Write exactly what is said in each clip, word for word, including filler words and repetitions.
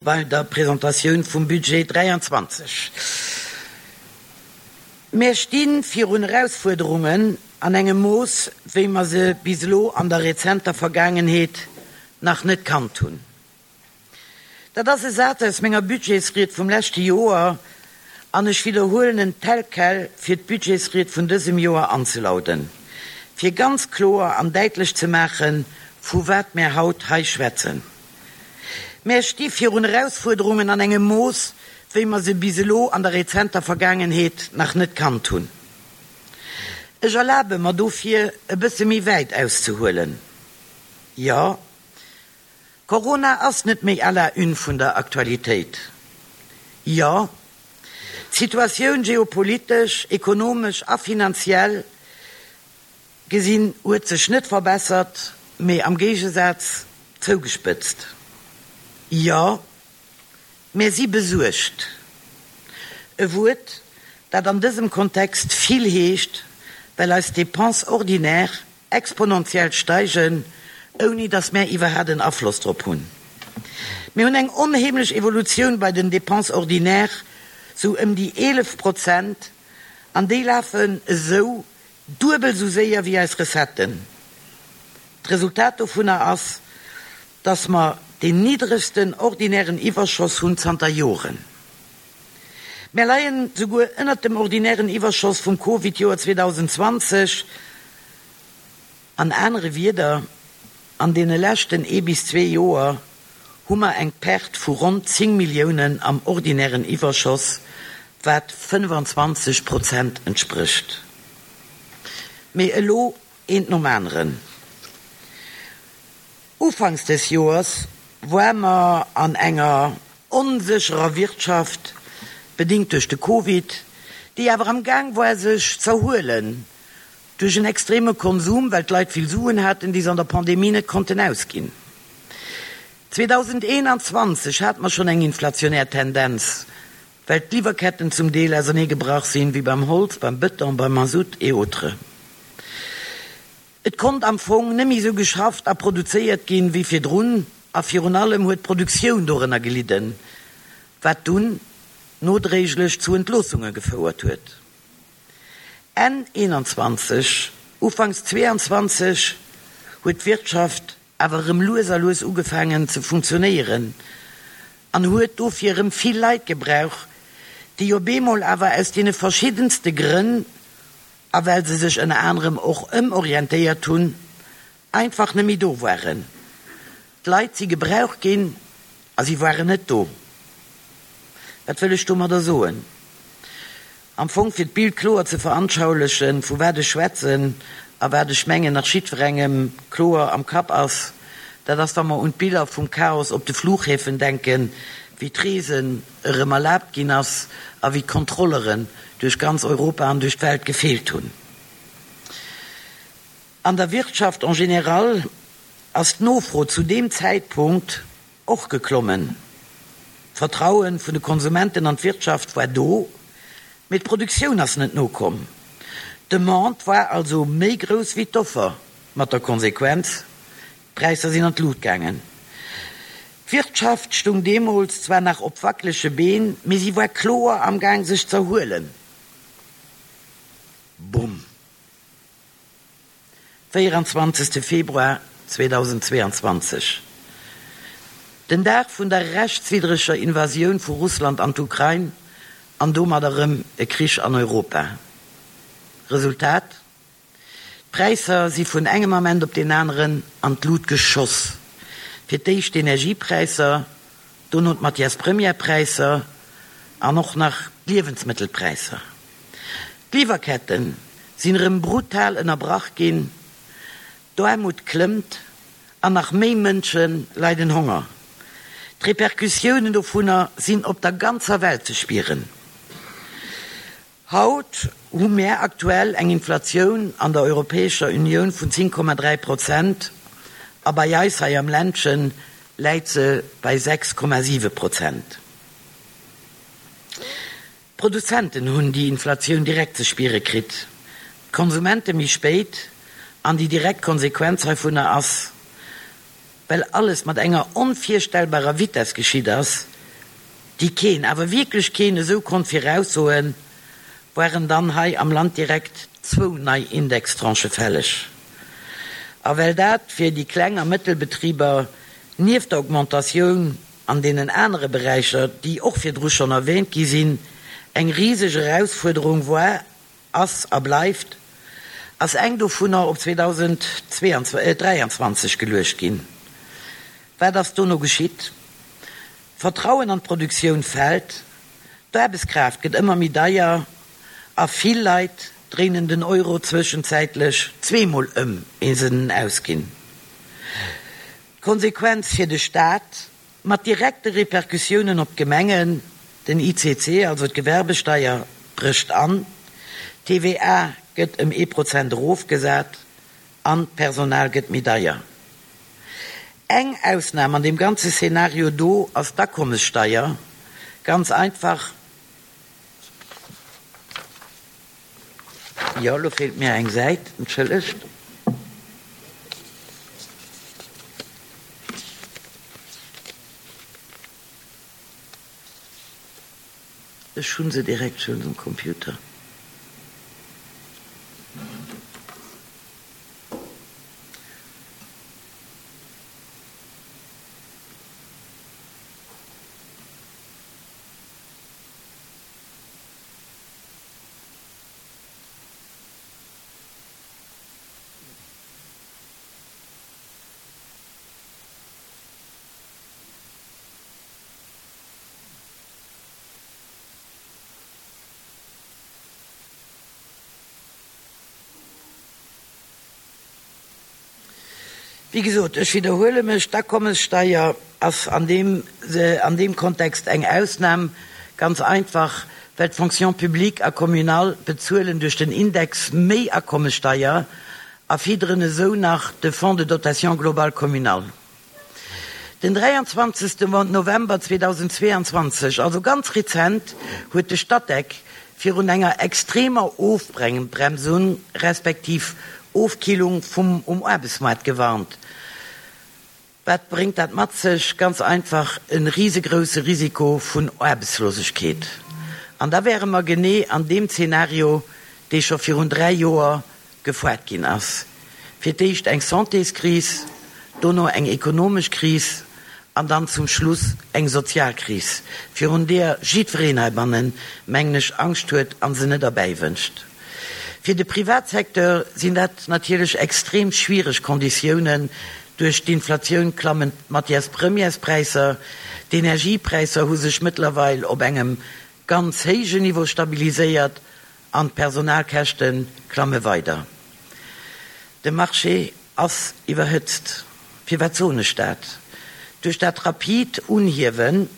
Bei der Presentatioun vum Budget dräianzwanzeg. Mär sti virun Erausfuerderungen an engem Mooss, wéi mer se bis elo an der rezenter Vergaangenheet nach net kannt hunn. Dat ass e Saz aus menger Budgetsried vum leschte Joer an ech widderhuelen en tel quel, fir d'Budgetsried vun dësem Joer anzelauden, fir ganz kloer an däitlech ze maachen, vu wat mär haut hei schwätzen. Mär sti virun Erausfuerderungen an engem Mooss, wéi mer se bis elo an der rezenter Vergaangenheet nach net kannt hunn. Ech erlabe mer dofir, e bësse méi wäit auszehuelen. Jo, Corona ass net méi à la une vun der Aktualitéit. Jo, d'Situatioun geopolitesch, ekonomesch a finanziell gesinn huet sech net verbessert, mee am Géigesaz zougespëtzt. Jo, mär si besuergt. E Wuert, dat an dësem Kontext vill heescht, well eis Dépenses ordinaires exponentiell steigen, ouni datt mär iwwerhat en Afloss drop hunn. Mir hunn eng onheemlech Evolutioun bei den Dépenses ordinaires, sou ëm déi eelef Prozent, an déi lafen esou duebel esou séier wéi eis Recetten. D'Resultat dovunner ass, dass mer deen niddregsten ordinären Iwwerschoss hunn zanter Joren. Mär leien souguer ënnert dem ordinären Iwwerschoss vum Covid-Joer zweedausendzwanzeg. An anere Wieder, an deene leschten ee bis zwee Joer hu mer eng Perte vu ronn zéng Milliounen am ordinären Iwwerschoss, wat fënnefanzwanzeg Prozent entsprécht. Mee elo eent nom aneren. Ufanks des Joers woar mer an enger onsécherer Wirtschaft, bedingt duerch de Covid, déi awer am Gaang woar sech z'erhuelen duerch en extreme Konsum, well d'Leit vill Suen haten, déi se an der Pandemie net konnten ausginn. zweedausendeenanzwanzeg hate mer schonn eng inflationär Tendenz, well d'Liwwerketten zum Deel auserneegebrach sinn, wéi beim Holz, beim Bëton, beim Mazout et autres. Et konnt am Fong net méi esou geschafft a produzéiert ginn, wéi virdrun, a virun allem huet d'Produktioun dorënner gelidden, wat dunn nodréiglech zu Entloossunge gefouert huet. Enn eenanzwanzeg, ufanks zweeanzwanzeg huet d'Wirtschaft awer erëm lues a lues ugefaangen ze funktionéieren an huet dofir erëm vill Leit gebrauch, déi op eemol awer aus deene verschiddenste Grënn, a well se sech ënner anerem och ëmorientéiert hunn, einfach net méi do waren. D'Leit si gebraucht ginn a si waren net do. Wat wëll ech domadder soen? Am Fong, fir d'Bild kloer ze veranschaulichen, vu wat ech schwätzen a wat ech mengen nach jiddwerengem kloer am Kapp ass, dat ass, wa mer un d'Biller vum Chaos op de Flughäfen denken, wéi d'Reesen erëm erlaabt ginn ass a wéi d'Kontrolleren duerch ganz Europa an duerch d'Welt gefeelt hunn. An der Wirtschaft en général ass d'Nofro zu deem Zäitpunkt och geklommen. D'Vertraue vun de Konsumenten an d'Wirtschaft war do, mee d'Produktioun ass net nokomm. D'Demande war also méi grouss wéi d'Offer, mat der Konsequenz, D'Präisser sinn an d'Lut gaangen. D'Wirtschaft stung deemools zwar nach op wackelege Been, mee si war kloer am Gaang sech z'erhuelen. Bumm! véieranzwanzegste Februar zweedausendzweeanzwanzeg, den Dag vun der rechtswiddreger Invasioun vu Russland an d'Ukrain an domat erëm e Krich an Europa. Resultat, D'Präisser si vun engem Ament op deen aneren an d'Lut geschoss. Fir d'éischt d'Energiepräisser, dono d'Matières-premières-Präisser an och nach d'Liewensmëttelpräisser. D'Liwwerkette sinn erëm brutal ënnerbrach ginn, d'Aarmut klëmmt an nach méi Mënsche leiden Honger. D'Repercussiounen dovunner sinn op der ganzer Welt ze spieren. Haut hu mär aktuell eng Inflatioun an der Europäescher Unioun vun zéng Komma dräi Prozent a bei eis hei am Ländche läit se bei sechs Komma siwe Prozent. D'Produzenten hunn déi Inflatioun direkt ze spiere kritt, d'Konsumente méi spéit an déi direkt Konsequenz heivunner ass, well alles mat enger onvirstellbarer Vitess geschitt ass, déi keen, awer wierklech keen esou konnt viraussoen, waren dann hei am Land direkt zwou nei Indextranchë fälleg. A well dat fir déi Kleng a Mëttelbetriber nieft der Augmentatioun an deenen anere Beräicher, déi och virdru schonn erwähnt gi sinn, eng riseg Erausfuerderung war, ass a bleift, ass eng dovunner op zweedausenddräianzwanzeg geluecht ginn. Wat ass dono geschitt? D'Vertrauen an d'Produktioun fält, d'Aarbechtskraaft gëtt ëmmer méi deier a vill Leit dréinen den Euro zwëschenzäitlech zweemol ëm, éier se en ausginn. D'Konsequenz fir de Staat, mat direkte Repercussiounen op d'Gemengen, Den I C C, also d'Gewerbesteier, brécht an, d'T V A gëtt ëm ee Prozent erofgesat an d'Personal gëtt méi deier. Eng Ausnam an deem ganze Szenario do ass d'Akommessteier, ganz einfach, jo, elo feelt mir eng Säit, entschëllegt. Ech hu se direkt schonn um Computer. Wéi gesot, ech widderhuele mech, d'Akommessteier ass an deem, an deem Kontext eng Ausnam, ganz einfach, well d'Fonction publique a communale bezuelen duerch den Index méi Akommessteier a fidderen esou nach de Fonds de dotation globale communal. Den dräianzwanzegste November zweedausendzweeanzwanzeg, also ganz rezent, huet de Statec virun enger extremer Ofbremsung respektiv Ofkillung vum um Aarbechtsmaart gewarnt. Wat bréngt dat mat sech? Ganz einfach e risegrousse Risiko vun Aarbechtslosegkeet. An da wäre mer genee an deem Zeenario, dee scho virun dräi Joer gefuert ginn ass. Fir d'éischt eng Santéskris, dono eng ekonomesch Kris an dann zum Schluss eng Sozialkris, virun deeër jiddwereen heibannen, mengen ech, Angscht huet a se net erbäiwënscht. Fir de Privatsecteur sinn dat natierlech extrem schwiereg Konditiounen. Duerch d'Inflatioun klammen d'Matières-premières-Präisser, d'Energiepräisser hu sech mëttlerweil op engem ganz héijen Niveau stabiliséiert an d'Personalkäschte klamme weider. De Marché ass iwwerhëtzt. Firwat soen ech dat? Duerch dat rapid Unhiewen,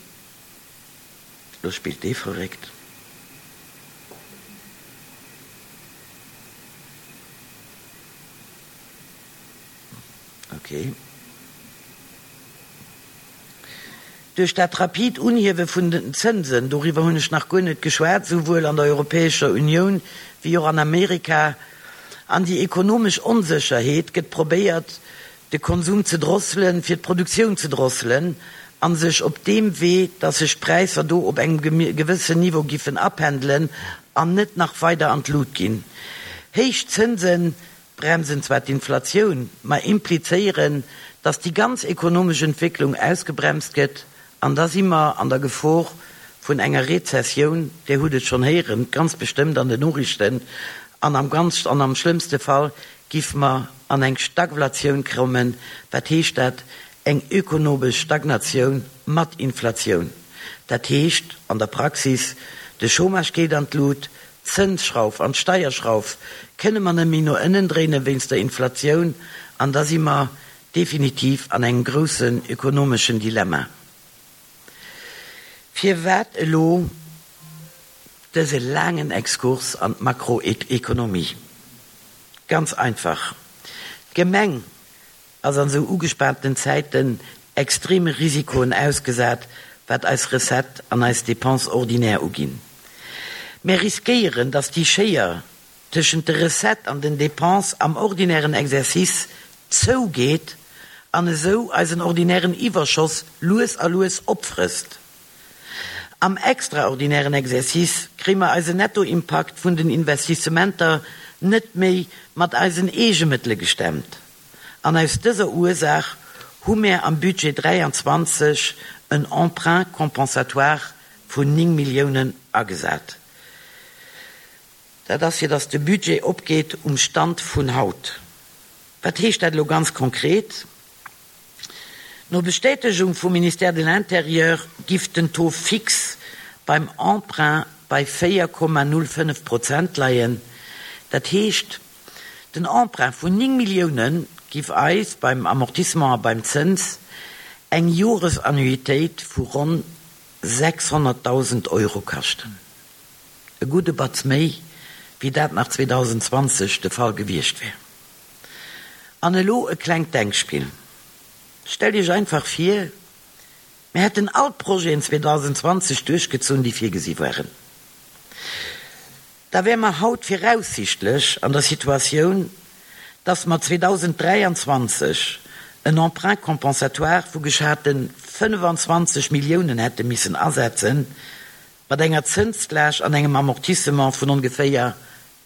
lo spillt dee verréckt. Okay. Duerch dat rapid Unhiewe vun den Zënsen, doriwwer hunn ech nach guer net geschwat, souwuel an der Europäescher Unioun wéi och an Amerika, an déi ekonomesch Onsécherheet gëtt probéiert, de Konsum ze drosselen, fir d'Produktioun ze drosselen a sech op deem Wee, dass sech d'Präisser do op engem gewëssen Niveau giffen apendelen an net nach weider an d'Lut ginn. Héich Zënse bremsen zwar d'Inflatioun, ma implizéieren, dass déi ganz ekonomesch Entwécklung ausgebremst gëtt, an da si mer an der Gefor vun enger Rezessioun, Dir hutt et schonn héieren, ganz bestëmmt an den Noriichten, an am ganz an am schlëmmste Fall giffe mer an eng Stagflatioun kommen. Wat heescht dat? Eng ökonomesch Stagnatioun mat Inflatioun. Dat heescht an der Praxis, de Chômage geet an d'Lut, d'Zënsschrauf an d'Steierschrauf kënne mer net méi no ënnen dréine wéinst der Inflatioun, an da si mer definitiv an engem groussen ökonomeschen Dilemma. Firwat elo dëse laangen Exkurs an d'Makroekonomie? Ganz einfach, D'Gemeng ass an esou ugespaanten Zäiten extreme Risikoen ausgesat, wat eis Recettes an eis Dépenses ordinaires uginn. Mir riskéieren, dass déi Schéier tëschent de Recettes an den Dépenses am ordinären Exercice zougeet an esou eisen ordinären Iwwerschoss lues a lues opfrësst. Am extraordinären Exercice kréie mer eisen Nettoimpakt vun den Investissementer net méi mat eisen Eegemëttele gestemmt. An aus dëser Ursaach hu mir am Budget dräianzwanzeg en Emprunt compensatoire vun néng Milliounen agesat. Dat ass fir datt de Budget opgeet um Stand vun haut. Wat heescht dat elo ganz konkret? No Bestätegung vum Ministère de l'Intérieur giff den Taux fixe beim Emprunt bei véier Komma null fënnef Prozent leien. Dat heescht, den Emprunt vun néng Millioune giff eis beim Amortissement a beim Zëns eng Joresannuitéit vu ronn sechshonnertdausend Euro kaschten. E gudde Batz méi, wéi dat nach zweedausendzwanzeg de Fall gewiescht wär. An elo e klengt Denkspill. Stellt Iech einfach vir, mir hätten all d'Projeten zweedausendzwanzeg duerchgezunn, déi virgesi waren. Da wäre mer haut viraussichtlech an der Situatioun, dass mer zweedausenddräianzwanzeg en Emprunt compensatoire vu geschate fënnefanzwanzeg Milliounen hätte missen asetzen, mat enger Zënslaascht an engem Amortissement vun ongeféier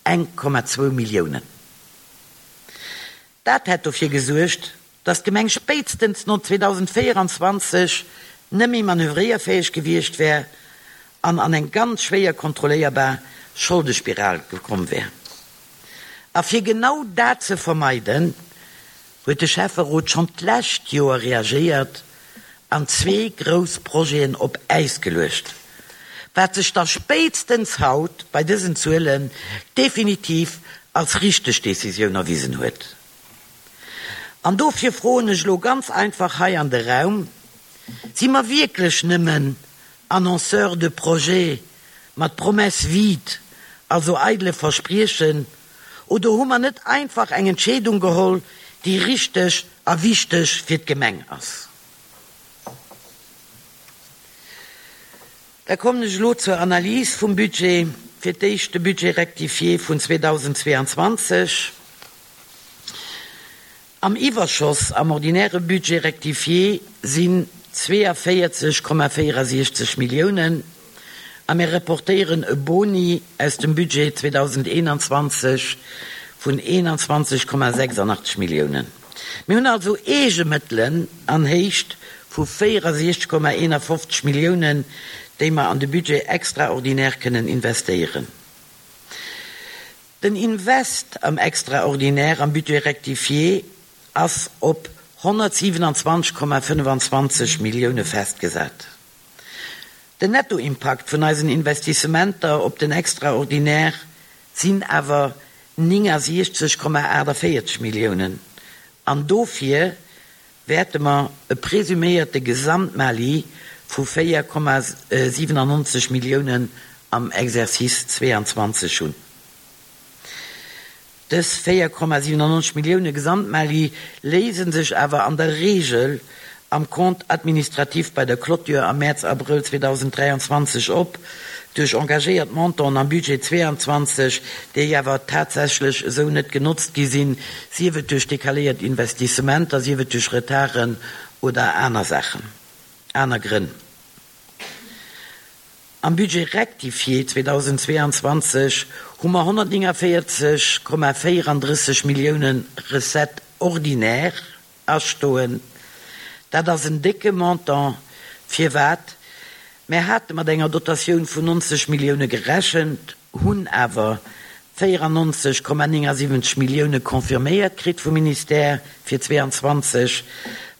eng Komma zwou Milliounen. Dat hätt dofir gesuergt, dass d'Gemeng spéitstens no zweedausendvéieranzwanzeg net méi manövréierfäeg gewiescht wär an an eng ganz schwéier kontrolléierbar Scholdespiral gekomm wär. A fir genau dat ze vermeiden, huet de Schäfferot schonn d'lescht Joer reagéiert an zwee grouss Projeten op Äis geluecht, wat sech da spéitstens haut bei dësen Zuelen definitiv als richteg Decisioun erwisen huet. An dofir froen ech elo ganz einfach hei an de Raum, Si mer wierklech nëmmen Annonceurs de projets mat Promesses vides, also eidele Verspriechen, oder hu mer net einfach eng Entscheedung geholl, déi richteg a wichteg fir d'Gemeng ass? Da kommen ech elo zur Analys vum Budget, fir d'éischt de Budget rectifié vun zweedausendzweeanzwanzeg. Am Iwwerschoss am ordinäre Budget rectifié sinn zweeënvéierzeg Komma véierasiechzeg Milliounen a mir reportéieren e Boni aus dem Budget zweedausendeenanzwanzeg vun eenanzwanzeg Komma sechsundachtzeg Milliounen. Mir hunn also Eegemëttelen an Héicht vu véierasiechzeg Komma eenafofzeg Milliounen, déi mer an de Budget extraordinaire kënnen investéieren. Den Invest am Extraordinaire am Budget rectifié ass op honnertsiewenundzwanzeg Komma fënnefanzwanzeg Millioune festgesat. Den Nettoimpakt vun eisen Investissementer op den Extraordinaire sinn awer néngasiechzeg Komma aachtavéierzeg Milliounen an dofir wäerte mer e presuméierte Gesamtmali vu véier Komma siewenundneunzeg Milliounen am Exercice zweeanzwanzeg hunn. Dës véier Komma siewenundneunzeg Millioune Gesamtmali léise sech awer an der Reegel am Compte administratif bei der Clôture am Mäerz, Abrëll zweedausenddräianzwanzeg op, duerch engagéiert Montanten am Budget zweeanzwanzeg, déi awer tatsächlech esou net genotzt gi sinn, sief et duerch decaléiert Investissementer, sief et duerch Retarden oder aner Saachen, aner Grënn. Am Budget rectifié zweedausendzweeanzwanzeg hu mer honnertnéngundvéierzeg Komma véierunddrësseg Milliounen Recettes ordinaires astoen. Dat ass en décke Montant. Firwat? Mir hate mat enger Dotatioun vun nonzeg Millioune gerechent, hunn awer véierannonzeg Komma néngundsiwwenzeg Millioune confirméiert kritt vum Ministère fir zweeanzwanzeg,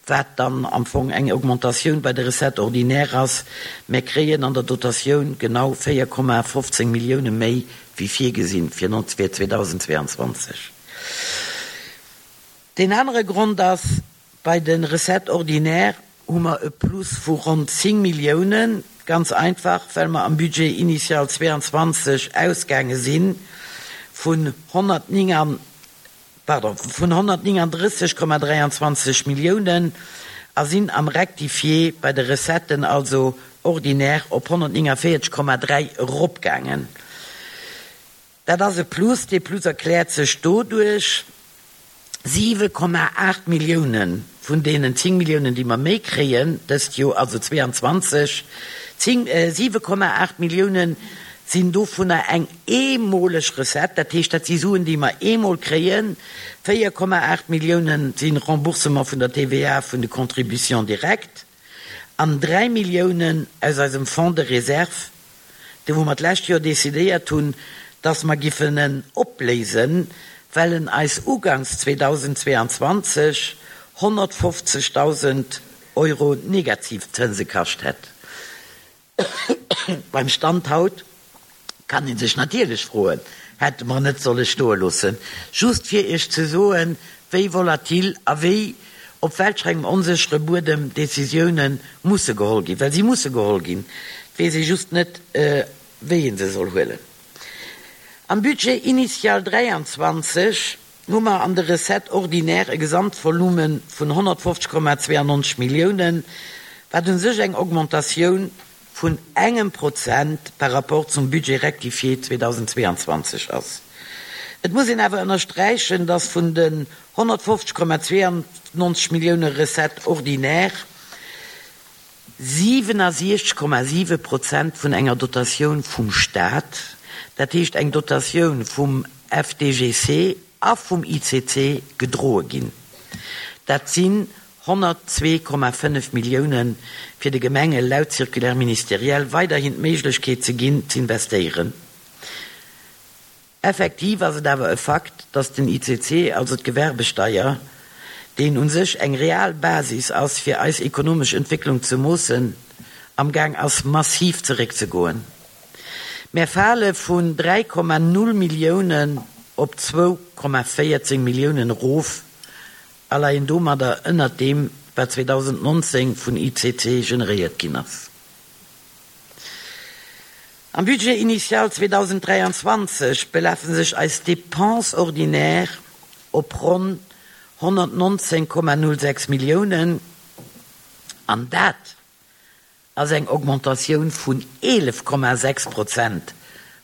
wat dann am Fong eng Augmentatioun bei de Recettes ordinaires ass. Mir kréien an der Dotatioun genau véier Komma fofzéng Millioune méi wéi virgesinn fir zweedausendzweeanzwanzeg. Deen anere Grond ass, bei de Recettes ordinaires hu mer e Plus vu ronn zéng Milliounen, ganz einfach, well mer am Budget initial zweeanzwanzeg ausgaange si vun honnertnéng, pardon, vun honnertnéngundrësseg Komma dräianzwanzeg Milliounen a sinn am Rectifié bei de Recetten, also ordinaire, op honnertnéngundvéierzeg Komma dräi eropgaangen. Dat ass e Plus. Dee Plus erkläert sech doduerch, siwe Komma aacht Millioune vun deenen zéng Milliounen, déi mer méi kréien dëst Joer, also zweeanzwanzeg, siwe Komma aacht Milliounen sinn dovunner eng eemoleg Recette, dat heescht, dat si Suen, déi mer eemol kréien. Véier Komma aacht Milliounen si Remboursement vun der T V A vun de Contributions directes an dräi Milliounen aus eisem Fonds de réserve, dee wou mer d'lescht Joer decidéiert hunn, dass mer giffen en opléisen, well en eis ugangs zweedausendzweeanzwanzeg honnertfofzegdausend Euro negativ Zënse kascht hätt. Beim Stand haut kann ee sech natierlech froen, hätte mer net solle stoe loossen. Just fir Iech ze soen, wéi volatil a wéi op welch engem onséchere Buedem Decisioune musse geholl ginn, well si musse geholl ginn, et weess ee just net, wéi ee se soll huelen. Am Budget initial dräianzwanzeg hu mer an de Recettes ordinaires e Gesamtvolume vun honnertfofzeg Komma zweiannonzeg Milliounen, wat u sech eng Augmentatioun vun engem Prozent par rapport zum Budget rectifié zweedausendzweeanzwanzeg ass. Et muss een awer ënnersträichen, dass vun den honnertfofzeg Komma zweiannonzeg Millioune Recettes ordinaires siwenesechzeg Komma siwe Prozent vun enger Dotatioun vum Staat, dat heescht eng Dotatioun vum F D G C a vum I C C gedroe ginn. Dat sinn honnertzwee Komma fënnef Milliounen, fir de Gemenge laut Circulaire ministérielle weiderhin d'Méiglechkeet ze ginn, z'investéieren. Effektiv ass et awer e Fakt, dass den I C C, also d'Gewerbesteier, deen u sech eng real Basis ass, fir eis ekonomesch Entwécklung ze moossen, amgaang ass massiv zeréckzegoen. Mir fale vun dräi Komma null Milliounen op zwou Komma véierzéng Milliounen erof a leien domadder ënnert deem, wat zweedausendnonzéng vun I C C generéiert ginn ass. Am Budget initial zweedausenddräianzwanzeg belafe sech eis Dépenses ordinaires op ronn honnertnonzéng Komma null sechs Milliounen an dat ass eng Augmentatioun vun eelef Komma sechs Prozent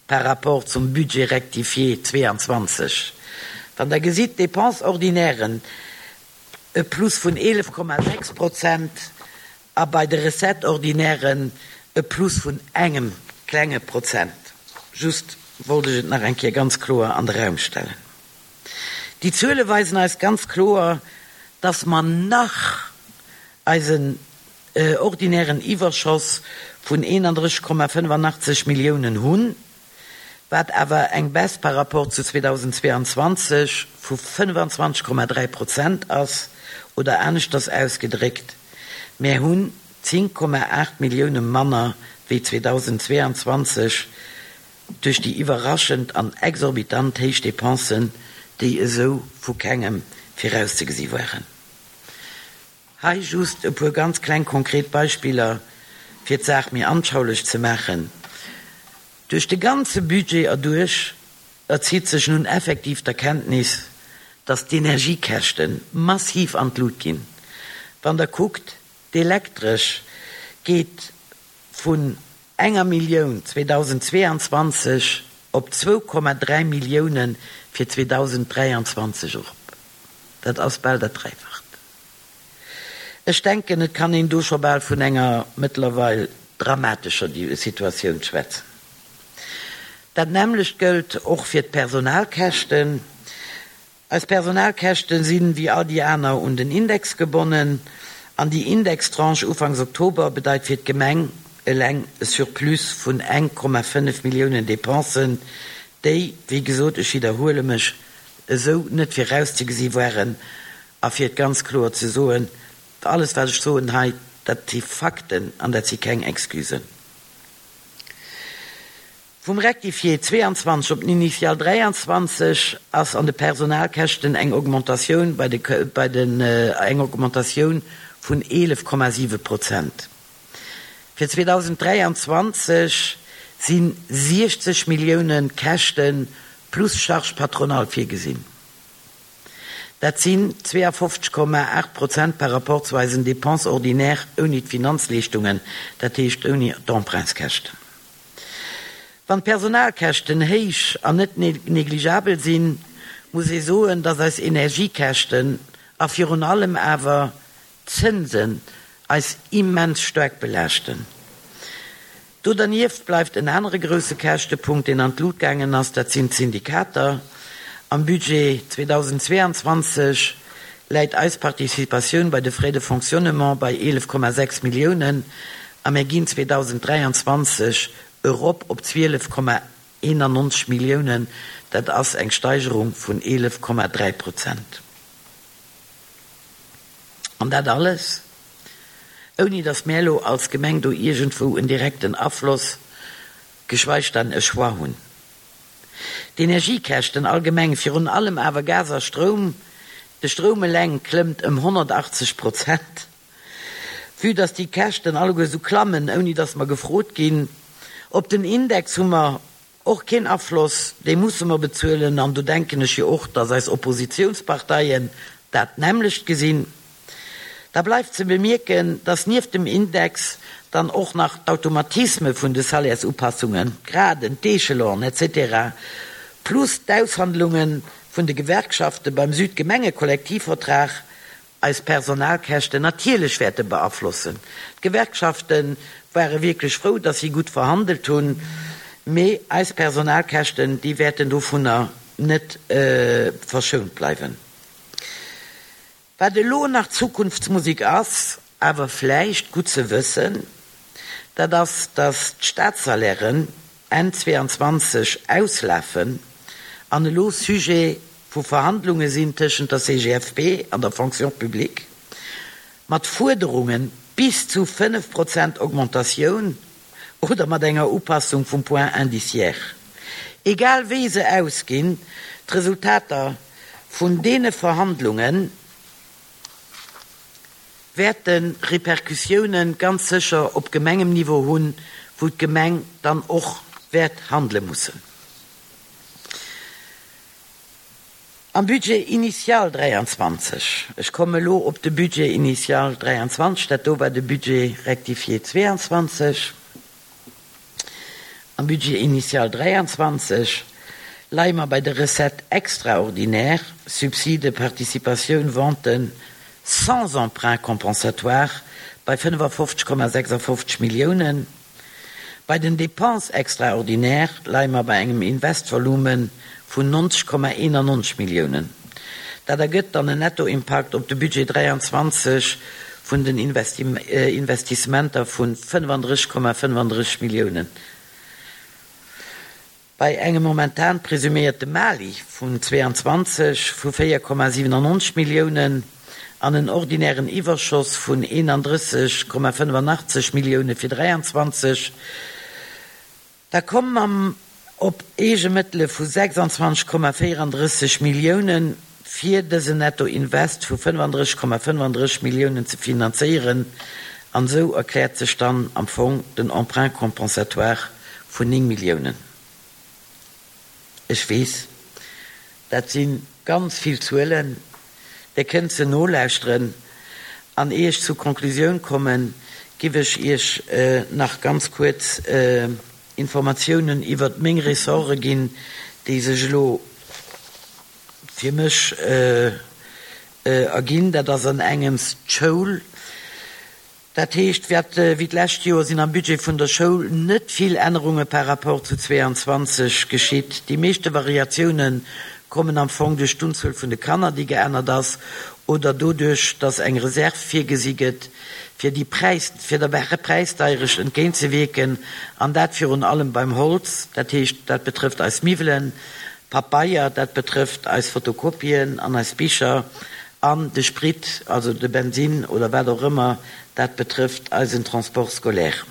par rapport zum Budget rectifié zweianzwanzeg. Wann Der gesitt, d'Dépenses ordinairen e Plus vun eelef Komma sechs Prozent a bei de Recettes ordinairen e Plus vun engem klenge Prozent. Just wollt ech et nach eng Kéier ganz kloer an de Raum stellen. Déi Zuele weisen eis ganz kloer, dass mer nach eisen ordinären Iwwerschoss vun eenandrësseg Komma fënnefanachtzeg Milliounen hunn, wat awer eng Baisse par rapport zu zweedausendzweianzwanzeg vu fënnefanzwanzeg Komma dräi Prozent ass, oder aneschters ausgedréckt, mir hunn zéng Komma aacht Millioune manner wéi zweedausendzweianzwanzeg duerch déi iwwerraschend an exorbitant héich Depensen, déi esou vu kengem virauszegesi waren. Hei just e puer ganz kleng konkret Beispiller, fir d'Saach méi anschaulech ze maachen. Duerch de ganze Budget erduerch erzitt sech nun effektiv d'Erkenntnis, dass d'Energiekäschte massiv an d'Lut ginn. Wann Der kuckt, d'Elektresch geet vun enger Millioun zweedausendzweianzwanzeg op zwou Komma dräi Millioune fir zweedausenddräianzwanzeg erop. Dat ass bal dat Dräifacht. Ech denken, et kann een do scho bal vun enger mëttlerweil dramatescher Situatioun schwätzen. Dat nämmlecht gëllt och fir d'Personalkäschten. Eis Personalkäschte sinn, wéi all déi aner, un den Index gebonnen an déi Indextranche ufanks Oktober bedeit fir d'Gemeng eleng e Surplus vun eng Komma fënnef Milliounen Depensen, déi, wéi gesot, ech widderhuele mech, esou net virauszegesi waren. A fir et ganz kloer ze soen, alles wat ech soen hei, dat si Fakten an dat si keng Excusen. Vum Rectifié zweianzwanzeg op den Initial dräianzwanzeg ass an de Personalkäschten eng Augmentatioun bei de bei den eng Augmentatioun vun eelef Komma siwe Prozent. Fir zweedausenddräianzwanzeg si siechzeg Millioune Käschte plus Charges patronales virgesinn. Dat sinn zweeafofzeg Komma aacht Prozent par rapport zu eisen Dépenses ordinaires ouni d'Finanzleeschtungen, dat heescht ouni d'Emprunteskäschten. Wann d'Personalkäschten héich an net negligabel sinn, muss ee soen, datt eis Energiekäschten a virun allem awer d'Zënsen eis immens staark belaaschten. Do dernieft bleift en anere grousse Käschtepunkt, deen an d'Lut gaangen ass, dat sinn d'Syndikater. Am Budget zweedausendzweeanzwanzeg läit eis Participatioun bei de Frais de fonctionnement bei eelef Komma sechs Milliounen a mir ginn zweedausenddräianzwanzeg erop op zwielef Komma eenannonzeg Milliounen, dat ass eng Steigerung vun eelef Komma dräi Prozent. An dat alles, ouni datt mär elo als Gemeng do iergendwou en direkten Afloss, geschweig dann e Choix hunn. D'Energiekäschten allgemeng, virun allem awer Gas a Stroum, de Stroum eleng klëmmt ëm honnertachtzeg Prozent. Vue datt déi Käschten alleguer esou klammen, ouni datt mer gefrot ginn, op den Index hu mer och keen Afloss, dee musse mer bezuelen an do denken ech jo och, datt eis Oppositionsparteien dat nämmlecht gesinn. Da bleift ze bemierken, datt nieft dem Index dann och nach d'Automatisme vun de Salaires-Upassungen, d'Graden, d'Échelonen, et cetera, plus d'Aushandlunge vun de Gewerkschafte beim Südgemengekollektivvertrag eis Personalkäschten natierlech wäerte beaflossen. D'Gewerkschafte ware wierklech frou, datt si gutt verhandelt hunn, mee eis Personalkäschten, déi wäerten dovunner net verschount bleiwen. Wat elo nach Zukunftsmusik ass, awer vläicht gutt ze wëssen, dat ass, datt d'Staatssalairen Enn zweeanzwanzeg auslafen an elo Sujet vu Verhandlunge sinn tëschent der C G F P an der Fonction publique, mat Fuerderunge bis zu fënnef Prozent Augmentatioun oder mat enger Upassung vum Point indiciaire. Egal wéi se ausginn, d'Resultater vun deene Verhandlunge wäerte Repercussioune ganz sécher op Gemengenniveau hunn, wou d'Gemeng dann och wäert handele mussen. Am Budget initial dräianzwanzeg, ech komme lo op de Budget initial dräianzwanzeg, dat do war de Budget rectifié zweeanzwanzeg, am Budget initial dräianzwanzeg leie mer bei de Recettes extraordinaires, Subside, Participatioun, Venten, sans emprunt compensatoire, bei fënnefafofzeg Komma sechsafofzeg Milliounen. Bei den Dépenses extraordinaires leie mer bei engem Investvolume vun neunzeg Komma einundneunzeg Milliounen. Dat ergëtt dann en Nettoimpakt op de Budget dräianzwanzeg vun den Investissementer vu fënnefandrësseg Komma fënnefandrësseg Milliounen. Bei engem momentan presuméierte Mali vun zweeanzwanzeg vu véier Komma siwennennonzeg Milliounen an en ordinären Iwwerschoss vun eenandrësseg Komma fënnefanachteg Millioune fir dräianzwanzeg, da komme mer op Eegemëttele vu sechsanzwanzeg Komma véierandrësseg Millioune fir dësen Nettoinvest vu fënnefandrësseg Komma fënnefandrësseg Milliounen ze finanzéieren, an esou erkläert sech dann am Fong den Emprunt compensatoire vun néng Milliounen. Ech weess, dat si ganz vill Zuelen, Dir kënnt se nolauschteren an ier ech zur Conclusioun kommen, giff ech Iech nach ganz kuerz Informatiounen iwwert meng Ressorte ginn, déi sech elo fir mech erginn. Dat ass an engems d'Schoul. Dat heescht, wéi d'lescht Joer sinn am Budget vun der Schoul net vill Ännerunge par rapport zu zweeanzwanzeg geschitt. Déi meeschte Variatioune kommen am Fong duerch d'Unzuel vun de Kanner, déi geännert ass, oder doduerch, datt eng Reserv virgesi gëtt, fir déi Präis, fir der Präisdeierecht entgéintzewierken, an dat virun allem beim Holz, dat heescht, dat betrëfft eis Miwwelen, Pabeier, dat betrëfft eis Fotokopien an eis Bicher, an de Sprit, also de Bensin oder wat och ëmmer, dat betrëfft eisen Transport scolaire.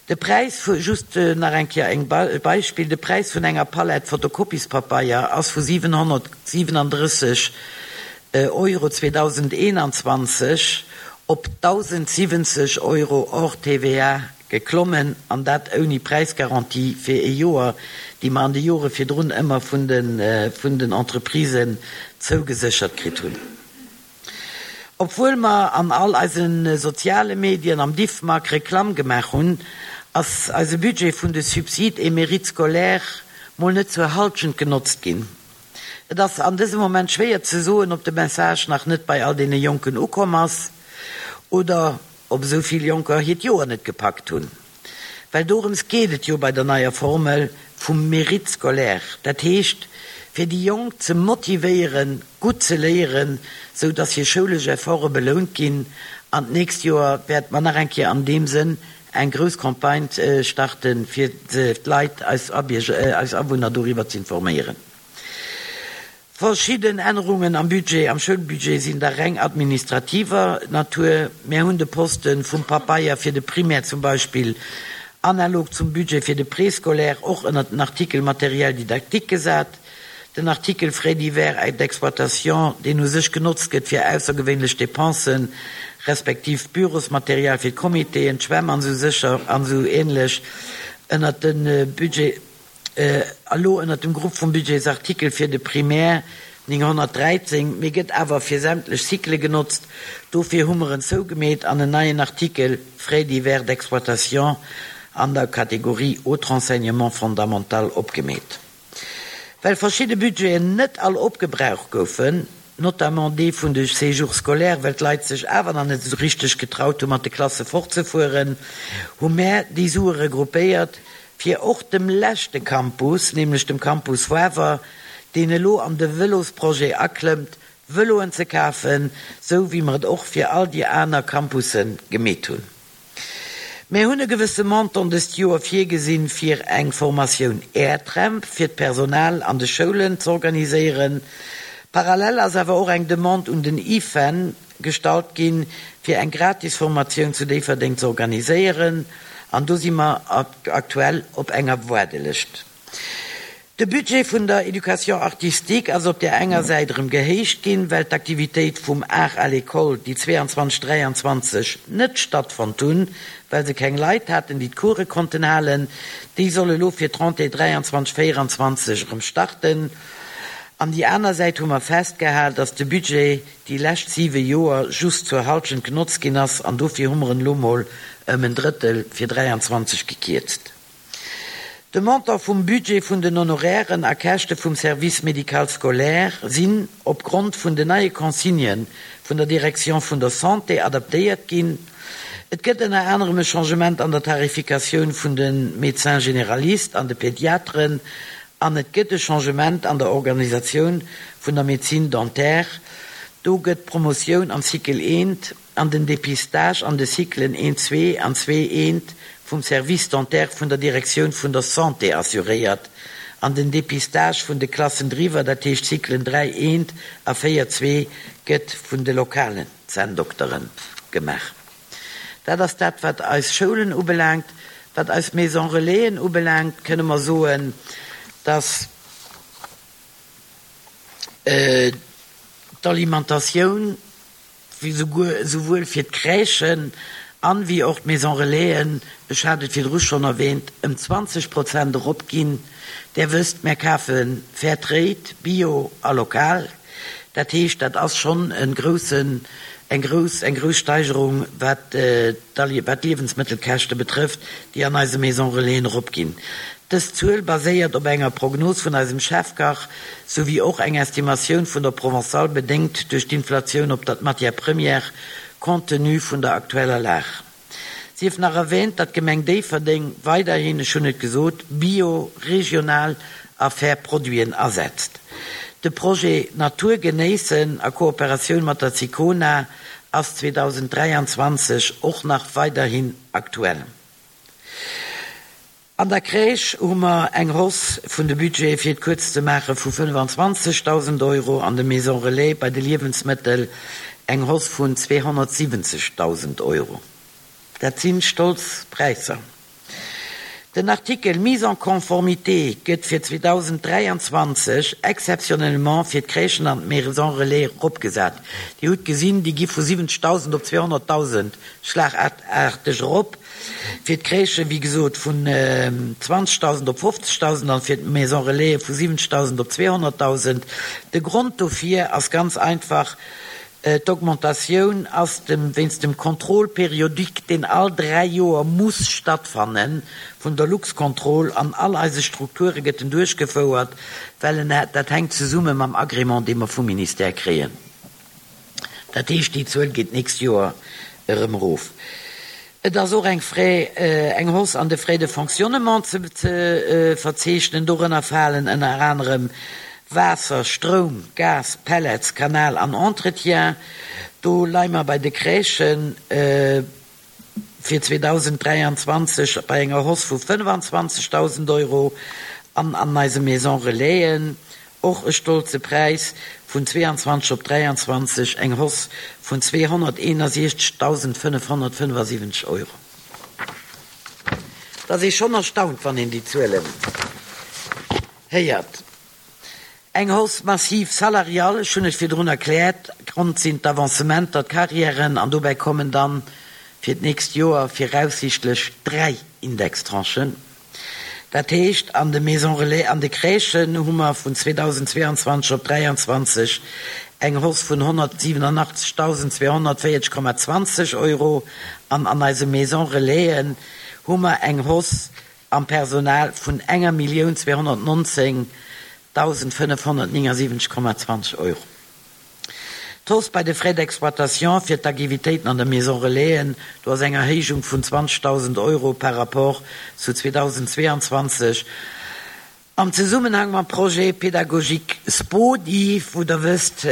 De Präis vu, just nach eng Kéier eng Beispill, de Präis vun enger Palett Fotokopiespapeier ass vu siwenhonnertsiwenandrësseg Euro zweedausendeenanzwanzeg op dausendsiwwenzeg Euro hors T V A geklommen, an dat ouni Präisgarantie fir ee Joer, déi mer an de Jore virdrun ëmmer vun de vun den Entreprisen zougeséchert kritt hunn. Obwuel mer an all eise soziale Medien, am Diffmag Reklamm gemaach hunn, ass eise Budget vun de Subsides et mérites scolaires mol net zur Halschent genotzt ginn. Et ass an dësem Moment schwéier ze soen, ob de Message nach net bei all deene Jonken ukomm ass oder ob esou vill Jonker hiert Joer net gepackt hunn. Well dorëms geet et jo bei der neier Formel vum Mérite scolaire, dat heescht, fir déi Jonk ze motivéieren, gutt ze léieren, sou dass hir schoulesch Efforte belount ginn. An d'nächst Joer wäerte mer nach eng Kéier an deem Sënn eng grouss Campagne starten, fir d'Leit, eis eis Awunner doriwwer ze informéieren. Verschidden Ännerungen am Budget, am Schoulbudget sinn da reng administrativer Natur. Mär hunn de Poste vum Papeier fir de Primaire zum Beispill analog zum Budget fir de Préscolaire och ënnert den Artikel Matériel didactique gesat. Den Artikel Frais divers et d'exploitation, deen u sech genotzt gëtt fir aussergewéinlech Dépensen, respektiv Bürosmaterial fir d'Comitéen, d'Schwämm an esou sécher an esou ähnlech, ënnert de Budget, elo ënnert dem Grupp vum Budgetsartikel fir de Primaire nénghonnertdräizéng, mee gëtt awer fir sämtlech Cyclë genotzt. Dofir hu mer en zougemeet an en neien Artikel Frais divers d'exploitation an der Kategorie Autre enseignement fondamental opgemeet. Well verschidde Budgeten net all opgebraucht goufen, notamment dee vun de Séjours scolaires, well d'Leit sech awer nach net esou richteg getraut hu mat de Klasse fortzefueren, hu mär déi Sue regroupéiert, fir och dem leschte Campus, nämlech dem Campus Wawer, deen elo an de Vëlosprojet aklëmmt, Vëloen ze kafen, sou wéi mer et och fir all déi aner Campusse gemeet hunn. Mär hunn e gewësse Montant dëst Joer virgesinn, fir eng Formatioun Airtramp fir d'Personal an de Schoulen z'organiséieren. Parallel ass awer och eng Demande un den IFEN gestallt ginn, fir eng gratis Formatioun zu Déifferdeng z'organiséieren, an do si mer aktuell op enger Waardelëscht. De Budget vun der Éducation artistique ass op där enger Säit erëm gehéicht ginn, well d'Aktivitéit vum Art à l'école, déi zweeanzwanzeg, dräianzwanzeg net stattfonnt hunn, well se keng Leit haten, déi d'Course konnten halen, déi soll elo fir d'Rentrée dräianzwanzeg, véieranzwanzeg erëm starten. An déi aner Säit hu mer festgehal, dass de Budget déi lescht siwe Joer just zur Halschent genotzt ginn ass, an dofir hu mer en elo mol ëm en Drëttel fir dräianzwanzeg gekierzt. De Montant vum Budget vun den Honorairen a Käschte vum Service médical scolaire sinn opgrond vun den neie Consignë vun der Direction vun der Santé adaptéiert ginn. Et gëtt ënner anerem e Changement an der Tarifikatioun vun de Médecins généralistes an de Pédiatren an et gëtt e Changement an der Organisatioun vun der Médecine dentaire. Do gëtt d'Promotioun am Cycle eent an den Dépistage an de Cyclen eent, zwee an zwee, eent vum Service dentaire vun der Direktioun vun der Santé assuréiert an den Dépistage vun de Klassen driwwer, dat heescht Cyclen dräi, eent a véier, zwee, gëtt vun de lokalen Zänndoktere gemaach. Dat ass dat, wat eis Schoulen ubelaangt. Wat eis Maison Relaisen ubelaangt, kënne mer soen, dass d'Alimentatioun souwuel fir d'Crèchen an wéi och d'Maison Relaisen, ech hat et virdru schonn erwähnt, ëm zwanzeg Prozent eropginn. Där wësst, mär kafe Fair Trade, Bio a lokal. Dat heescht, dat ass schonn e groussen, eng grouss, eng grouss Steigerung, wat d'Liewensmëttelkäschte betrëfft, déi an eise Maison Relaisen eropginn. Dës Zuel baséiert op enger Prognos vun eisem Chefkach, souwéi och eng Estimatioun vun der Provençale, bedéngt duerch d'Inflatioun op der d'Matières premières, compte tenu vun der aktueller Lag. Sief nach erwähnt, datt d'Gemeng Déifferdeng weiderhin, ech hunn et gesot, bio, regional a fair Produiten asetzt. De Projet Natur genéissen a Kooperatioun mat der Sicona ass zweedausenddräianzwanzeg och nach weiderhin aktuell. An der Crèche hu mer eng Hausse vun de Budgete, fir et kuerz ze maachen, vu fënnefanzwanzegdausend Euro, an de Maisons Relais bei de Liewensmëttel eng Hausse vun zweehonnertsiwwenzegdausend Euro. Dat si stolz Präisser. Den Artikel Mise en conformité gëtt fir zweedausenddräianzwanzeg exceptionnellement fir d'Crèchen an d'Maisons Relais eropgesat. Dir hutt gesinn, déi gi vu siwwenzegdausend op zweehonnertdausend schlagarteg erop. Fir d'Crèchen, wéi gesot, vun zwanzegdausend op fofzegdausend an fir d'Maisons Relais vu siwwenzegdausend op zweehonnertdausend. De Grond dofir ass ganz einfach, D'augmentatioun ass dem wéinst dem Contrôle périodique, deen all dräi Joer muss stattfanne vun der Luxcontrol. An all eise Strukture gëtt en duerchgefouert, well en dat hänkt zesumme mam Agrément, dee mer vum Ministère kréien. Dat heescht, déi Zuel geet d'nächst Joer erëm erof. Et ass och eng Frais, eng Hausse an de Frais de fonctionnement ze verzeechnen. Dorënner falen ënner anerem Waasser, Stroum, Gas, Pellets, Kanal an Entretien. Do leie mer bei de Crèchen fir zweedausenddräianzwanzeg bei enger Hausse vu fënnfanzwanzegdausend Euro an an eise Maisons Relaisen, och e stolze Präis, vun zweeanzwanzeg op dräianzwanzeg eng Hausse vun zweehonnerteenundsechzegdausendfënnefhonnertfënnefasiwwenzeg Euro. Et ass ee schonn erstaunt, wann een déi Zuelen héiert. Eng Hausse massive salariale, ech hunn et virdrun erkläert, Grond sinn d'Avancementer, d'Carrièren an dobäi kommen dann fir d'nächst Joer viraussichtlech dräi Indextranchen. Dat heescht, an de Maisons Relais, an de Crèchen hu mer vun zweedausendzweeanzwanzeg op dräianzwanzeg eng Hausse vun honnertsiwenunachtzegtausendzweehonnertvéierzeg Komma zwanzeg Euro an an eise Maisons Relaisen hu mer eng Hausse am Personal vun enger Millioun zweehonnertnonzéngtausendfënnefhonnertnéngasiwwenzeg Komma zwanzeg Euro. D'Hausse bei de Frais d'exploitation fir d'Aktivitéiten an de Maisons Relaisen, do ass eng Erhéijung vun zwanzegdausend Euro par rapport zu zweedausendzweeanzwanzeg am Zesummenhang mam Projet pédagogique SPODI, wou Der wësst,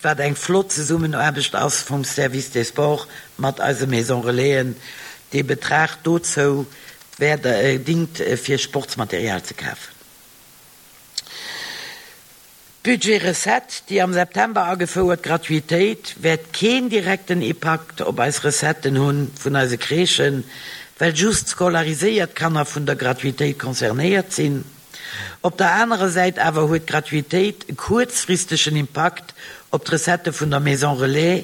wat eng flott Zesummenaarbecht ass vum Service des Sports mat eise Maisons Relaisen. Dee Betrag dozou wäert, dingt fir Sportsmaterial ze kafen. D'Budget-Recette, déi am September agefouert Gratuitéit, wäert keen direkten Impakt op eis Recetten hunn vun eise Crèchen, well just scolariséiert Kanner vun der Gratuitéit concernéiert sinn. Op der anerer Säit awer huet d'Gratuitéit e kuerzfristegen Impakt op d'Recettë vun der Maison Relais.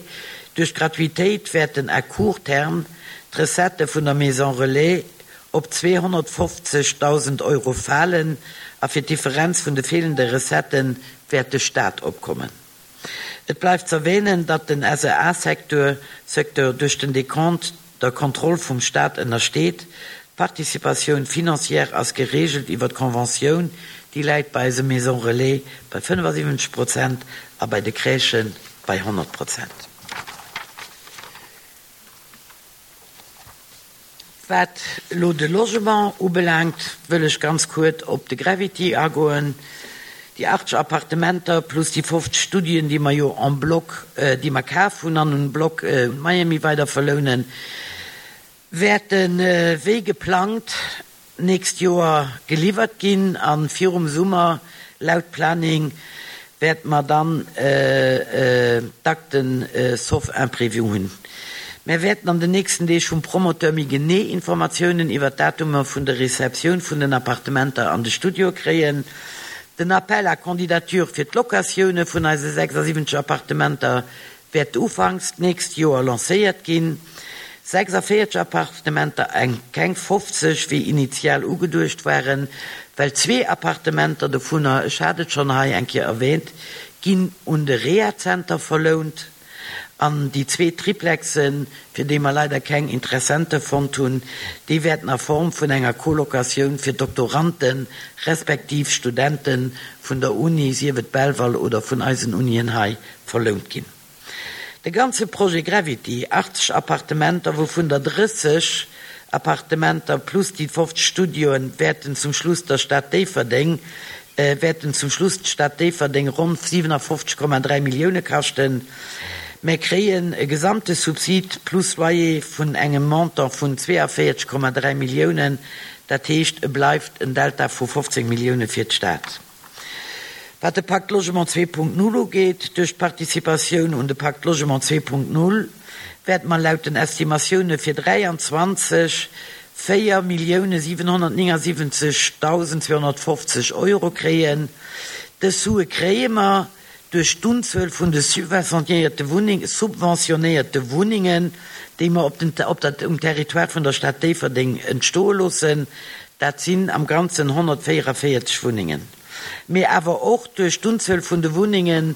Duerch d'Gratuitéit wäerten à court terme d'Recettë vun der Maison Relais op zweehonnertfofzegdausend Euro falen a fir d'Differenz vun de feelende Recettë wäert de Staat opkommen. Et bleift z'erwähnen, datt den S E A-Secteur Secteur duerch den Dekont der Kontroll vum Staat ënnersteet. D'Participatioun financière ass gereegelt iwwer d'Conventioun, déi läit bei eise Maisons Relais bei fënnefasiwwenzeg Prozent a bei de Crèchë bei honnert Prozent. Wat elo de Logement ubelaangt, wëll ech ganz kuert op de Gravity agoen. Déi achtzeg Appartementer plus déi fofzeg Studioen, déi mer jo en bloc, déi mer kaf hunn an en bloc un Miami weider verlounen, wäerte wéi geplangt nächst Joer geliwwert ginn a virum Summer, laut Planning, wäerte mer dann d'Akten sauf imprévu hunn. Mär wäerten an den nächsten Deeg vum Promoteur méi genee Informatiounen iwwer d'Datumer vun der Receptioun vun den Appartementer an de Studioe kréien. Den Appel à candidatures fir d'Locatioune vun eise sechsasiwwenzeg Appartementer wäert ufanks d'nächst Joer lancéiert ginn. sechsavéierzeg Appartementer, eng keng fofzeg wéi initial ugeduecht waren, well zwee Appartementer dovunner, ech hat et schonn hei eng Kéier erwähnt, ginn un de Rehazenter verlount an déi zwee Triplexen, fir déi mer leider keng Interessente fonnt hunn, déi wäerten a Form vun enger Colocatioun fir Doktoranden respektiv Studente vun der Uni, sief et Belval oder vun eisen Unien hei, verlount ginn. De ganze Projet Gravity, achtzeg Appartementer, wouvun der drësseg Appartementer plus déi fofzeg Studioen, wäerten zum Schluss der Stad Déifferdeng wäerten zum Schluss d'Stad Déifferdeng ronn siwenafofzeg Komma dräi Millioune kaschten. Mär kréien e gesamte Subsid plus Loyer vun engem Montant vun zweeënvéierzeg Komma dräi Milliounen, dat heescht, e bleift en Delta vu fofzéng Millioune fir d'Stad. Wat de Pacte Logement zwee Punkt null ugeet, duerch d'Participatioun un de Pacte Logement zwee Punkt null wäerte mer laut den Estimatioune fir dräianzwanzeg véier Millioune siwenhonnertnéngasiwwenzegdausend zweehonnertfofzeg Euro kréien. Dës Sue kréie mer duerch d'Unzuel vun de subventionéierte Wunneng, subventionéierte Wunnengen, déi mer op den, op der, um Territoire vun der Stad Déifferdeng entstoe loossen. Dat sinn am Ganzen honnertvéierevéierzeg Wunnengen. Mee awer och duerch d'Unzuel vun de Wunnenge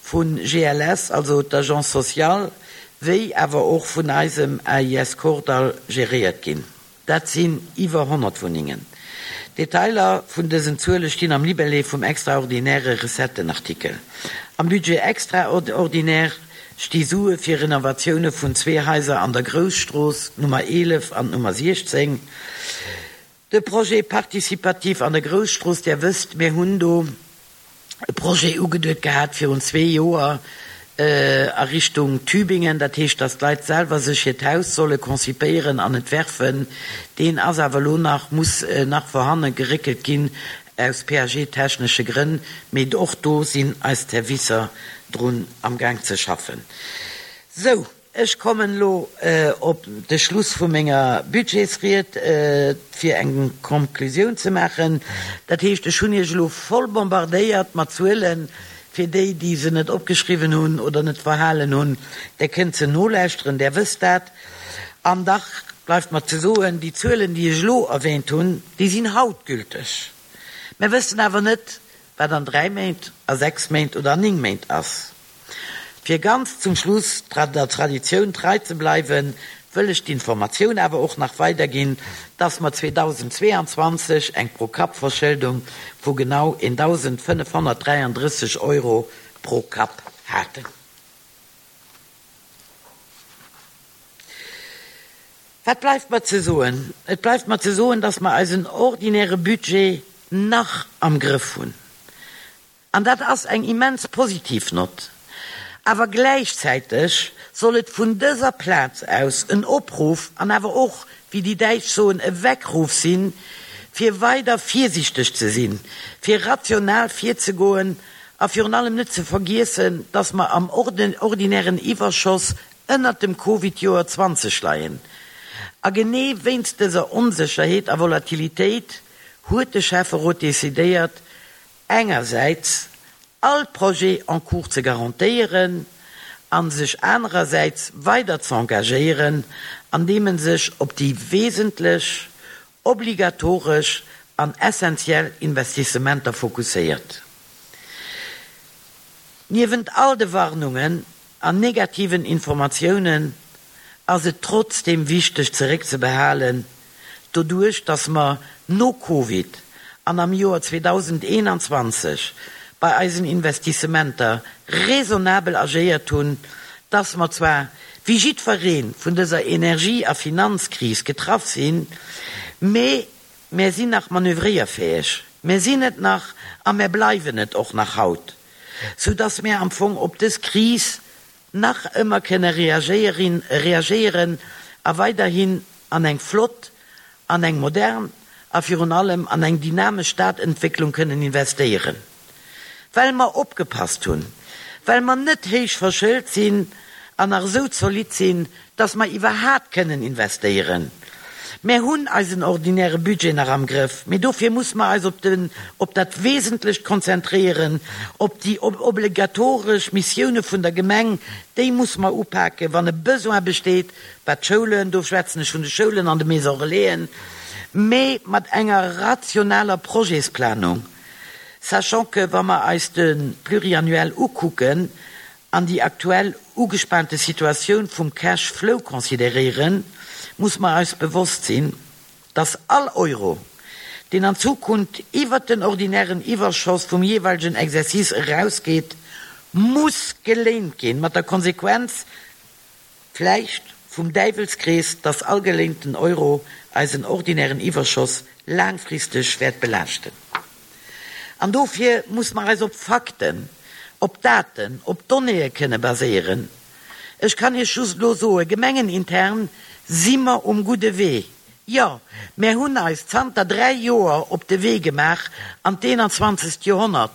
vu G L S, also d'Agence sociale, wéi awer och vun eisem A I S Kordall geréiert ginn. Dat sinn iwwer honnert Wunnengen. Detailer vun dësen Zuele stinn am Libellé vum extraordinäre Recettenartikel. Am Budget extraordinaire sti Sue fir Renovatioune vun zwee Haiser an der Grousstrooss, d'Nummer eelef an d'Nummer siechzéng. De Projet participatif an der Grousstrooss, Där wësst, mir hunn do e Projet ugeduet gehat virun zwee Joer a Richtung Tübingen, dat heescht, dass d'Leit selwer sech hiert Haus solle konzipéieren an entwerfen. Deen ass awer elo nach, muss nach vorhanne geréckelt ginn aus P A G-technesche Grënn, mee och do sinn eis Servicer drun amgaang ze schaffen. Sou, ech kommen elo op de Schluss vu menger Budgetsried, fir eng Konklusioun ze maachen. Dat heescht, ech hunn Iech elo voll bombardéiert mat Zuelen. Fir déi, déi se net opgeschriwwen hunn oder net verhalen hunn, där kënnt se nolauschteren, där wësst dat. An dach bleift mer ze soen, déi Zuelen, déi ech elo erwähnt hunn, déi sinn haut gülteg. Mir wëssen awer net, wat an dräi Méint, a sechs Méint oder an néng Méint ass. Fir ganz zum Schluss der Traditioun trei ze bleiwen, wëll ech d'Informatioun awer och nach weiderginn, dass mer zweedausendzweeanzwanzeg eng Pro-Kapp-Verschëldung vu genau eendausendfënnefhonnertdräiandrësseg Euro pro Kapp haten. Wat bleift mer ze soen? Et bleift mer ze soen, dass mer eisen ordinäre Budget nach am Grëff hunn. An dat ass eng immens positiv Nott. Awer gläichzäiteg soll et vun dëser Plaz aus en Opruff an awer och, wéi déi Däitsch soen, e Weckruf sinn, fir weider virsiichteg ze sinn, fir rational virzegoen a virun allem net ze vergiessen, dass mer am ordinären Iwwerschoss ënnert dem Covid-Joer zwanzeg leien. A genee wéinst dëser Onsécherheet a Volatilitéit huet de Schäfferot decidéiert, engersäits all Projet en cours ze garantéieren a sech anerersäits weider ze engagéieren, andeem en sech op déi wesentlech, obligatoresch an essentiell Investissementer fokusséiert. Niewent all de Warnungen an negativen Informatiounen ass et trotzdeem wichteg zeréckzebehalen, doduerch dass mer no Covid an am Joer zweedausendeenanzwanzeg bei eisen Investissementer raisonnabel agéiert hunn, dass mer zwar wéi jiddweree vun dëser Energie a Finanzkris getraff sinn, mee mär sinn nach manövréierfäeg, mär sinn et nach a mär bleiwen et och nach haut, soudass mär am Fong op dës Kris nach ëmmer kënne reagéieren a weiderhin an eng flott, an eng modern a virun allem an eng dynamesch Stadentwécklung kënnen investéieren, well mer opgepasst hunn, well mer net héich verschëlt sinn an nach esou zolidd sinn, dass mer iwwerhaapt kënnen investéieren. Mär hunn eisen ordinäre Budget nach am Grëff, mee dofir muss mer eis op den, op dat Wesentlecht konzentréieren, op déi obligatoresch Missioune vun der Gemeng, déi muss mer upaken, wann e Besoin besteet, wat d'Schoulen, do schwätzen ech vun de Schoulen an de Maisons Relaisen, mee mat enger rationaler Projetsplanung, sachant que, wa mer eis de Pluriannuel ukucken an déi aktuell ugespaante Situatioun vum Cash flow consideréieren, muss mer eis bewosst sinn, dass all Euro, deen an Zukunft iwwert den ordinären Iwwerschoss vum jeeweilegen Exercice erausgeet, muss geléint ginn, mat der Konsequenz vläicht vum Däiwelskrees, dass all geléinten Euro eisen ordinären Iwwerschoss laangfristeg wäert belaaschten. An dofir muss mer eis op Fakten, op Daten, op Donnéeë kënne baséieren. Ech kann Iech just elo soen, gemengenintern si mer um gudde Wee. Jo, mär hunn eis zanter dräi Joer op de Wee gemaach an d'eenanzwanzegst Joerhonnert,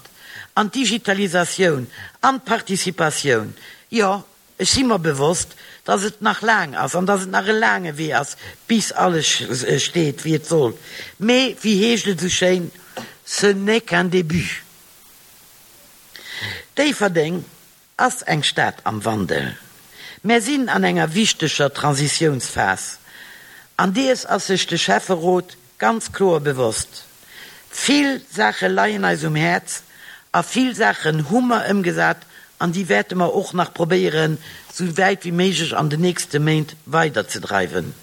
an d'Digitalisatioun, an d'Participatioun. Jo, ech si mer bewosst, dass et nach laang ass an dass et nach e laange Wee ass, bis alles steet, wéi et soll. Mee, wéi heescht et esou schéin, ce n'est qu'un début. Déifferdeng ass eng Stad am Wandel. Mär sinn an enger wichteger Transitiounsphas an dees ass sech de Schäfferot ganz kloer bewosst. Vill Saache leien eis um Häerz a vill Saachen hu mer ëmgesat an déi wäerte mer och nach probéieren, sou wäit wéi méiglech an den nächste Méint weiderzedreiwen.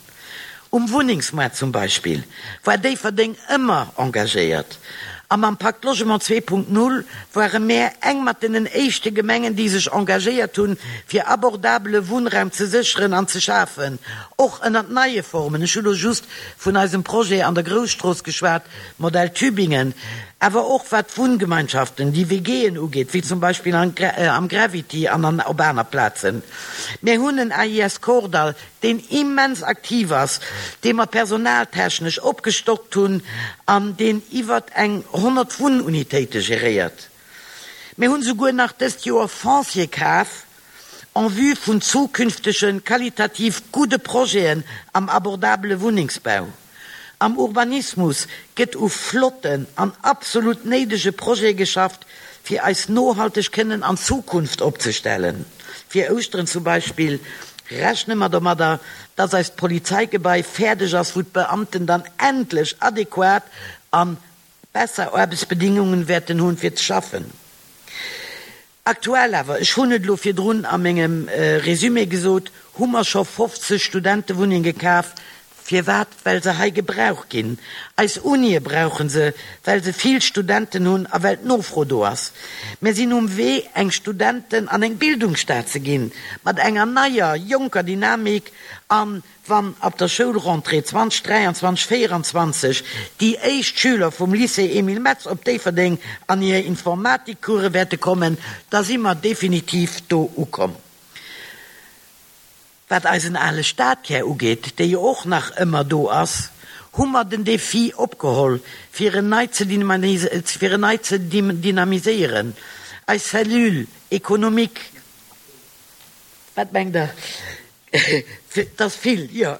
Um Wunnengsmoart zum Beispill war Déifferdeng ëmmer engagéiert A mam Pacte Logement zwee Punkt null ware mär eng mat deenen éischte Gemengen, déi sech engagéiert hunn, fir abordabele Wunnraum ze sécheren an ze schafen, och ënnert neie Formen. Ech hu lo just vun eisem Projet an der Grousstrooss geschwat, Modell Tübingen, awer och wat d'Wunngemeinschaften, déi WGen ugeet, wéi zum Beispill am Gravity an an op aner Plazen. Mir hunn en A I S Kordall, deen immens aktiv ass, dee mer personaltechnesch opgestockt hunn an deen iwwer eng honnert Wunnunitéite geréiert. Mir hunn souguer nach dëst Joer Foncier kaf, en vue vun zukünftegen, qualitativ gudde Projeten am abordabele Wunnengsbau. Am Urbanismus gëtt u flotten an absolut néidege Projete geschafft, fir eis nohalteg kënnen an Zukunft opzestellen. Fir Ouschteren zum Beispill rechne mer domadder, dass eist Polizeigebai fäerdeg ass, wou d'Beamten dann endlech adäquat an besser Aarbechtsbedingungen wäerten hunn, fir ze schaffen. Aktuell awer, ech hunn et lo virdrun a mengem, äh, Resümee gesot, hu mer scho fofzeg Studentewunnenge gekaf, firwat, well se hei gebraucht ginn. Eis Unie brauchen se, well se vill Studenten hunn a well d'Nofro do ass. Mir sinn um Wee, eng Studenten an eng Bildungsstaat ze ginn, mat enger neier, jonker Dynamik an wann ab der Schoulrentrée zwanzig dräianzwanzig vierundzwanzig déi éischt Schüler vum Lycée Emile Metz op Déifferdeng an hir Informatikcourse wäerte kommen, da si mer definitiv do ukomm. Wat eisen ale Stadkär ugeet, déi jo och nach ëmmer do ass, hu mer den Defi opgeholl, fir en nei ze dynamise-, fir en nei ze dim-, dynamiséieren. Eis Cellule économique, wat mengt der? Das vill, ja.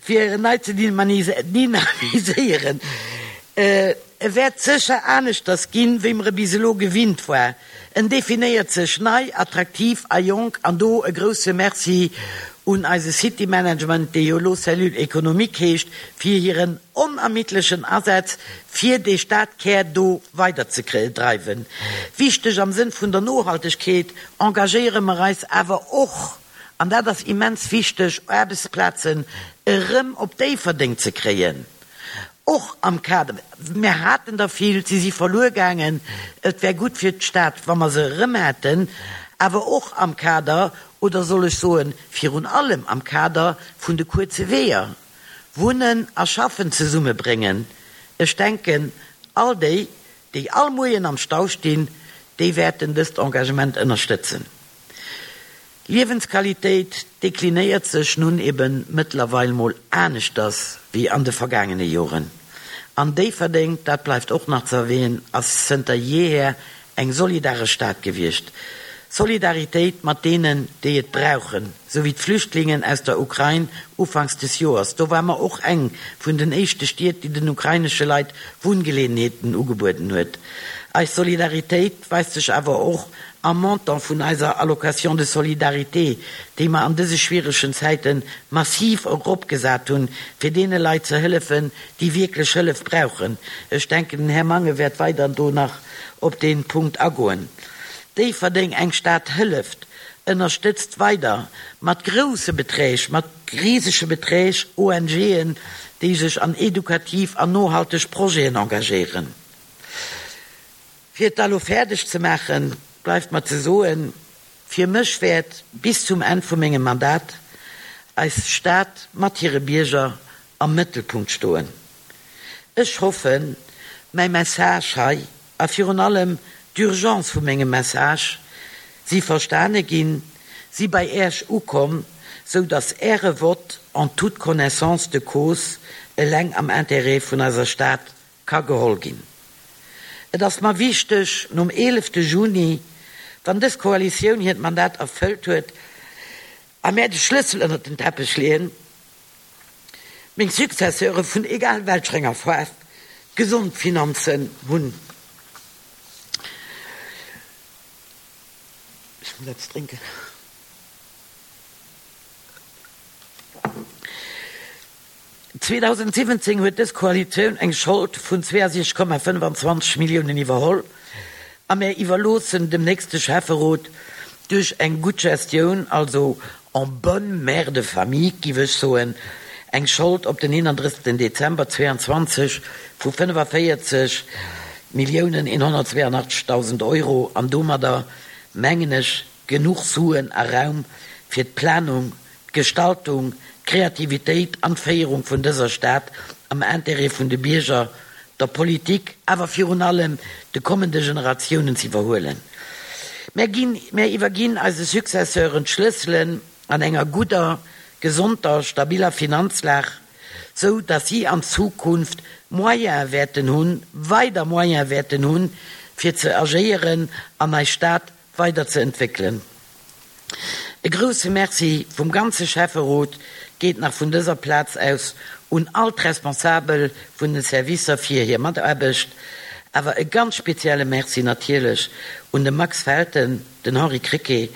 Fir en nei ze dynamise-, dynamiséieren. Äh, e wäert sécher aneschters ginn, wéi mer e bis elo gewinnt war. En definéiert sech nei, attraktiv a jonk an do e grousse Merci un eise City Management, déi jo lo Cellule économique heescht, fir hiren onermiddlechen Asaz fir de Stadkär do weiderzedreiwen. Wichteg am Sënn vun der Nohaltegkeet engagéiere mer eis awer och, an dat ass immens wichteg, Aarbechtsplazen erëm op Déifferdeng ze kréien. Och am Kader, mir haten der vill, sie si verluer gaangen, et wär gutt fir d'Stad, wa mer se erëm hätten, awer och am Kader, oder soll ech soen, virun allem am Kader vun de kurze Weeër. Wunnen a Schaffen zesummebréngen. Ech denken, all déi, déi all Moien am Stau stinn, déi wäerten dëst Engagement ënnerstëtzen. Liewensqualitéit deklinéiert sech nun eben mëttlerweil mol aneschters wéi an de vergaangene Joren. An Déifferdeng, dat bleift och nach ze erwähnen, ass zënter jeher eng solidaresch Stad gewiescht. Solidaritéit mat denen, déi et brauchen, so wie d'Flüchtlingen aus der Ukraine ufanks des Joers. Do war mer och eng vun den éischte Stied, déi den ukrainesche Leit Wunngeleenheeten ugebueden huet. Eis Solidaritéit weist sech awer och am Montant vun eiser Allocation de solidarité, déi mer an dëse schwieregen Zäiten massiv eropgesat hunn, fir deene Leit ze hëllefen, déi wierklech Hëllef brauchen. Ech denken, den Här Mangen wäert weider do nach op den Punkt agoen. Déifferdeng eng Stad hëlleft, ënnerstëtzt weider mat grousse Beträg, mat riesege Beträg O N G'en, déi sech an edukativ an nohalteg Projeten engagéieren. Fir et allo fäerdeg ze maachen, bleift mer ze soen, fir mech wäert bis zum Enn vu mengem Mandat eis Stad mat hire Bierger am Mëttelpunkt stoen. Ech hoffen, mäi Message hei a virun allem d'Urgence vu mengem Message si verstane ginn, si bei Äerch ukomm, so dass Äre Vott en toute connaissance de cause eleng am Intérêt vun eiser Stad ka geholl ginn. Et ass mer wichteg, nom elefte Juni, wann dës Koalitioun hiert Mandat erfëllt huet, a mär de Schlëssel ënner den Teppich leeën, meng Successeure vun egal welcher enger Faarf gesond Finanzen hunn. Ich muss etwas trinken. zweitausendsiebzehn huet dës Koalitioun eng Schold vun zweiundsechzeg Komma fënnefanzwanzeg Milliounen iwwerholl, a mir iwwerloossen dem nächste Schäfferot duerch eng gutt Gestioun, also en bonne mère de famille, giff ech soen, eng Schold op den eenunddrëssigsten Dezember zweiundzwanzig vu fënnefavéierzeg Milliounen eenhonnertzweeanachtzegdausend Euro an domadder, mengen ech, genuch Suen a Raum fir d'Planung, d'Gestaltung, d'Kreativitéit an d'Féierung vun dëser Stad am Intérêt vun de Bierger, der Politik, awer virun allem de kommende Generatiounen z'iwwerhuelen. Mär ginn, mär iwwerginn eise Successeuren d'Schlësselen an enger gudder, gesonder, stabiller Finanzlag, sou datt si an Zukunft Moyene wäerten hunn, weider Moyene wäerten hunn, fir ze agéieren an eis Stad weider ze entwéckelen. E grousse Merci vum ganze Schäfferot geet nach vun dëser Plaz aus un all d'Responsabel vun den Servicer fir hir Mataarbecht, awer e ganz spezielle Merci natierlech un de Max Felten, den Henri Krecké,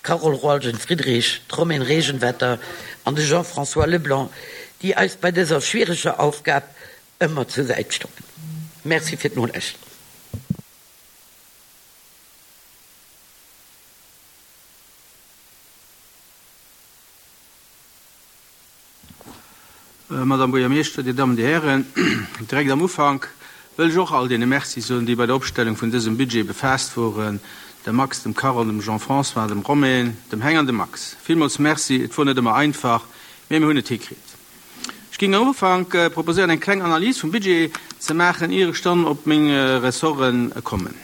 d'Carole Roalgen-Friedrich, d'Romaine Regenwetter an de Jean-François Leblanc, déi eis bei dëser schwiereger Aufgab ëmmer zur Säit stoungen. Merci fir d'Nolauschteren. Madame Buergermeeschter, Dir Dammen, Dir Hären, direkt am Ufank wëll ech och all deene Merci soen, déi bei der Opstellung vun dësem Budget befaasst woren, dem Max, dem Carole, dem Jean-François, dem Romaine, dem Heng an dem Max. Villmools Merci, et wor net ëmmer einfach, mee mir hunn et hikritt. Ech géing am Ufank proposéieren, eng kleng Analys vum Budget ze maachen, ier ech dann op meng Ressorte kommen.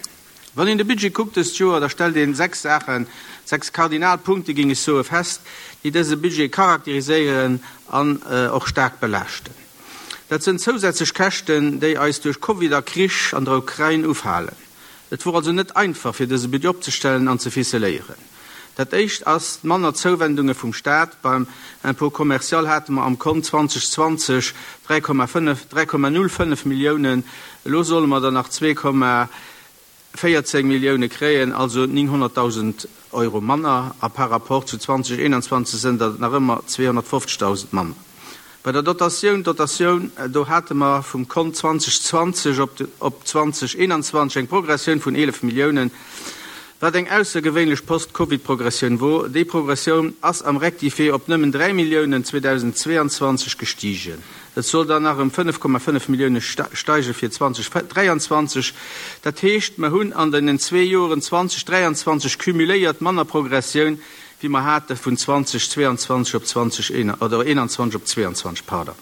Wann een de Budget kuckt dëst Joer, da stellt een sechs Saachen, sechs Kardinalpunkte géing ech soe, fest, déi dëse Budget charakteriséieren an och staark belaaschten. Dat sënn zousätzlech Käschten, déi eis duerch Covid a Krich an der Ukrain ufalen. Et wor also net einfach, fir dëse Budget opzestellen an ze ficeléieren. Dat éischt ass d'manner Zouwendunge vum Staat. Beim Impôt commercial hate mer am Kont zweitausendzwanzeg dräi Komma fënnef, dräi Komma null fënnef Milliounen, elo solle mer der nach zwee Komma véierzéng Millioune kréien, also nénghonnertdausend Euro manner, a par rapport zu zweitausendeenundzwanzeg sënn der nach ëmmer zweehonnertfofzegdausend manner. Bei der Dotatioun, Dotatioun, do hate mer vum Kont zweitausendzwanzeg op, op zweitausendeenundzwanzeg eng Progressioun vun eelef Milliounen, wat eng aussergewéinlech Post-Covid-Progressioun wor. Déi Progressioun ass am Rectifié op nëmmen dräi Milliounen zweitausendzweiundzwanzeg gestigen. Et soll dann nach ëm fënnef Komma fënnef Millioune steige fir zweitausenddräiandzwanzeg. Dat heescht, mer hunn an den zwee Joren zweitausenddräiandzwanzeg cumuléiert manner Progressioun, wéi mer hate vun zweitausendzweiundzwanzeg op zwanzeg oder eenandzwanzeg op zweiundzwanzeg, pardon.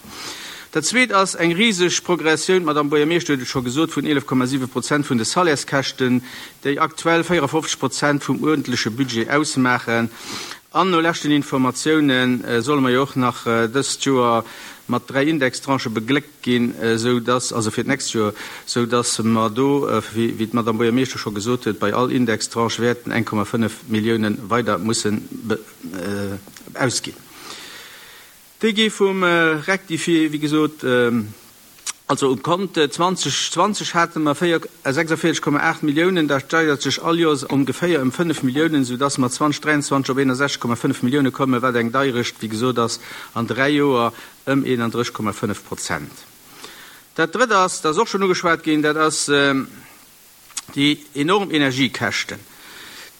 Dat Zweet ass eng riseg Progressioun, d'Madame Buergermeeschter huet et scho gesot, vun eelef Komma siwe Prozent vun de Salaires-Käschten, déi aktuell véierafofzeg Prozent vum uerdentleche Budget ausmaachen. An no leschten Informatioune solle mer jo och nach dëst Joer mat dräi Indextranchë begléckt ginn, esou dass, also fir d'nächst Joer, esou dass mer do, wéi d'Madame Buergermeeschter scho gesot huet, bei all Indextranche wäerten eng Komma fënnef Millioune weider mussen ausginn. Déi gi vum Rectifié, wéi gesot, also um Kont zweitausendzwanzeg hate mer sechsundvierzeg Komma aacht Milliounen, dat steigert sech all Joers ongeféier ëm fënnef Milliounen, soudass mer zweitausenddräiundzwanzeg op eenundsechzeg Komma fënnef Millioune kommen, wat eng Deierecht, wéi gesot, ass an dräi Joer ëm eenunddrësseg Komma fënnef Prozent. Dat Drëtt ass, dat ass och schonn ugeschwat ginn, dat ass déi enorm Energiekäschten.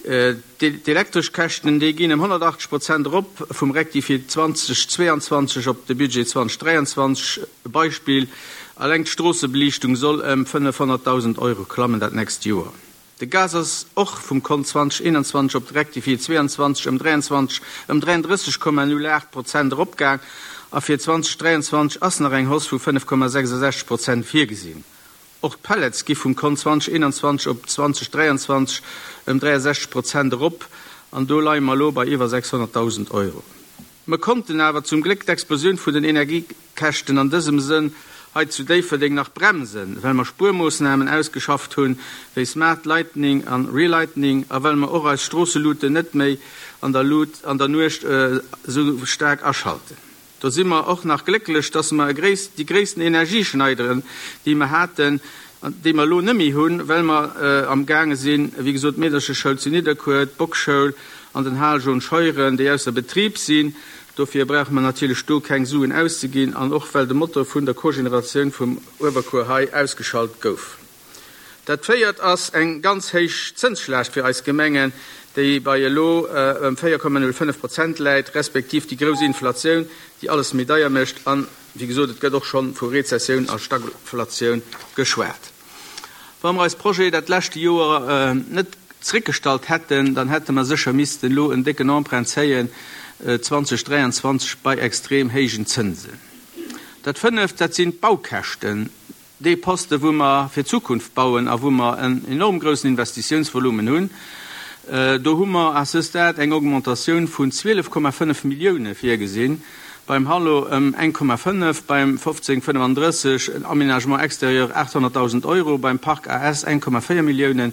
D'elektresch Käschten, déi ginn ëm honnertachtzeg Prozent erop vum Rectifié zweitausendzweiundzwanzeg op de Budget zweitausenddräiundzwanzeg. E Beispill, alleng d'Stroossebeliichtung soll ëm fënnefhonnertdausend Euro klammen dat nächst Joer. De Gas ass och vum Kont zweitausendeenundzwanzeg op de Rectifié zweiundzwanzeg ëm dräiundzwanzeg, ëm dräiunddrësseg Komma null aacht Prozent eropgaang a fir zweitausenddräiundzwanzeg ass nach eng Hausse vu fënnef Komma sechsundsechzeg Prozent virgesinn. Och d'Pellets gi vum Kont zweitausendeenundzwanzeg op zweitausenddräiundzwanzeg ëm dräiundsechzeg Prozent erop an do leie mer elo bei iwwer sechshonnertdausend Euro. Mer konnten awer zum Gléck d'Explosioun vun den Energiekäschten an dësem Sënn hei zu Déifferdeng nach bremsen, well mer Spuermoossnamen ausgeschafft hunn, wéi Smart Lightning an Relightning, a well mer och eis Stroosseluten net méi an der Lut an der Nuecht esou staark aschalten. Do si mer och nach glécklech, dass mer déi gréissten Energieschneideren, déi mer haten, déi mer elo net méi hunn, well mer am gaange sinn, wéi gesot, d'Meedercheschoul zu Nidderkuer, d'Bockschoul an den Hal John Scheuren, déi ausser Betrib sinn. Dofir brauche mer natierlech do keng Suen auszeginn, an och well de Motor vun der Cogénératioun vum Uewerkuer hei ausgeschalt gouf. Dat Véiert ass eng ganz héich Zënsschlaascht fir eis Gemengen, déi bei elo ëm véier Komma null fënnef Prozent läit, respektiv déi grouss Inflatioun, déi alles méi deier mécht. An, wéi gesot, et gëtt och schonn vu Rezessioun a Stagflatioun geschwat. Wa mer eis Projeten dat leschte Joer net zeréckgestallt hätten, dann hätte mer sécher missten elo en décken Emprunt zéien zweitausenddräianzwanzeg bei extrem héijen Zënsen. Dat Fënneft, dat sinn d'Baukäschten, dee Poste wou mer fir d'Zukunft bauen a wou mer en enorm groussen Investitiounsvolumen hunn. Do hu mer à ce stade eng Augmentatioun vun zwielef Komma fënnef Millioune virgesinn, beim Hallo ëm eng Komma fënnef, beim fofzéng fënnefandrësseg Aménagement extérieur aathonnertdausend Euro, beim Parc A S eng Komma véier Milliounen,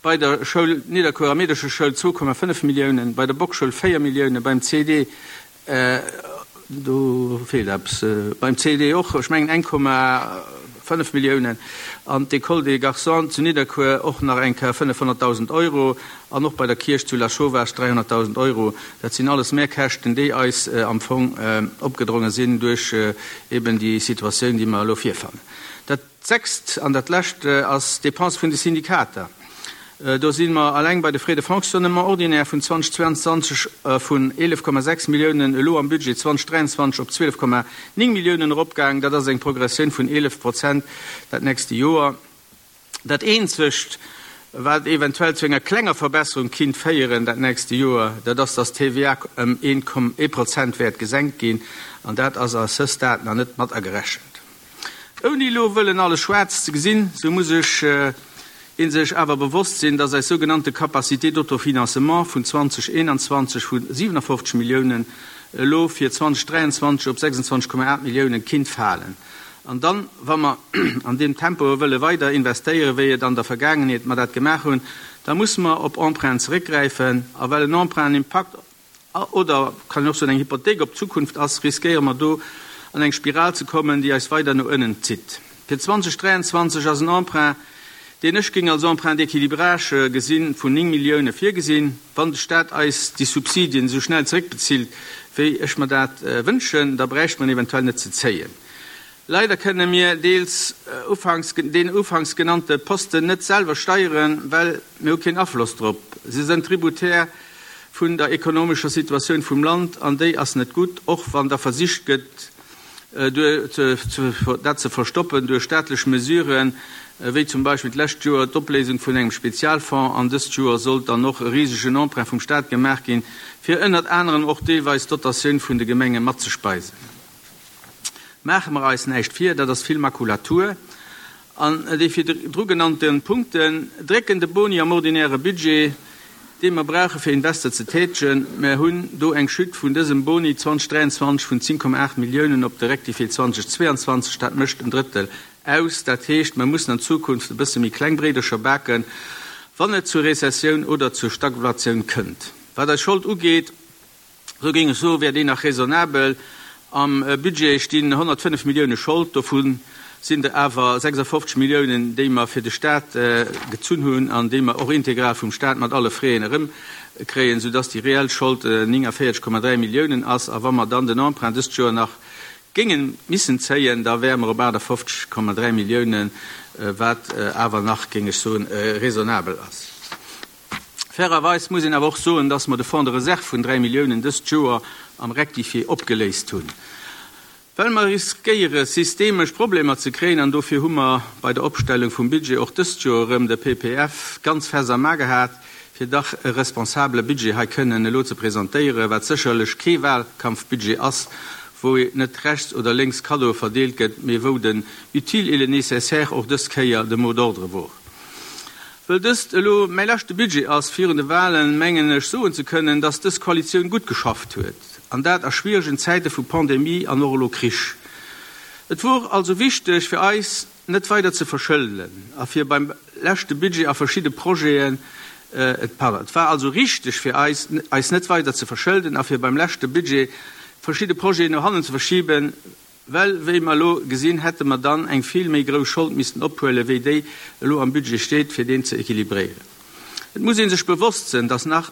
bei der Schoul Nidderkuerer Meedercheschoul zwou Komma fënnef Milliounen, bei der Bockschoul véier Milliounen, beim C D, do feelt eppes, beim C D och, ech mengen eng Komma fënnef Milliounen, an d'École des Garçons zu Nidderkuer och nach eng Kéier fënnefhonnertdausend Euro an och bei der Kierch zu Lasauvage dräihonnertdausend Euro. Dat sinn alles Mehrkäschten, déi eis am Fong opgedronge sinn duerch eben déi Situatioun, déi mer elo virfannen. Dat Sechst an dat Lescht ass d'Dépense vun de Syndikater. Do si mer alleng bei de Frais de fonctionnement ordinaire vun zweitausendzweiandzwanzeg vun eelef Komma sechs Milliounen elo am Budget zweitausenddräiandzwanzeg op zwielef Komma néng Milliounen eropgaang. Dat ass eng Progressioun vun eelef Prozent dat nächste Joer. Dat eenzegt, wat eventuell zu enger klenger Verbesserung kinnt féieren dat nächste Joer, dat ass, dass d'T V A ëm ee Prozent wäert gesenkt ginn, an dat ass à ce stade nach net mat agerechent. Ouni elo wëllen alles schwaarz ze gesinn, sou muss ech ee sech awer bewosst sinn, dass eis sougenannte Capacité d'autofinancement vun zweitausendeenanzwanzeg vu siwenafofzeg Milliounen elo fir zweitausenddräiandzwanzeg op sechsundzwanzeg Komma aacht Milliounen kinnt falen. An dann, wa mer an deem Tempo wëlle weider investéieren, wéi et an der Vergaangenheet mer dat gemaach hunn, da musse mer op Emprunten zeréckgräifen. A well en Emprunt en Impakt oder kann een och soen eng Hypothéik op d'Zukunft ass, riskéiere mer do an eng Spiral ze kommen, déi eis weider no ënnen zitt. Fir zweitausenddräiandzwanzeg ass en Emprunt, deen ech géing als Emprunt d'équilibrage gesinn, vun néng Millioune virgesinn. Wann de Staat eis déi Subsidien esou schnell zeréckbezilt, wéi ech mer dat wënschen, da bräicht mer en eventuell net ze zéien. Leider kënne mir deels ufanks deen ufanks genannte Posten net selwer steieren, well mir hu keen Afloss drop. Se sënn tributaire vun der ekonomescher Situatioun vum Land, an déi ass net gutt, och wann da versicht gëtt, dat ze verstoppen duerch staatlech Mesuren, wéi zum Beispill d'lescht Joer d'Opléisung vun engem Spezialfonds, an dëst Joer sollt dann och e risegen Emprunt vum Staat gemaach ginn, fir ënnert anerem och deelweis d'Dotatioun vun de Gemenge matzespeisen. Maache mer eis näischt vir, dat ass vill Makulatur. An déi virdru genannte Punkten drécken de Boni am ordinäre Budget, dee mer brauche fir Invester ze tätegen. Mer hunn do eng Chute vun dësem Boni zweitausenddräiandzwanzeg vun zéng Komma aacht Milliounen op de Rectifié zweitausendzweiandzwanzeg, dat mécht en Drëttel aus. Dat heescht, mer mussen an Zukunft e bësse méi kleng Bréidercher baken, wann et zur Rezessioun oder zur Stagflatioun kënnt. Wat eis Schold ugeet, esou géing ech soen, wär déi nach raisonnabel. Am Budget stinn honnertfënnef Millioune Schold, dovu sinn der awer sechsafofzeg Milliounen, déi mer fir de Staat gezunn hunn an déi mer och integral vum Staat mat alle Fräen erëmkréien, soudass déi reell Schold néngavéierzeg Komma dräi Milliounen ass. A wa mer dann den Emprunt dëst Joer nach géinge missen zéien, da wäre mer op aachtafofzeg Komma dräi Milliounen, wat awer nach, géing ech soen, raisonnabel ass. Fairerweis muss een awer och soen, dass mer de Fonds de réserve vun dräi Milliounen dëst Joer am Rectifié opgeléist hunn, well mer riskéiere systemesch Problemer ze kréien, an dofir hu mer bei der Opstellung vum Budget och dëst Joer erëm de P P F ganz fest am A gehat, fir dach e responsabele Budget hei kënnen elo ze presentéieren, wat sécherlech kee Wahlkampfbudget ass, wou net rechts oder lénks Cadeaue verdeelt gëtt, mee wou den utile et le nécessaire och dës Kéier de Mot d'ordre wor. Well dëst elo mäi leschte Budget ass virun de Wahlen, mengen ech soen ze kënnen, dass dës Koalitioun gutt geschafft huet, an dat a schwieregen Zäite vu Pandemie an och elo Krich. Et wor also wichteg fir eis, net weider ze verschëlden a fir beim leschte Budget a verschidde Projeten, et, pardon, et war also richteg fir eis, eis net weider ze verschëlden a fir beim leschte Budget verschidde Projeten no hannen ze verschiben, well wéi mer elo gesinn, hätte mer dann eng vill méi grouss Schold missten ophuelen, wéi déi elo am Budget steet, fir deen ze equilibréieren. Et muss ee sech bewosst sinn, dass nach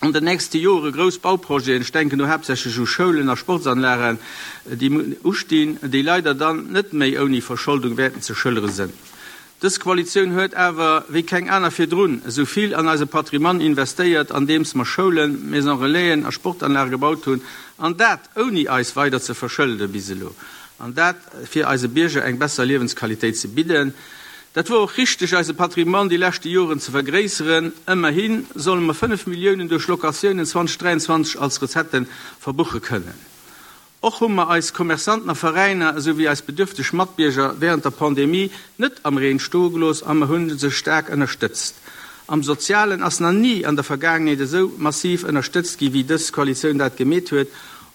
an den nächste Jore grouss Bauprojeten, ech denken do haaptsächlech u Schoulen a Sportsanlagen, déi ustinn, déi leider dann net méi ouni Verscholdung wäerten ze schëllere sinn. Dës Koalitioun huet awer, wéi keng aner virdrun, esou vill an eise Patrimoine investéiert, andeems mer Schoulen, Maison Relaisen a Sportanlage gebaut hunn, an dat ouni eis weider ze verschëlde bis elo, an dat fir eise Bierger eng besser Liewensqualitéit ze bidden. Dat wor och richteg, eise Patrimoine déi leschte Joren ze vergréisseren. Ëmmerhi solle mer fënnef Milliounen duerch Locatiounen zweidausenddräianzwanzeg als Recettë verbuche kënnen. Och hu mer eis Commerçanten a Veräiner esou wéi eis bedürfteg Matbierger wärend der Pandemie net am Reen stoe gelooss a mer hu se staark ënnerstëtzt. Am Sozialen ass nach ni an der Vergaangenheet esou massiv ënnerstëtzt gi wéi dës Koalitioun dat gemeet huet.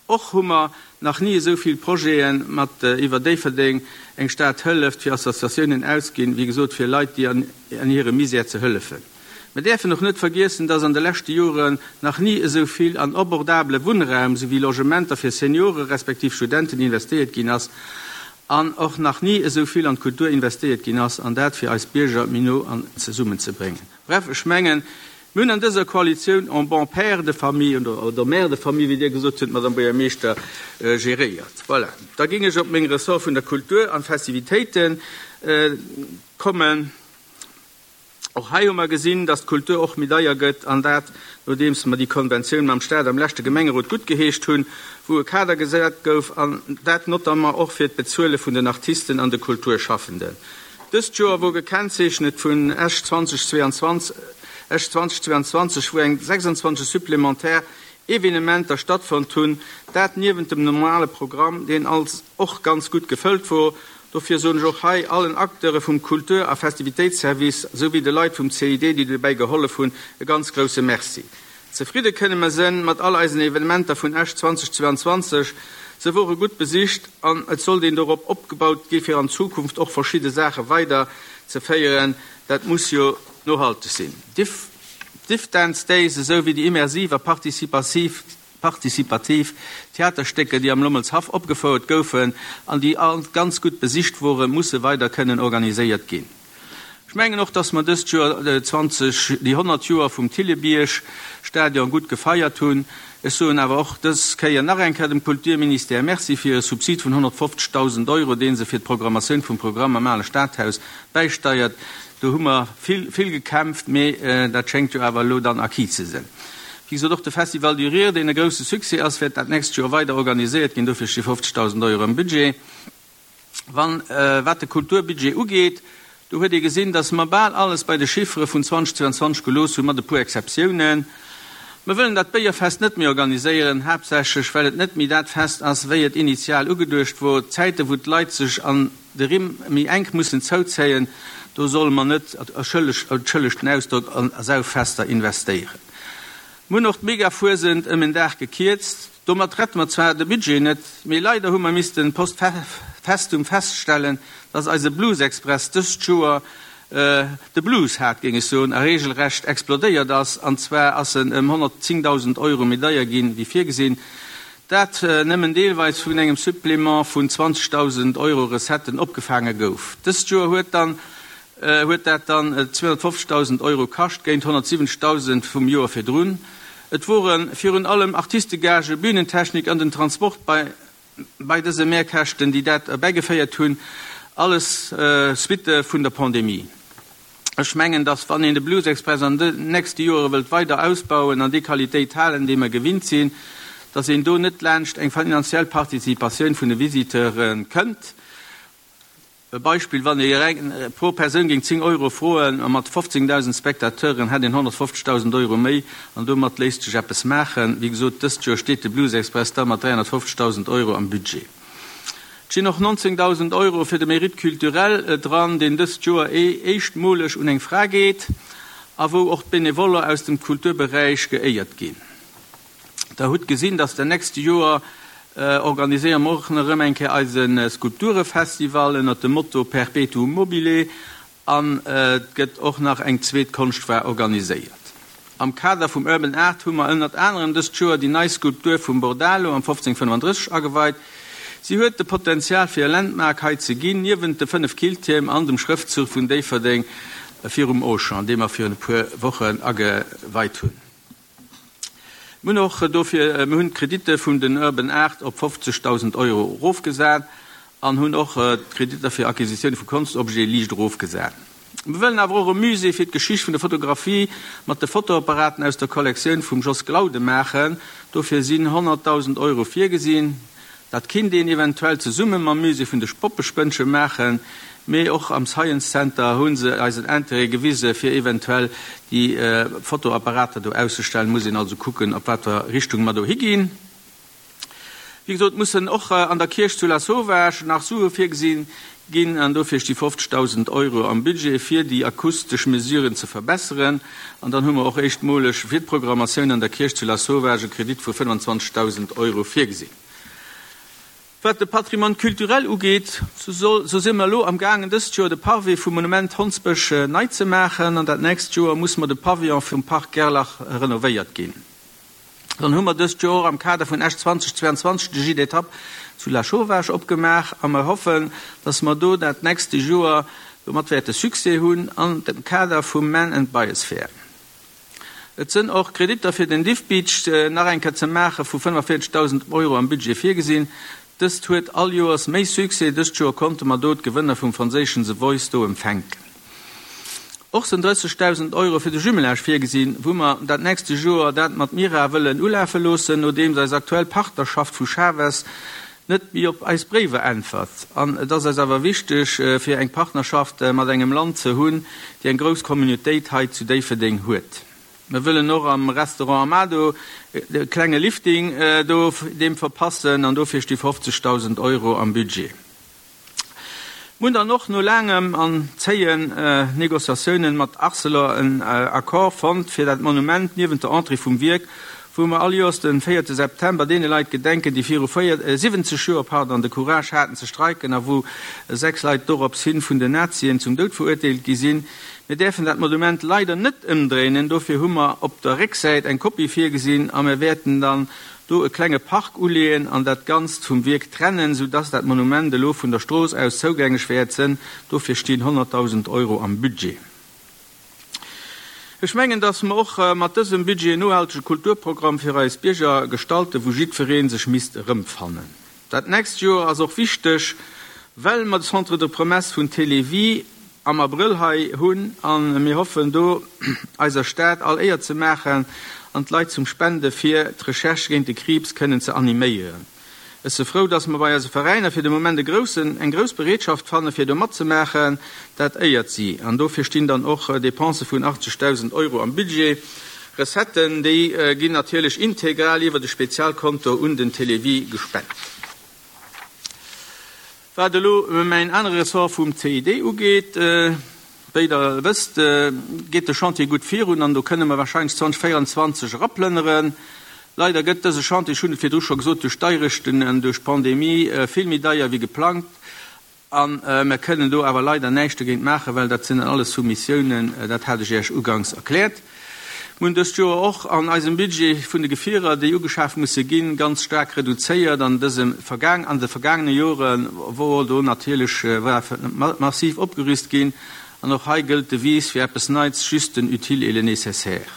Och hu mer nach ni esou vill Projete mat iwwer Déifferdeng, eng Stad hëlleft fir Associatiounen ausginn, wéi gesot fir Leit déi an hirem Misär ze hëllefen. Mer däerfen och net vergiessen, dass an de leschte Joren nach ni esou vill an abordabele Wunnraum souwéi Logementer fir Seniore respektiv Studenten investéiert ginn ass an och nach ni esou vill an d'Kultur investéiert ginn ass, an dat fir eis Bierger méi no an zesummen ze bréngen. Bref, ech mengen, mir hunn an dëser Koalitioun en bon père de famille oder mère de famille, wéi Dir gesot hutt, Madame Buergermeeschter, geréiert. Voilà. Da géing ech op meng Ressort vun der Kultur an Festivitéiten kommen. Och hei hu mer gesinn, dass d'Kultur och méi deier gëtt, an dat nodeems mer déi Konventioun mam Staat am leschte Gemengerot guttgeheescht hunn, wou e Kader gesat gouf, an dat notamment och fir d'Bezuele vun den Artisten an de Kulturschaffenden. Dëst Joer wor gekennzeechnet vun Esch zweitausendzweiundzwanzeg, Esch zweitausendzweiundzwanzeg, wou eng sechsundzwanzeg supplementär Evenementer stattfonnt hunn, dat niewent dem normale Programm, deen als och ganz gutt gefëllt wor. Dofir soen ech och hei allen Acteure vum Kultur a Festivitéitsservice souwéi de Leit vum C I D, déi dobäi gehollef hunn, e ganz grousse Merci. Zefridde kënne mer sënn mat all eisen Evenementer vun Esch zweitausendzweiundzwanzeg. Se wore gutt besicht an et sollt een dorop opgebaut gi fir an Zukunft och verschidde Saache weider ze féieren. Dat muss jo nohalteg sinn. D'Diff Dance Days esou wéi déi immersiv a partizipativ participativ Theaterstécker, déi am Lommelshaff opgefouert goufen an déi all ganz gutt besicht woren, musse weider kënnen organiséiert ginn. Ech mengen och, dass mer dëst Joer zwanzeg, déi honnert Joer vum Thillebierg-Stadion gutt gefeiert hunn. Ech soen awer och dës Kéier nach eng Kéier dem Kulturministère Merci fir e Subsid vun honnertfofzegdausend Euro, deen se fir d'Programmatioun vum Programm am Ale Stadhaus bäisteiert. Do hu mer vill, vill gekämpft, mee dat schéngt jo awer elo dann acquis ze sinn. Wéi gesot, och de Festival du Rire, deen e grousse Succès ass, wäert dat nächst Joer weider organiséiert ginn. Dofir sti fofzegdausend Euro am Budget. Wann, wat de Kulturbudget ugeet, do huet ee gesinn, dass mer bal alles bei de Chiffere vun zweitausendzweiundzwanzeg gelooss hunn, mat e puer Exceptiounen. Mer wëllen dat Béierfest net méi organiséieren, haaptsächlech well et net méi dat Fest ass, wéi et initial ugeduecht wor. Zäite wou d'Leit sech an de Rimm méi enk mussen zouzéien, do solle mer net, entschëllegt den Ausdrock, an Sauffester investéieren. Mir hunn och d'Megafuesent ëm en Dag gekierzt. Domat rette mer zwar de Budget net, mee leider hu mer missten post festum feststellen, dass eise Blues Express dëst Joer de Blues hat, géing ech soen, a regelrecht explodéiert ass. An zwar ass en ëm honnertzéngdausend Euro méi deier ginn, wéi virgesinn. Dat nëmmen deelweis vun engem Supplément vun zwanzegdausend Euro Recetten opgefaange gouf. Dëst Joer huet dann huet dat dann zweihunnertfofzegdausend Euro kascht, géint honnertsiwwenzegdausend vum Joer virdrun. Et wore virun allem Artistegage, Bühnentechnik an den Transport bei bei dëse Mehrkäschten, déi dat erbäigeféiert hunn, alles Suitte vun der Pandemie. Ech mengen, dass wann een de Blues Express an de nächste Jore wëllt weider ausbauen an déi Qualitéit halen, déi mer gewinnt sinn, dass een do net laanscht eng finanziell Participatioun vun de Visiteure kënnt. E Beispill, wann ee reng pro Persoun géing zéng Euro froen, a mat fofzéngdausend Spectateuren hätt een honnertfofzegdausend Euro méi, an domat léisst sech eppes maachen. Wéi gesot, dëst Joer steet de Blues Express da mat dräihunnertfofzegdausend Euro am Budget. Et stinn och nonzéngdausend Euro fir de Mérite culturel dran, deen dëst Joer éischtmoleg un eng Fra geet a wou och d'Benevoller aus dem Kulturberäich geéiert ginn. Der hutt gesinn, dass den nächste Joer organiséiere mer och nach erëm eng Kéier eise Skulpturefestival ënnert dem Motto Perpetuum mobile an et gëtt och nach eng zweet Konschtfoire organiséiert. Am Kader vum Urban Art hu mer ënnert anerem dëst Joer déi nei Skulptur vum Bordalo am fofzéng fënnefandrësseg ageweit. Si huet de Potenzial fir e Landmark hei ze ginn, niewent de fënnef Killtierm an dem Schrëftzuch vun Déifferdeng virum Auchan, dee mer virun e puer Wochen ageweit hunn. Mir hunn och dofir, mir hunn d'Kreditte vun den Urban Art op fofzegdausend Euro erofgesat an hunn och d'Kreditter fir Acquisitioune vu Konstobjete liicht erofgesat. Mir wëllen awer och e Musée fir d'Geschicht vun der Fotografie mat de Fotoapparaten aus der Kollektioun vum Jos Glauden maachen. Dofir sinn honnertdausend Euro virgesinn. Dat kinnt een eventuell zesumme mam Musée vun de Poppespënnche maachen, mee och am Science Center hu se eis en Interêt gewise fir eventuell déi Fotoapparater do auszestellen. Muss een also kucken, op wat fir Richtung mer do higinn. Wéi gesot mussen och an der Kierch zu Lasauvage nach Sue virgesinn ginn an dofir sti fofzegdausend Euro am Budget fir déi akustesch Mesuren ze verbesseren. An dann hu mer och éischtmoleg fir d'Programmatioun an der Kierch zu Lasauvage e Kredit vu fënnwanzwanzegdausend Euro virgesinn. Wat de Patrimoine culturel ugeet, sou si mer elo am gaangen dëst Joer de Parvis vum Monument Hondsbësch nei ze maachen an dat nächst Joer muss mer de Pavillon vum Parc Gerlach renovéiert ginn. Dann hu mer dëst Joer am Kader vun Esch zweitausendzweiundzwanzeg de Gîte d'étape zu Lasauvage opgemaach a mer hoffen, dass mer do dat nächste Joer domat wäerte Succès hunn an dem Kader vum Man and Biosphere. Et sënn och Kreditter fir den Diff Beach nach eng Kéier ze maache vu fënnefavierzegdausend Euro am Budget virgesinn. Dëst huet all Joers méi Succès, dëst Joer konnte mer do d'Gewënner vum franséischen The Voice do empfänken. Och sinn drëssegdausend Euro fir de Jumelage virgesinn, wou mer dat nächste Joer dat mat Mira wëllen ulafe loossen, nodeems eis aktuell Partnerschaft vu Chaves net méi op eis Bréiwer äntwert. An et ass eis awer wichteg, fir eng Partnerschaft mat engem Land ze hunn, déi eng grouss Communautéit hei zu Déifferdeng huet. Mer wëllen och am Restaurant Amado e klenge Lifting do deem verpassen an dofir sti fofzegdausend Euro am Budget. Mir hunn dann och no laangem an zéien Négociatiounen mat Arcelor en Accord fonnt fir dat Monument niewent der Entrée vum Wierk, wou mer all Joers de véierte September deene Leit gedenken, déi viru siwwenzeg Joer, pardon, de Courage haten ze streiken a wou sechs Leit dorops hin vun den Nazien zum Doud verurteelt gi sinn. Mir däerfen dat Monument leider net ëmdréinen, dofir hu mer op der Récksäit eng Kopie virgesinn a mir wäerten dann do e klenge Park uleeën an dat Ganzt vum Wierk trennen, sou dass dat Monument elo vun der Strooss aus zougänglech wäert sënn. Dofir stinn honnertdausend Euro am Budget. Ech mengen, dass mer och mat dësem Budget en nohaltege Kulturprogramm fir eis Bierger gestalten, wou jiddweree sech misst erëmfannen. Dat nächst Joer ass och wichteg, well mer de Centre de promesses vun Télévie am Abrëll hei hunn a mir hoffen do eiser Stad all Éier ze maachen an d'Leit zum Spende fir d'Recherche géint de Kriibs kënnen ze animéieren. Ech si frou, dass mer bei eise Veräiner fir de Moment e groussen, eng grouss Bereetschaft fanne fir do matzemaachen. Dat éiert si. An dofir stinn dann och Depensë vun achtzegdausend Euro am Budget. Recetten, déi ginn natierlech integral iwwer de Spezialkonto un den Télévie gespent. Wat elo mäin anere Ressort vum C I D ugeet, wéi Der wësst, geet de Chantier gutt virun an do kënne mer warscheinlech zweitausendzvéierundzwanzeg eraplënneren. Leider gëtt dëse Chantier, ech hunn et virdru scho gesot, duerch d'Deirechten an duerch d'Pandemie vill méi deier wéi geplangt. A mer kënnen do awer leider näischt dogéint maachen, well dat sinn dann alles Soumissiounen, dat hat ech Iech uganks erkläert. Mir hunn dëst Joer och an eisem Budget vun de Gefierer, déi ugeschaf musse ginn, ganz staark reduzéiert. An dësem vergaang, an de vergaangene Jore wor do natierlech war massiv opgerüst ginn. An och hei gëllt d'Devise fir eppes Neits, juste den utile et le nécessaire.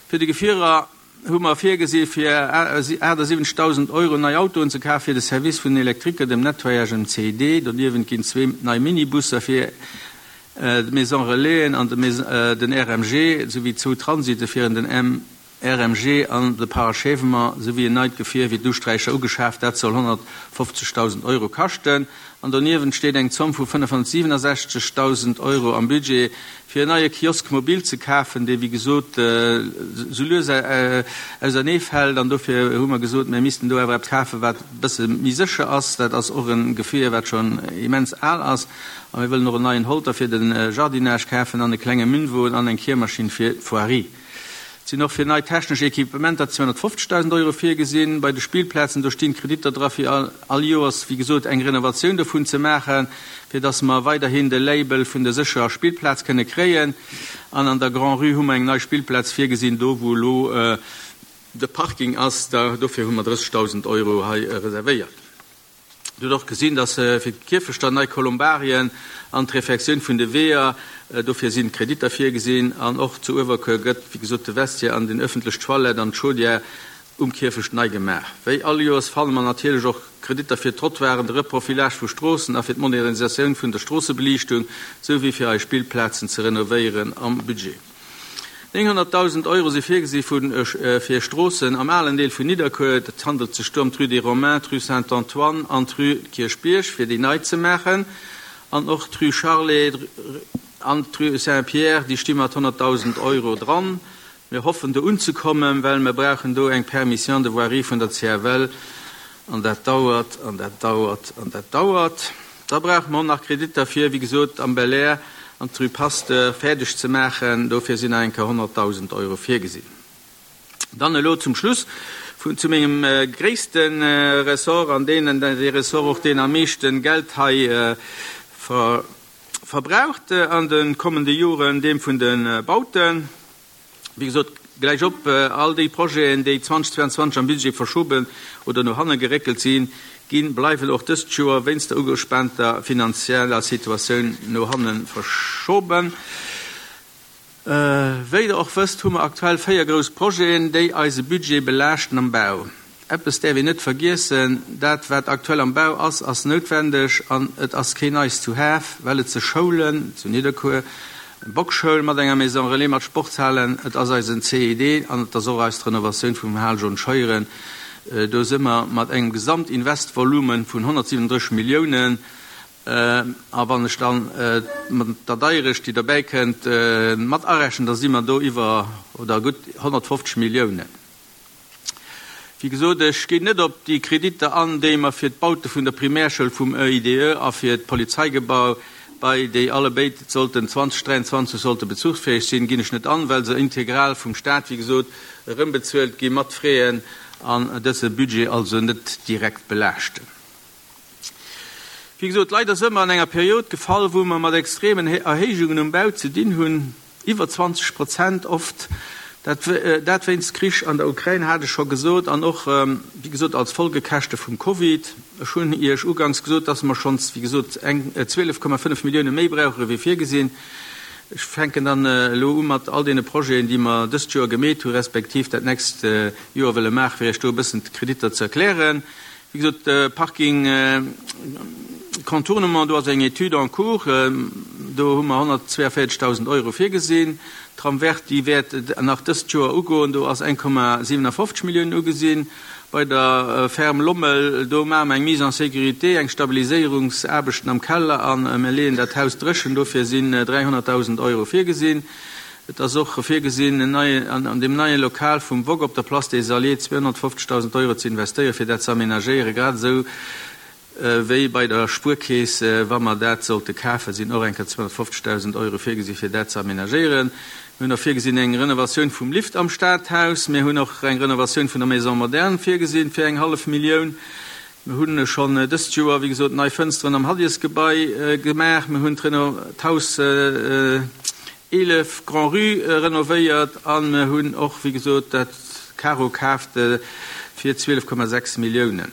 Fir de Gefierer hu mer virgesi fir aachtsiwwenzegdausend Euro nei Autoen ze kafen fir de Service vun den Elektriker, dem Nettoyage an dem C I D. Doniewent ginn zwee nei Minibusser fir d'Maison Relaisen an den R M G, souwéi zwou Transite fir den R M G an de Parachèvement, souwéi en neit Gefier fir d'Usträicher ugeschaaft. Dat soll honnertfofzegdausend Euro kaschten. An doniewent steet eng Zomm vu fënnefhonnertsiwwenasechzegdausend Euro am Budget, fir en neie Kiosk mobil ze kafen, dee wéi gesot sou lues auserneefält. An dofir hu mer gesot, mir missten do awer eppes kafen, wat e bësse méi sécher ass. Dat ass och e Gefier, wat schonn immens al ass. A mir wëllen och en neien Holter fir de Jardinage kafen an e klenge Münnwon an eng Kiermaschinn fir d'Voirie. Et sinn och fir nei technesch Equipementer zweehonnertfofzegdausend Euro virgesinn. Bei de Spillplazen, do stinn Kreditter dra fir all Joers, wéi gesot, eng Renovatioun dovun ze maachen, fir dass mer weiderhin de Label vun der sécherer Spillplaz kënne kréien. An an der Grand-Rue hu mer eng nei Spillplaz virgesinn, do wou elo de Parking ass. Dofir hu mer drëssegdausend Euro hei reservéiert. Dir hutt och gesinn, dass fir d'Kierfechter nei Kolumbarien an d'Refektioun vun de Weeër, dofir sinn Kreditter virgesinn. An och zu Uewerkuer gëtt, wéi gesot, de Vestiaire an den ëffentlech Toilette an d'Chaudière um Kierfecht nei gemaach. Wéi all Joers fanne mer natierlech och Kreditter fir d'Trottoiren, de Reprofilage vu Stroossen a fir d'Modernisatioun vun der Stroossebeliichtung, souwéi fir eis Spillplazen ze renovéieren am Budget. Nénghonnertdausend Euro si virgesi fir Stroossen am alen Deel vun Nidderkuer. Et handelt sech do ëm d'Rue des Romains, d'Rue Saint-Antoine an d'Rue Kierchbierg, fir déi nei ze maachen. An och d'Rue Charlet an d'Rue Saint-Pierre, déi sti mat honnertdausend Euro dran. Mir hoffen do unzekommen, well mir brauchen do eng Permission de voirie vun der C F L. An dat dauert, an dat dauert, an dat dauert. Da brauche mer och nach Kreditter fir, wéi gesot, am Belair an d'Rue Pasteur fäerdeg ze maachen. Dofir sinn nach eng Kéier honnertdausend Euro virgesinn. Dann elo zum Schluss vun, zu mengem gréisste Ressort, an deenen dee Ressort och deen am meeschten Geld hei ver-, verbraucht an de kommende Joren, deem vun de Bauten. Wéi gesot, gläich op all déi Projeten, déi zweitausendzweiundzwanzeg am Budget verschoben oder no hanne geréckelt sinn, ginn, bleiwen och dëst Joer wéinst der ugespaanter finanzieller Situatioun no hanne verschoben. Äh, wéi der och wësst, hu mer aktuell véier grouss Projeten, déi eise Budget belaaschten am Bau. Eppes däerf een net vergiessen, dat wat aktuell am Bau ass, ass noutwendeg an et ass keen nice to have, well et ze Schoulen zu Nidderkuer, Bockschoul mat enger Maison Relais mat Sportshalen, et ass eisen C I D an et ass och eis Renovatioun vum Hal John Scheuren. Äh, do si mer mat engem Gesamtinvestvolumen vun honnertsiwwendrësseg Milliounen. Äh, a wann ech dann, äh, mat der Deierecht, déi dobäi kënnt, äh, mat arechnen, da si mer do iwwer oder gutt honnertfofzeg Milliounen. Wéi gesot, ech ginn net op déi Kreditter an, déi mer fir d'Baute vun der Primärschoul vum E I D E a fir d'Polizeigebau bei déi alle béid sollten zweitausenddräiundzwanzeg sollte bezuchsfähig sinn, ginn ech net an, well se integral vum Staat, wéi gesot, erëmbezuelt gi mat Fräen an dëse Budget also net direkt belaaschten. Wéi gesot, leider si mer an enger Period gefall, wou mer mat extremen He-, Erhéijungen um Bau ze dinn hunn, iwwer zwanzeg Prozent oft. Dat, äh, dat wéinst Krich an der Ukraine hat ech scho gesot, an och, ähm, wéi gesot, als Folgekäschte vum Covid. Ech hunn Iech ugangs gesot, dass mer schonns, wéi gesot, eng, äh, zwielef Komma fënnef Millioune méi brauche wéi virgesinn. Ech fänken dann, äh, elo u mat all deene Projeten, déi mer dëst Joer gemeet hu, respektiv dat nächst, äh, Joer wëlle maachen, fir Iech do e bëssen d'Kreditter ze erklären. Wéi gesot, äh, Parking, äh, Contournement, do ass eng Étude en cours, äh, do hu mer honnertzweiundvierzigtausend Euro virgesinn. Tram vert, déi wäert nach dëst Joer ugoen, do ass eng Komma siebenundfünfzig Millionen ugesinn. Bei der, äh, Ferme Lommel, do maache mer eng Mise en sécurité, eng Stabiliséierungsaarbechten am Keller an, äh, mir leeën dat Haus dréchen, dofir sinn, äh, dreihunderttausend Euro virgesinn. Et ass och virgesinn, en neie, an, an dem neie Lokal vum W O G op der Place des Alliés zweihundertfünfzigtausend Euro ze investéieren, fir dat ze aménagéieren, grad esou, äh, wéi bei der Spuerkeess, äh, wa mer dat sollte kafen, sinn och enker zweihundertfünfzigtausend Euro virgesinn, fir dat ze aménagéieren. Mir hunn och virgesinn eng Renovatioun vum Lift am Stadhaus. Mir hunn och eng Renovatioun vun der Maison Moderne virgesinn fir eng hallef Millioun. Mir hunn schonn, äh, dëst Joer, wéi gesot, nei Fënsteren am Hadiesgebai, äh, gemaach. Mir hunn d'Reno-, d'Haus, äh, äh, elef Grand Rue, äh, renovéiert an mir hunn och, wéi gesot, dat Karo kaaft, äh, fir zwielef Komma sechs Milliounen.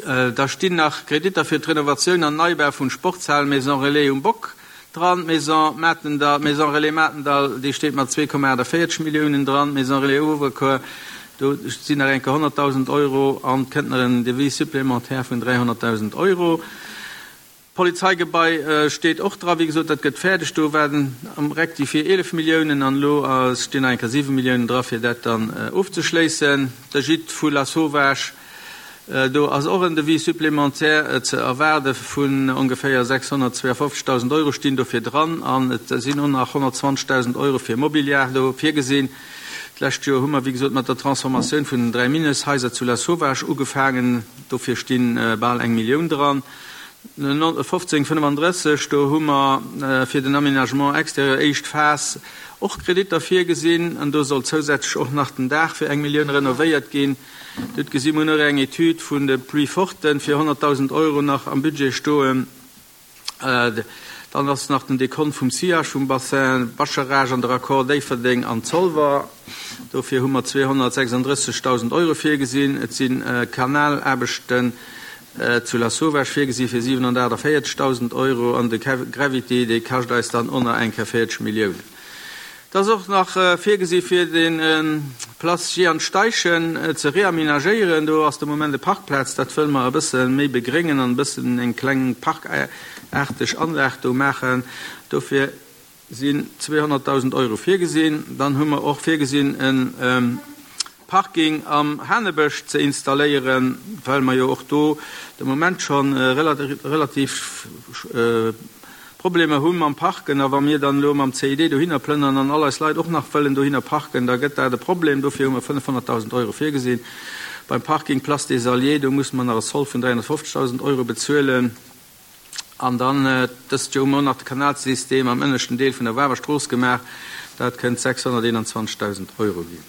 Äh, da stinn nach Kreditter fir d'Renovatioun an Neibau vun Sportshal Maison Relais um Bock dran, Maison Matendall, Maison Relais Matendall, déi steet mat zwee Komma achtundvierzig Milliounen dran, Maison Relais Uewerkuer, do sinn nach enke honnerttausend Euro an kënnt nach en Devis supplémentaire vun dreihunderttausend Euro. Polizeigebai, äh, steet och dran, wéi gesot, dat gëtt fäerdeg, do werden am Rectifié elef Milliounen an lo, äh, stinn nach enke siwe Milliounen dran, fir dat dann, äh, ofzeschléissen. Der Gîte vu La Sauvage, äh, do ass och en Devis supplémentaire, äh, ze erwaarde vun ongeféier sechshundertzweiundfünfzigtausend Euro stinn dofir dran an et sinn och nach honnertzwanzigtausend Euro fir Mobiliar do virgesinn. D'lescht Joer hu mer, wéi gesot, mat der Transformatioun vun den dräi Mineshaiser zu La Sauvage ugefaangen. Dofir stinn, äh, bal eng Millioun dran. fünfzehn fünfunddrësseg, do hu mer, äh, fir den Aménagement extérieur éischt Phas och Kreditter virgesinn an do soll zousätzlech och nach den Daach fir eng Millioun renovéiert ginn. Dort gesi mer noch eng Etüd vun de Pluie Forten fir honnerttausend Euro nach am Budget stoen. Äh, dann ass nach den Dekont vum Sillage vum Bassin Bascharage an der Raccord Déifferdeng an Zolwer. Dofir hu mer zweihundertsechsunddrëssigtausend Euro virgesinn. Et sinn, äh, Kanalaarbechten, äh, zu La Sauvage virgesinn fir siebenhundertachtundvierzigtausend Euro an de Kev-, Gravity, dee kascht eis dann ënner eng vierzig Milliounen. Das ist och nach, äh, virgesinn fir den, ähm, Platz Jean Steichen, äh, ze reaménagéieren. Do ass de Moment de Parkplatz, dat wëll mer e bësse méi begréngen an e bëssen eng kleng parkarteg Anlag do maachen. Dofir sinn zweehonnertdausend Euro virgesinn. Dann hu mer och virgesinn, e Parking am Hanebësch ze installéieren, well mer jo och do de Moment scho relativ Problemer hu mam Parken. A wa mir dann elo mam C I D dohinner plënnern an all eis Leit och nach wëllen dohinner parken, da gëtt dat e Problem. Dofir hu mer fënnefhonnertdausend Euro virgesinn. Beim Parking Place des Alliés, do musse mer nach e Sold vun dräihonnertfofzegdausend Euro bezuelen. An dann dëst Joer hu mer och nach de Kanalsystem am ënneschten Deel vun der Wawer Strooss gemaach. Dat kënnt sechshonnerteenanzwanzegdausend Euro ginn.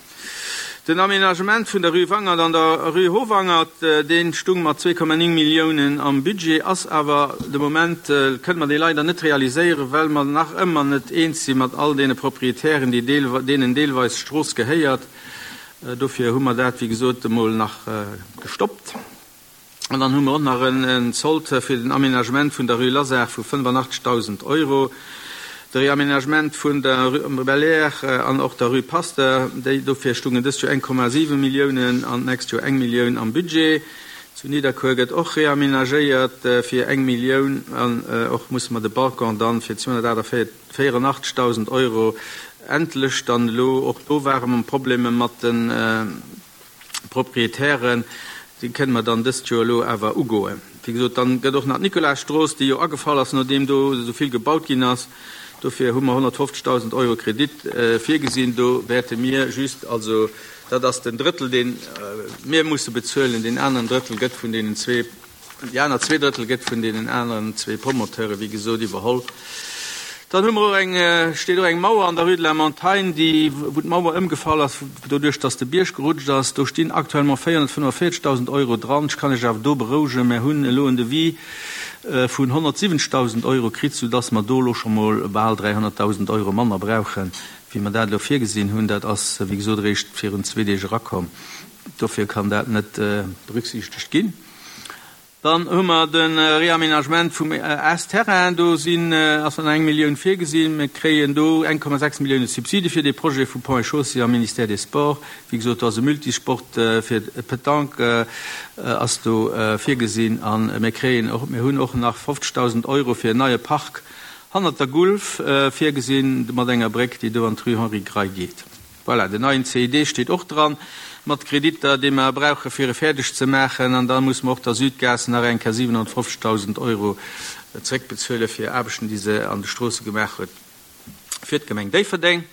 Den Aménagement vun der Rue Wangert an der Rue Howangert, dee stung mat zwee Komma néng Milliounen am Budget, ass awer de Moment, kënne mer dee leider net realiséieren, well mer nach ëmmer net eens si mat all deene Proprietären, déi deenen deelweis d'Strooss gehéiert. Dofir hu mer dat, wéi gesot, emol nach gestoppt. An dann hu mer och nach en Sold fir den Aménagement vun der Rue Lazare vu fënnefanachtzeghdausend Euro, de Réaménagement vun der Rue Belair an och der Rue Pasteur, déi dofir stungen dëst Joer eng Komma siwe Milliounen an d'nächst Joer eng Millioun am Budget. Zu Nidderkuer gëtt och réaménagéiert fir eng Millioun an och musse mer de Balcon dann fir zweehonnertvéierunachtzegdausend Euro endlech dann elo, och do ware mer Problemer mat de Proprietären, déi kënne mer dann dëst Joer elo awer ugoen. Wéi gesot, dann gëtt och nach d'Nicolasstrooss, déi jo agefall ass, nodeem do esou vill gebaut ginn ass. Dofir hu mer honnertfofzegdausend Euro Kredit virgesinn. Do wäerte mir just, also dat ass den Drëttel, dee mir musse bezuelen, deen aneren Drëttel gëtt vun deenen zwee, déi aner zwee Drëttel gëtt vun deenen aneren zwee Promoteure, wéi gesot, iwwerholl. Dann hu mer och eng, steet och eng Mauer an der Rue de la Montagne, déi, wou d'Mauer ëmgefall ass, doduerch datt de Bierg gerutscht ass. Do stinn actuellement véierhonnertfënnefavierzegdausend Euro dran. Ech kann Iech awer do berouegen, Mir hunn elo en Devis vun honnertsiwwenzegdausend Euro kritt, soudatt mer do elo scho mol bal dräihonnertdausend Euro manner brauchen, wéi mer dat elo virgesinn hunn. Dat ass, wéi gesot, eréischt virun zwee Deeg erakomm. Dofir kann dat net berücksichtegt ginn. Dann hu mer de Réaménagement vum S-Terrain. Do sinn, ass dann eng Millioun virgesinn. Mir kréien do eng Komma sechs Millioune Subside fir dee Projet vu Ponts et Chaussées am Ministère des Sports. Wéi gesot, do ass e Multisport fir Petanque ass do virgesinn. A mir kréien och, mir hunn och nach fofzegdausend Euro fir en neie Park hannert der Gulf virgesinn, mat enger Bréck, déi do an d'Rue Henri Grey geet. Voilà, den neien C I D steet och dran, mat Kreditter, déi mer brauche fir e fäerdeg ze maachen. An da muss mer och der Südgas nach eng Kéier siwenhonnertfofzegdausend Euro zréckbezuele fir Aarbechten, déi se an de Stroosse gemaach huet fir d'Gemeng Déifferdeng.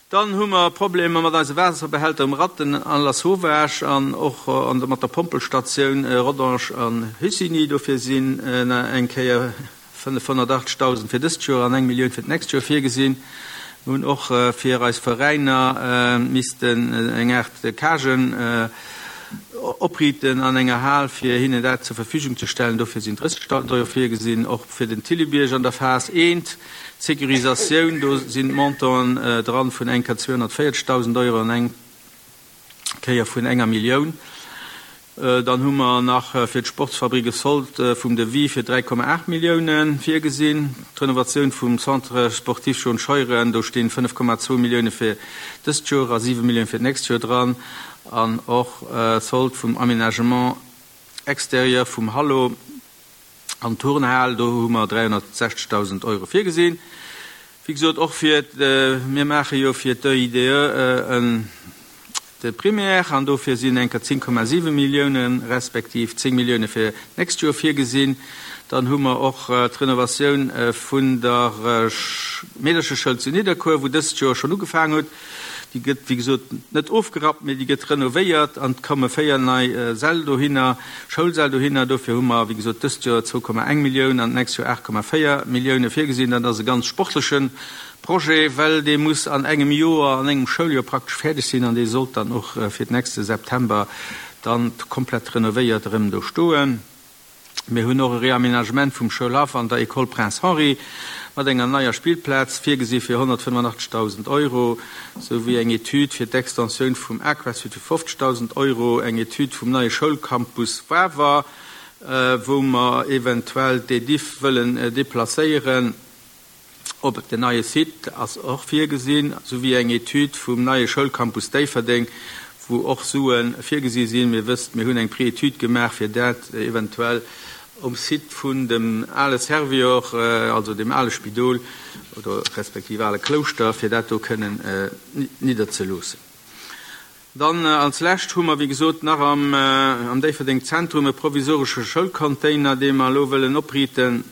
Dann hu mer Problemer mat eise Waasserbehälter um Ratten an Lasauvage an och mat der Pompelstatioun Rodange an Hussigny. Dofir sinn eng Kéier fënnefhonnertachtzegdausend fir dëst Joer an eng Millioun fir d'nächst Joer virgesinn. Mir hunn och fir eis Veräiner missten eng Aart Cagen opriiten an enger Hal, fir hinnen dat zur Verfügung ze stellen. Dofir sinn drëssegdausend Euro virgesinn. Och fir den Thillebierg an der Phas eent, d'Sécurisatioun, do sinn d'Montanten dran vun eng Kéier zweehonnertvéierzegdausend Euro an eng Kéier vun enger Millioun. Dann hu mer nach fir d'Sportsfabrik e Sold vum Devis fir dräi Komma aacht Millioune virgesinn. D'Renovatioun vum Centre sportif John Scheuren, do stinn fënnef Komma zwou Millioune fir dëst Joer a siwe Millioune fir d'nächst Joer dran. An och Sold vum Aménagement extérieur vum Hallo an Turnhal, do hu mer dräihonnertsechzegdausend Euro virgesinn. Wéi gesot, och fir, mir maache jo fir d'E I D E en de Primaire an dofir sinn enker zéng Komma siwe Millioune respektiv zéng Millioune fir d'nächst Joer virgesinn. Dann hu mer och d'Renovatioun vun der Meedercheschoul zu Nidderkuer, wou dëst Joer schonn ugefaangen huet. Déi gëtt, wéi gesot, net ofgerappt, mee déi gëtt renovéiert an et komme véier nei Säll dohinner, Schoulsäll dohinner. Dofir hu mer, wéi gesot, dëst Joer zwou Komma eng Millioun an d'nächst Joer aacht Komma véier Millioune virgesinn. Dat ass e ganz sportleche Projet, well dee muss an engem Joer, an engem Schouljoer praktesch fäerdeg sinn an dee sollt dann och fir d'nächste September dann komplett renovéiert erëm do stoen. Mir hunn och e Réaménagement vum Schoulhaff an der École Prince Henri mat enger neier Spillplaz virgesi fir honnertfënnefanachtzeghdausend Euro, souwéi eng Etüd fir d'Extensioun vum Aquasud fir fofzegdausend Euro, eng Etüd vum neie Schoulcampus Wawer, wou mer eventuell d'Ediff wëllen deplacéieren op den neie Site, ass och virgesinn, souwéi eng Etüd vum neie Schoulcampus Déifferdeng, wou och Sue virgesi sinn. Mir wësst, mir hunn eng Pré-Etüd gemaach, fir dat eventuell um Site vun dem ale Servior, also dem ale Spidol oder respektiv ale Klouschter, fir dat do kënnen nidderzeloossen. Dann als Lescht hu mer, wéi gesot, nach am, am Déifferdeng Zentrum e provisoresche Schoulcontainer, dee mer elo wëllen opriiten,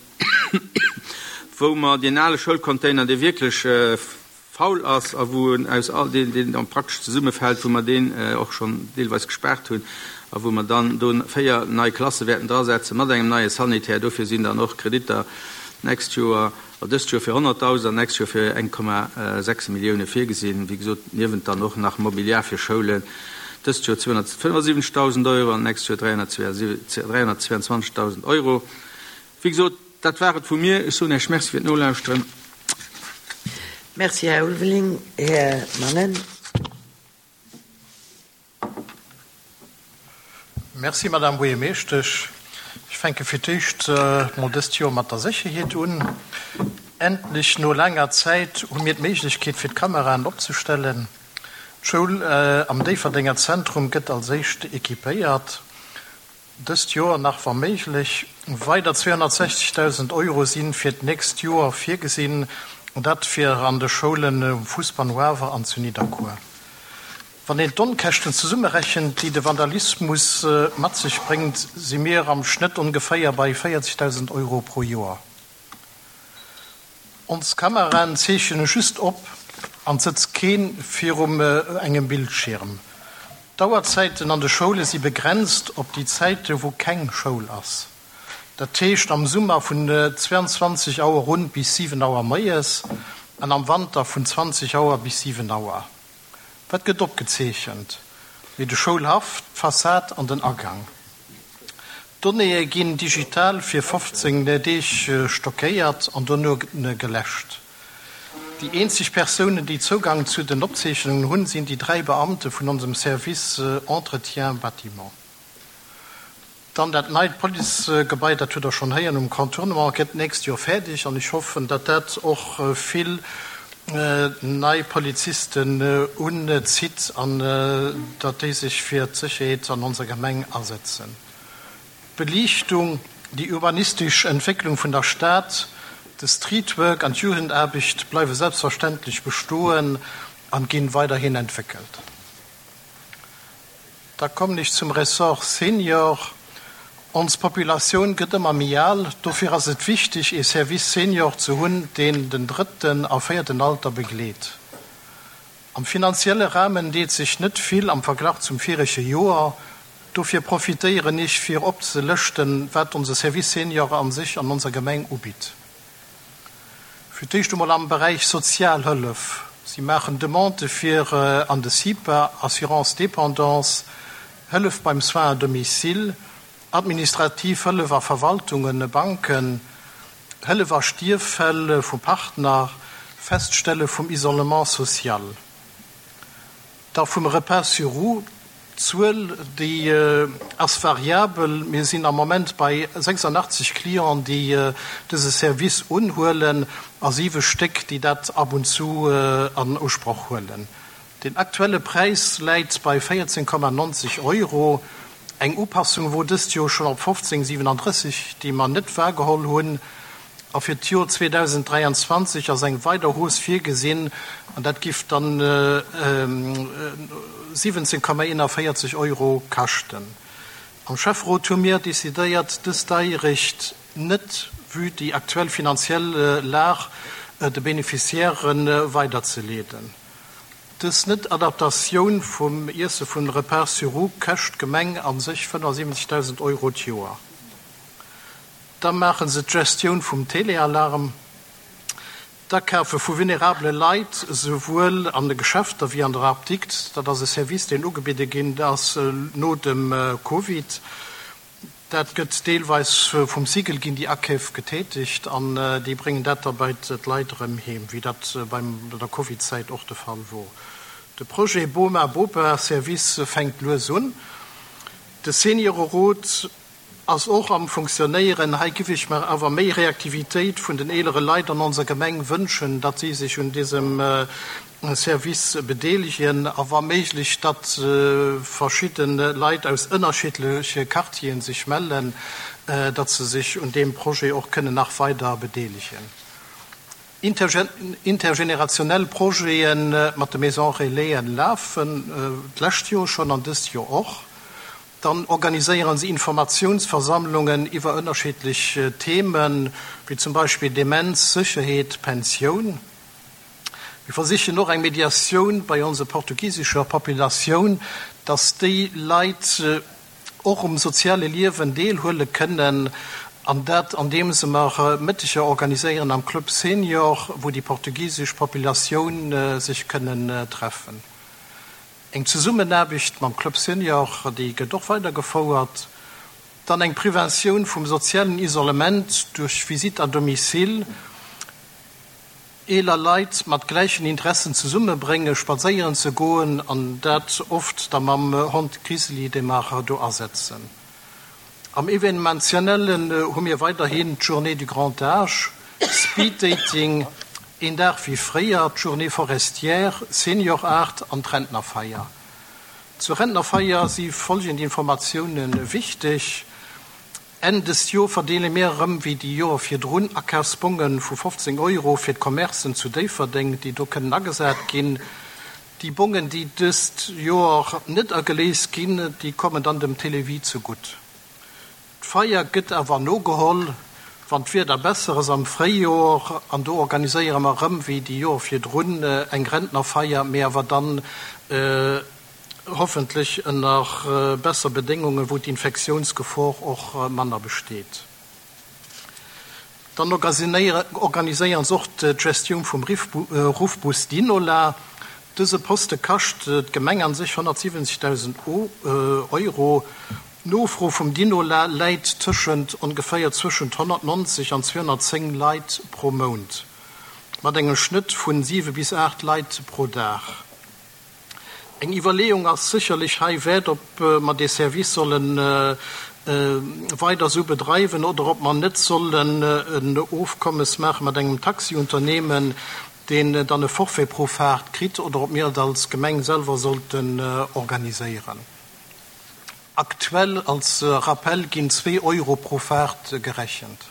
wou mer deen ale Schoulcontainer, dee wierklech faul ass a wou en aus all deen, deen dann praktesch zesummefält, wou mer deen och schonn deelweis gespaart hunn a wou mer dann do véier nei Klasse wäerten drasetzen mat engem neie Sanitär. Dofir sinn dann och Kreditter d'nächst Joer, oder dëst Joer fir honnertdausend an d'nächst Joer fir eng Komma sechs Millioune virgesinn. Wéi gesot, niewent dann och nach Mobiliar fir Schoulen, dëst Joer zweehonnertfënnefasiwwenzegdausend Euro an d'nächst Joer dräihonnertzweiundzwanzegdausend Euro. Wéi gesot, dat war et vu mir. Ech soen Iech Merci fir d'Nolauschteren. Merci, Här Ulveling. Här Mangen. Merci, Madame Buergermeeschtesch. Ech fänke fir d'éischt mol dëst Joer mat der Sécherheet un. Endlech, no laanger Zäit, hu mir d'Méiglechkeet fir d'Kameraen opzestellen. D'Schoul am Déifferdenger Zentrum gëtt als éischt equipéiert. Dëst Joer nach, wa méiglech. Weider zweehonnertsechzegdausend Euro si fir d'nächst Joer virgesinn, dat fir an de Schoulen um Fuussbahnhof an zu Nidderkuer. Wann een d'Onkäschten zesummerechent, déi de Vandalismus mat sech bréngt, si mir am Schnëtt ongeféier bei véierzegdausend Euro pro Joer. Ons Kameraen zeechene just op an et sëtzt kee virum engem Bildschierm. D'Auerzäiten an de Schoule si begrenzt op déi Zäite wou keng Schoul ass. Dat heescht am Summer vun zweiundzwanzeg Auer un bis siwen Auer moies an am Wanter vun zwanzeg Auer bis siwen Auer. Wat gëtt opgezeechent? Mee de Schoulhaff, d'Fassad an den Agang. D'Donnéeë ginn digital fir fofzéng Deeg stockéiert an dono geläscht. Déi eenzeg Persounen, déi Zougang zu den Opzeechnungen hunn, sinn déi dräi Beamte vun onsem Service Entretien Bâtiment. Dann dat neit Policegebai, dat hutt Der schonn héieren, um Contournement, gëtt d'nächst Joer fäerdeg an ech hoffen, datt dat och vill nei Polizisten unzitt an datt déi sech fir d'Sécherheet an onser Gemeng asetzen. D'Beliichtung, déi urbanistesch Entwécklung vun der Stad, de Streetwork an d'Jugendaarbecht bleiwe selbstverständlech bestoen an ginn weiderhin entwéckelt. Da kommen ech zum Ressort Senior. Ons Populatioun gëtt ëmmer méi al, dofir ass et wichteg ee Service Senior ze hunn, deen den drëtten a véierten Alter begleet. Am finanzielle Rahmen deet sech net vill am Verglach zum virege Joer, dofir profitéieren ech fir opzelëschten, wat onse Service Senior an sech an onser Gemeng ubitt. Fir d'éischt emol am Beräich Sozialhëllef, Si maachen Demandë fir an de CIPA, Assurance dépendance, Hëllef beim Soins à domicile, administrativ Hëllef a Verwaltungen, Banken, Hëllef a Stierffäll vu Partner, Feststelle vum Isolement social. Da vum Repas sur roues, d'Zuel, déi ass variabel. Mir sinn am Moment bei sechsundachtzeg Clienten, déi dëse Service unhuelen, a siwe Stéck, déi dat ab und zu an Usproch huelen. Den aktuelle Präis läit bei véierzéng Komma neunzeg Euro. Eng Upassung wor dëst Joer schonn op fofzéng siewenunddrësseg, déi mer net wahrgeholl hunn. A fir d'Joer zweedausenddräianzwanzeg ass eng weider Hausse virgesinn, an dat giff dann siwwenzéng Komma eenanvéierzeg Euro kaschten. Am Schäfferot hu mir decidéiert, dës Deierecht net, vue déi aktuell finanziell Lag, de Beneficiairen weiderzeleeden. Dës Net-Adaptatioun vum Iesse vun Repas sur roues kascht d'Gemeng a sech fënnefundsiwwenzegdausend Euro d'Joer. Da maache se d'Gestioun vum Telealarm, d'Akafe vu vulnerabele Leit, souwuel an de Geschäfter wéi an der Apdikt. Dat ass e Service, deen ugebidde ginn ass no dem Covid. Dat gëtt deelweis vum Sigel ginn déi Akeef getätigt an déi bréngen dat da bei d'Leit erëm heem, wéi dat bei der Covid-Zäit och de Fall wor. De Projet Boma-Bopa Service fänkt lues un. De Seniorerot ass och am Funktionéieren. Hei giff ech mer awer méi Reaktivitéit vun den eelere Leit an onser Gemeng wënschen, datt si sech un dësem Service bedeelegen a wa méiglech, datt verschidde Leit aus ënnerschiddleche Quartieren sech mellen, datt se sech un deem Projet och kënnen nach weider bedeelegen. Intergenerationell Projete mat de Maisons Relaisen lafen d'lescht Joer schonn an dëst Joer och. Dann organiséieren si Informatiounsversammlungen iwwer ënnerschiddlech Themen, wéi zum Beispill Demenz, Sécherheet, Pensioun. Mir versichen och eng Mediatioun bei onser portugisescher Populatioun, dass déi Leit och um soziale Liewen deelhuele kënnen, an dat andeems mer Mëtteger organiséieren am Club Senior, wou déi portugisesch Populatioun sech kënnen treffen. Eng Zesummenaarbecht mam Club Senior, déi gëtt och weidergefouert. Dann eng Preventioun vum sozialen Isolement duerch Visite à domicile, eeler Leit mat gläichen Interessen zesummebréngen, spadséieren ze goen, an dat oft da mam Hond Grizzly, dee mer do asetzen. Am Evenementiellen hu mir weiderhin d'Journée du Grand Âge, Speed Dating, Een Dag wéi fréier, d'Journée forestière, Senior Art an d'Rentnerfeier. Zur Rentnerfeier si folgend Informatioune wichteg, Enn dëst Joer verdeele mir erëm wéi déi Joer virdrun Akafsbonge vu fofzéng Euro fir d'Commercen zu Déifferdeng, déi do kënnen agesat ginn. Déi Bongen, déi dëst Joer net ageléist ginn, déi kommen dann dem Télévie zegutt. D'Feier gëtt awer nogeholl, wann d'Wieder besser ass am Fréijoer, an do organiséiere mer erëm wéi déi Joer virdrun eng Rentnerfeier, mee awer dann hoffentlech ënner besser Bedéngungen, wou d'Infektiounsgefor och manner besteet. Dann organiséieren se och d'Gestioun vum Ruffbus Dinola. Dëse Poste kascht d'Gemeng an sech honnertsiwwenzegdausend Euro. D'Nofro vum Dinola läit tëschent ongeféier zwëschent honnertnonzeg an zweehonnertzéng Leit pro Mount, mat engem Schnëtt vu siwe bis aacht Leit pro Dag. Eng Iwwerleeung ass sécherlech hei wäert, ob mer dee Service solle weider esou bedreiwen oder ob mer net sollen en Ofkommes maache mat engem Taxiunternehmen, deen dann e Forfait pro Faart kritt, oder ob mir et als Gemeng selwer sollten organiséieren. Aktuell, als Rappel, ginn zwee Euro pro Faart gerechent.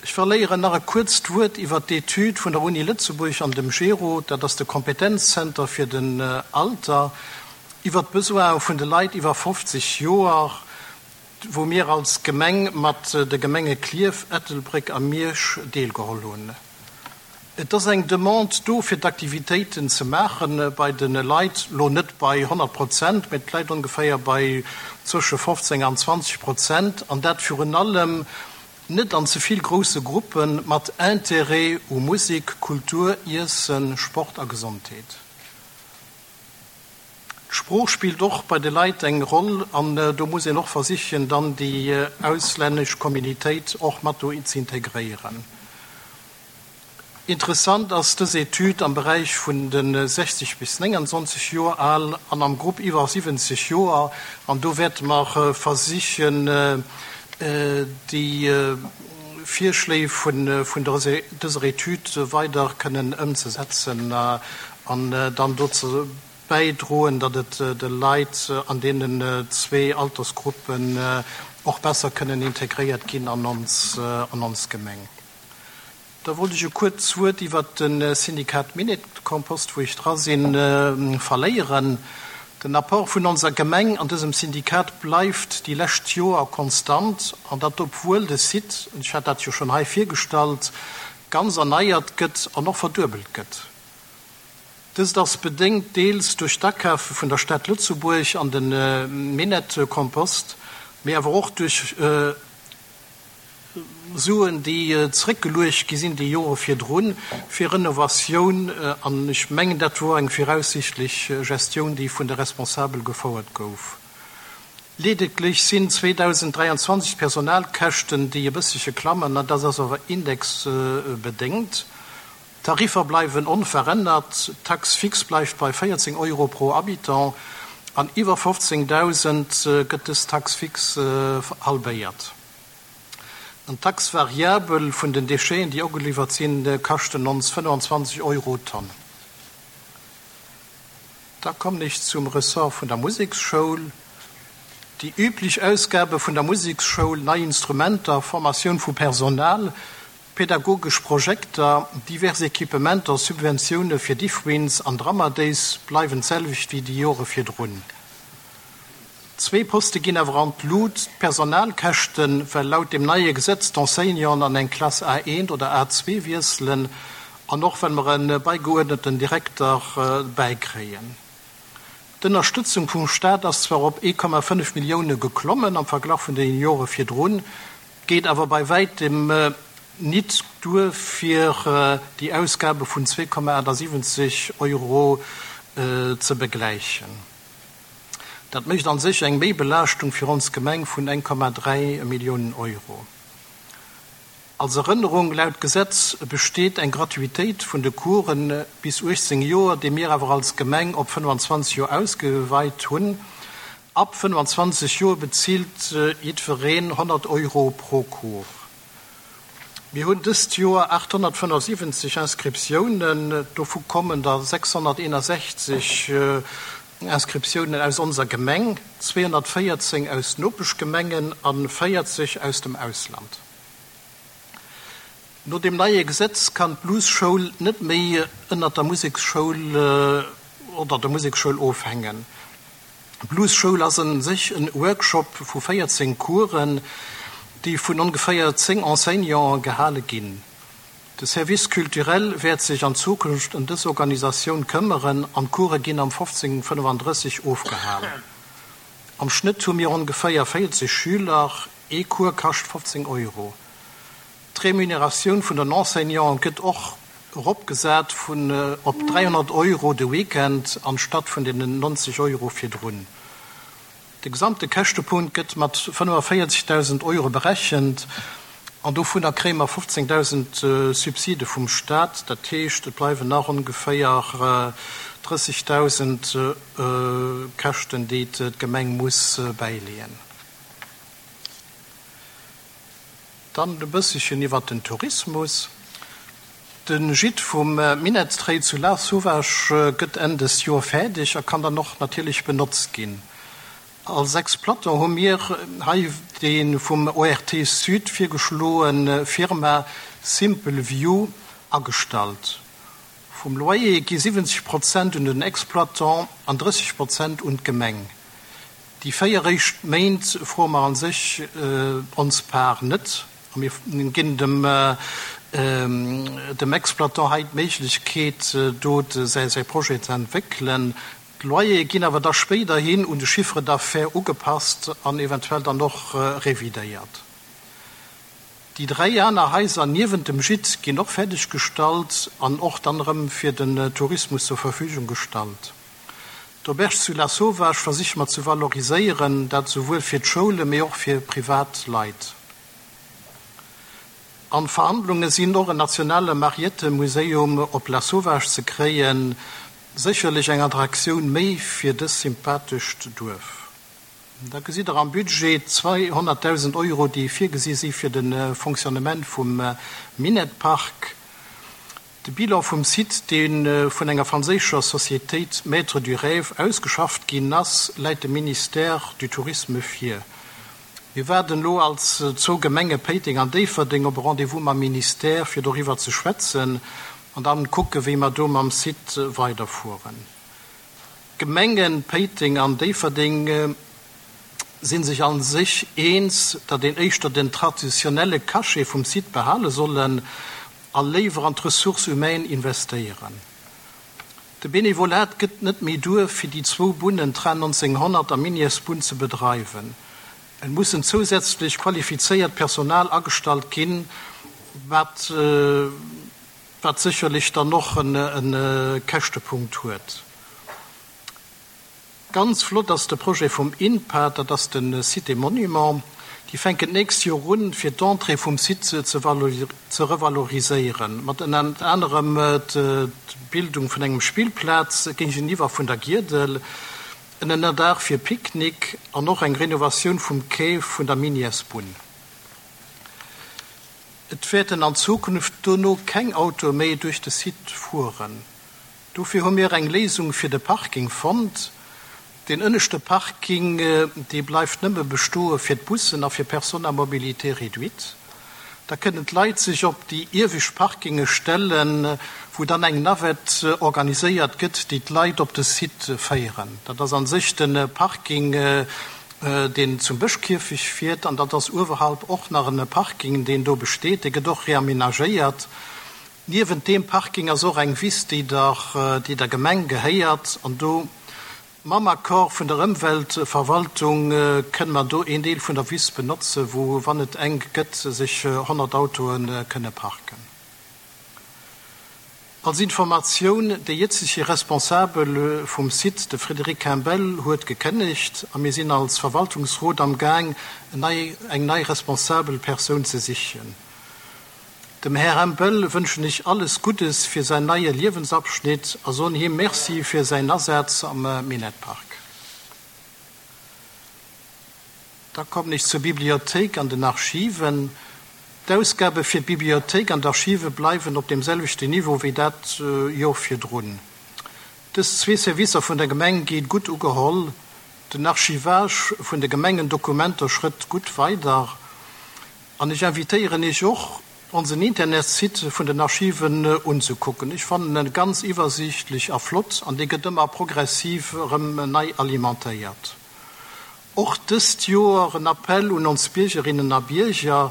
Ech verléieren nach e kuerzt Wuert iwwert d'Etüd vun der Uni Lëtzebuerg an dem GERO, dat ass de Kompetenzzenter fir den Alter, iwwert d'Besoine vun de Leit iwwer fofzeg Joer, wou mir als Gemeng mat de Gemenge Klierf, Ettelbréck a Miersch deelgeholl hunn. Et ass eng Demande do fir d'Aktivitéiten ze maache bei de Leit, lo net bei honnert Prozent, mee et läit ongeféier bei zwësche fofzéng an zwanzeg Prozent, an dat virun allem net an ze vill grousse Gruppen, mat Intérêt u Musek, Kultur, Iessen, Sport a Gesondheet. D'Sprooch spillt och bei de Leit eng Roll an do muss een och versichen, dann déi auslännesch Communitéit och mat do ze integréieren. Interessant ass dës Etüd am Beräich vun de sechzeg bis néngensonzeg Joer al an am Grupp iwwer siwwenzeg Joer an do wäerte mer versichen, déi Virschléi vun dëser Etüd weider kënnen ëmzesetzen an dann dozou bäidroen, datt et de Leit an deenen zwee Altersgruppen och besser kënnen integréiert ginn an ons Gemeng. Da wollt ech e kuerzt Wuert iwwert de Syndikat Minett-Kompost, wou ech dra sinn, verléieren. Den Apport vun onser Gemeng an dësem Syndikat bleift déi lescht Joer konstant, an dat obwuel de Site, ech hat dat jo schonn hei virgestallt, ganz erneiert gëtt an och verduebelt gëtt. Dëst ass bedéngt deels duerch d'Akafe vun der Stad Lëtzebuerg an de Minett-Kompost, mee awer och duerch Suen, déi zeréckgeluecht gi sinn déi Jore virdrun fir Renovatioun, an ech mengen, dat wor eng viraussichtlech Gestioun, déi vun de Responsabel gefouert gouf. Ledeglech sinn zweedausenddräianzwanzeg d'Personalkäschten, déi e bëssche klammen, an dat ass awer indexbedéngt. D'Tariffer bleiwen onverännert, d'Taxe fixe bleift bei véierzéng Euro pro Habitant An iwwer fofzéngdausend gëtt dës Taxe fixe halbéiert. An d'Taxe variable vun den Décheten, déi ugeliwwert sinn, kaschten ons fënnefanzwanzeg Euro d'Tonn. Da kommen ech zum Ressort vun der Museksschoul. Déi üblech Ausgabe vun der Museksschoul, nei Instrumenter, Formatioun vu Personal, pädagogesch Projekter, divers Equipementer, Subventioune fir Diffwins an Drummer Days bleiwen d'selwecht wéi déi Jore virdrun. Zwee Poste ginn awer an d'Lut, d'Personalkäschten, well laut dem neie Gesetz d'Enseignanten an eng Klass A eent oder A zwee wiesselen an och well mer e beigeuerdneten Direkter bäikréien. D'Ënnerstëtzung vum Staat ass zwar op ee Komma fënnef Millioune geklommen am Verglach vun den Jore virdrun, geet awer bei wäitem nit duer fir déi Ausgabe vun zwee Komma achtasiwwenzeg Euro ze begläichen. Dat mécht an sech eng Méibelaaschtung fir ons Gemeng vun eng Komma dräi Milliounen Euro. Als Erënnerung, Laut Gesetz besteet eng Gratuitéit vun de Coursen bis uechtzéng Joer, déi mir awer als Gemeng op fënnefanzwanzeg Joer ausgeweit hunn. Ab fënnefanzwanzeg Joer bezilt jiddwereen honnert Euro pro Cours. Mir hunn dëst Joer achthonnertfënnefundsiwwenzeg Inscriptiounen, dovu kommen der sechshonnerteenasechzeg Inscriptiounen aus onser Gemeng, zweehonnertvéierzéng aus Nopeschgemengen a véierzeg aus dem Ausland. No dem neie Gesetz kann d'Bluesschoul net méi ënnert der Museksschoul oder der Museksschoul ofhängen. D'Bluesschoul ass a sech en Workshop vu véierzéng Coursen, déi vun ongeféier zéng Enseignanten gehale ginn. De Service culturel wäert sech an Zukunft ëm dës Organisatioun këmmeren an d'Course ginn am fofzéng fënnefandrësseg ofgehal. Am Schnëtt hu mir ongeféier véierzeg Schüler, ee Cours kascht fofzéng Euro. D'Remuneratioun vun den Enseignanten gëtt och eropgesat vun op dräihonnert Euro de Weekend anstatt vun deenen nonzeg Euro virdrun. De gesamte Käschtepunkt gëtt mat fënnefavierzegdausend Euro berechent an dovunner kréie mer fofzéngdausend Subside vum Staat. Dat heescht, et bleiwen nach ongeféier drëssigdausend Käschten, déi d'Gemeng muss bäileeën. Dann e bësselchen iwwer den Tourismus. De Gîte vum Minett-Trail zu Lasauvage gëtt Enn des Joer fäerdeg a kann dann och natierlech benotzt ginn. Als Exploitant hu mir hei déi vum O R T Sud virgeschloe Firma Simple View agestallt. Vum Loyer gi siwwenzeg Prozent un den Exploitant an drësseg Prozent un d'Gemeng. Déi véier éischt Méint froe mer a sech ons Part net a mir ginn dem dem Exploitant hei d'Méiglechkeet, do säi Projet ze entwéckelen. D'Loyere ginn awer da spéiderhin un de Chiffre d'affaires ugepasst an eventuell dann och revidéiert. Déi dräi aner Haiser niewent dem Gîte ginn och fäerdeg gestallt an och dann erëm fir den Tourismus zur Verfügung gestallt. D'Auberge zu Lasauvage versiche mer ze valoriséieren, dat souwuel fir d'Schoule mee och fir privat Leit. An Verhandlunge sinn och en nationale Mariette-Museum op Lasauvage ze kréien, sécherlech eng Attraktioun méi fir dës sympathescht Duerf. Da gesitt Der am Budget zweehonnertdausend Euro, déi virgesi si fir de Fonctionnement vum Minett-Park. De Bilan vum Site, dee vun enger franséischer Societéit Maître du Rêve ausgeschafft ginn ass, läit dem Ministère du Tourisme vir. Mir waarden elo als zwou Gemenge Péiteng an Déifferdeng op e Rendez-vous mam Ministère, fir doriwwer ze schwätzen an dann kucke wéi mer do mam Site weiderfueren. D'Gemengen Péiteng an Déifferdeng si sech a sech eens, datt een éischter den traditionelle Cachet vum Site behale sollen a léiwer an d'Ressources humaines investéieren. De Benevolat gëtt net méi duer fir déi zwou Bunnen Train nonzénghonnert a Minièresbunn ze bedreiwen. Et mussen zousätzlech qualifizéiert Personal agestallt ginn, wat wat sécherlech dann och e Käschtepunkt huet. Ganz flott ass de Projet vum INPA, dat ass de Site et Monuments. Déi fänken d'nächst Joer un, fir d'Entrée vum Site ze revaloriséieren, mat ënnert anerem d'Bildung vun engem Spillplaz géigeniwwer vun der Giedel. en Ënnerdaach fir Picknick an och eng Renovatioun vum Quai vun der Minièresbunn. Et wäerten an Zukunft dono keng Autoe méi duerch de Site fueren. Dofir hu mir eng Léisung fir de Parking fonnt. Den ënneschte Parking, dee bleift nëmme bestoe fir d'Bussen a fir Personnes à mobilité réduite. Da kënnen d'Leit sech op déi iewescht Parkinge stellen, wou dann eng Navette organiséiert gëtt, déi d'Leit op de Site féieren. Dat ass an sech de Parking, deen zum Bëschkierfecht fiert, an dat ass uewerhalb och nach en Parking, deen do besteet. Dee gëtt och reamenagéiert. Niewent deem Parking ass och eng Wiss, déi der, déi der Gemeng gehéiert, an do mam Accord vun der Ëmweltverwaltung kënne mer do een Deel vun der Wiss benotzen, wou, wann et enk gëtt, sech honnert Autoe kënne parken. Als Informatioun, de jëtzege Responsabel vum Site, de Frédéric Campbell, huet gekënnegt a mir sinn als Verwaltungsrot am Gaang, eng nei responsabel Persoun ze sichen. Dem Här Hempel wënschen ech alles Guddes fir säin neie Liewensabschnitt a soen him Merci fir säin Asaz am Minettpark. Da kommen ech zur Bibliothéik an den Archiven. D'Ausgabe fir d'Bibliothéik an d'Archive bleiwen op deem selwechten Niveau wéi dat Joer virdrun. Dës zwee Servicer vun der Gemeng gi gutt ugeholl. Den Archivage vun de Gemengendokumenter schrëtt gutt weider. An ech invitéieren iech och, onsen Internetsite vun den Archiven unzekucken. Ech fannen en ganz iwwersiichtlech a flott an dee gëtt ëmmer progressiv erëm nei alimentéiert. Och dëst Joer en Appell un ons Biergerinnen a Bierger,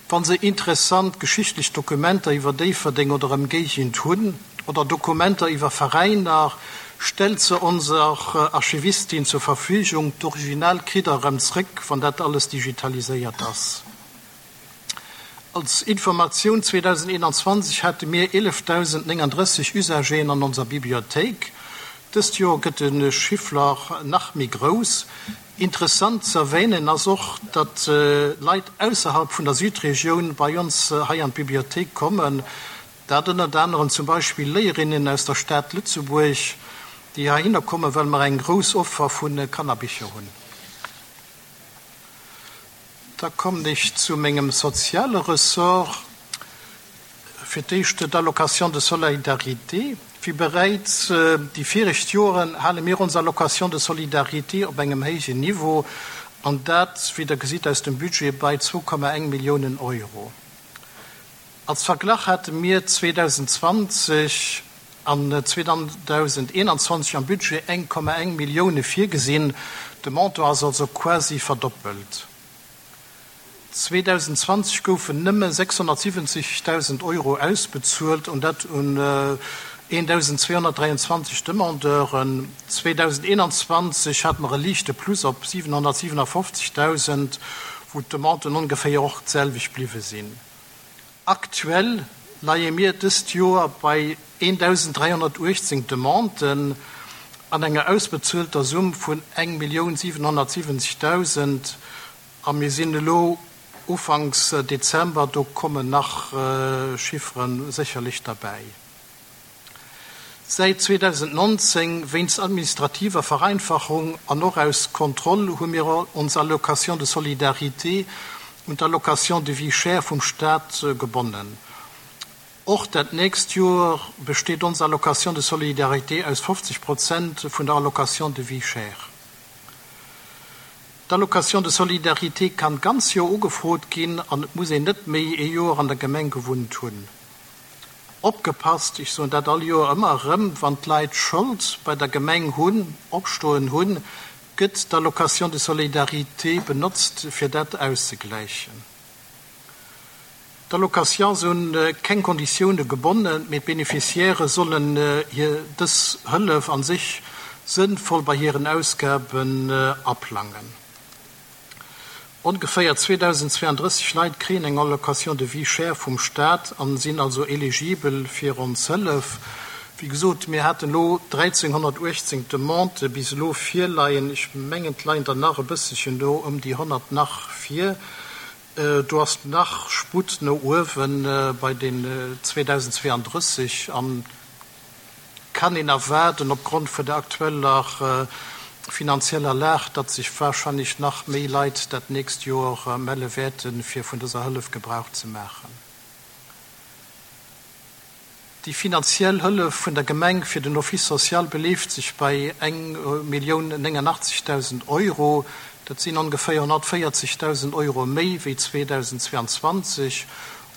wann se interessant geschichtlech Dokumenter iwwer Déifferdeng oder Ëmgéigend hunn oder Dokumenter iwwer Veräiner, stellt se onser Archivistin zur Verfügung. D'Original kritt der erëm zréck, wann dat alles digitaliséiert ass. Als Informatioun, zweedausendeenanzwanzeg hate mir eelefdausendnénganddrësseg Usageren an onser Bibliothéik. Dëst Joer gëtt de Chiffre nach méi grouss. Interessant ze erwänen ass och, datt Leit ausserhalb vun der Südregioun bei ons hei an d'Bibliothéik kommen. Dat ënnert anerem zum Beispill Léierinnen aus der Stad Lëtzebuerg, déi heihinner kommen, well mer eng grouss Offer vu Kannerbicher hunn. Da kommen ech zu mengem soziale Ressort. Fir d'éischt d'Allocation de solidarité. Wéi bereits déi viregt Joren hale mir ons Allocation de solidarité op engem héijen Niveau, an dat, wéi Der gesitt aus dem Budget, bei zwou Komma eng Milliounen Euro. Als Verglach hate mir zweedausendzwanzeg an zweedausendeenanzwanzeg am Budget eng Komma eng Millioune virgesinn. De Montant ass also quasi verdoppelt. zweedausendzwanzeg goufen nëmme sechshonnertsiwwenzegdausend Euro ausbezuelt, an dat un eendausendzweehonnertdräianzwanzeg Demandeuren. zweedausendeenanzwanzeg hate mer e liichte Plus op siwenhonnertsiwenafofzegdausend, wou d'Demanden ongeféier och d'selwecht bliwwe sinn. Aktuell leie mir dëst Joer bei eendausenddräihonnertuechtzéng Demanden an enger ausbezuelter Summ vun eng Millioun siwenhonnertsiwwenzegdausend, a mir sinn elo Ufanks Dezember, do kommen nach Chiffere sécherlech derbäi. Säit zweedausendnonzéng, wéinst administrativer Vereinfachung an och aus Kontroll, hu mir ons Allocation de solidarité un d'Allocation de vie chère vum Staat gebonnen. Och dat nächst Joer besteet ons Allocation de solidarité aus fofzeg Prozent vun der Allocation de vie chère. D'Allocation de solidarité kann d'ganz Joer ugefrot ginn an et muss een net méi ee Joer an der Gemeng gewunnt hunn. Opgepasst, ech soen dat all Joer ëmmer erëm, wann d'Leit Schold bei der Gemeng hunn, opstoen hunn, gëtt d'Allocation de solidarité benotzt, fir dat auszegläichen. D'Allocation ass un keng Konditioune gebonnen, mee d'Beneficiairë sollen hir dës Hëllef a sech sënnvoll bei hiren Ausgaben aplangen. Ongeféier zweedausendzweeanddrësseg Leit kréien eng Allocation de vie chère vum Staat an sinn also eligibel fir ons Hëllef. Wéi gesot, mir haten elo dräizénghonnertuechtzéng Demandë bis elo virleien. Ech mengen, et leien der nach e bësselchen do ëm déi honnert nach vir. Do ass nach Sputt no uewe bei den zweedausendzweeanddrësseg an kann een erwaarden, opgrond vun der aktueller finanzieller Lag, datt sech warscheinlech nach méi Leit dat nächst Joer melle wäerten, fir vun dëser Hëllef Gebrauch ze maachen. Déi finanziell Hëllef vun der Gemeng fir den Office social beleeft sech bei eng Millioun néngannachtzegdausend Euro. Dat sinn ongeféier honnertvéierzegdausend Euro méi wéi zweedausendzweeanzwanzeg.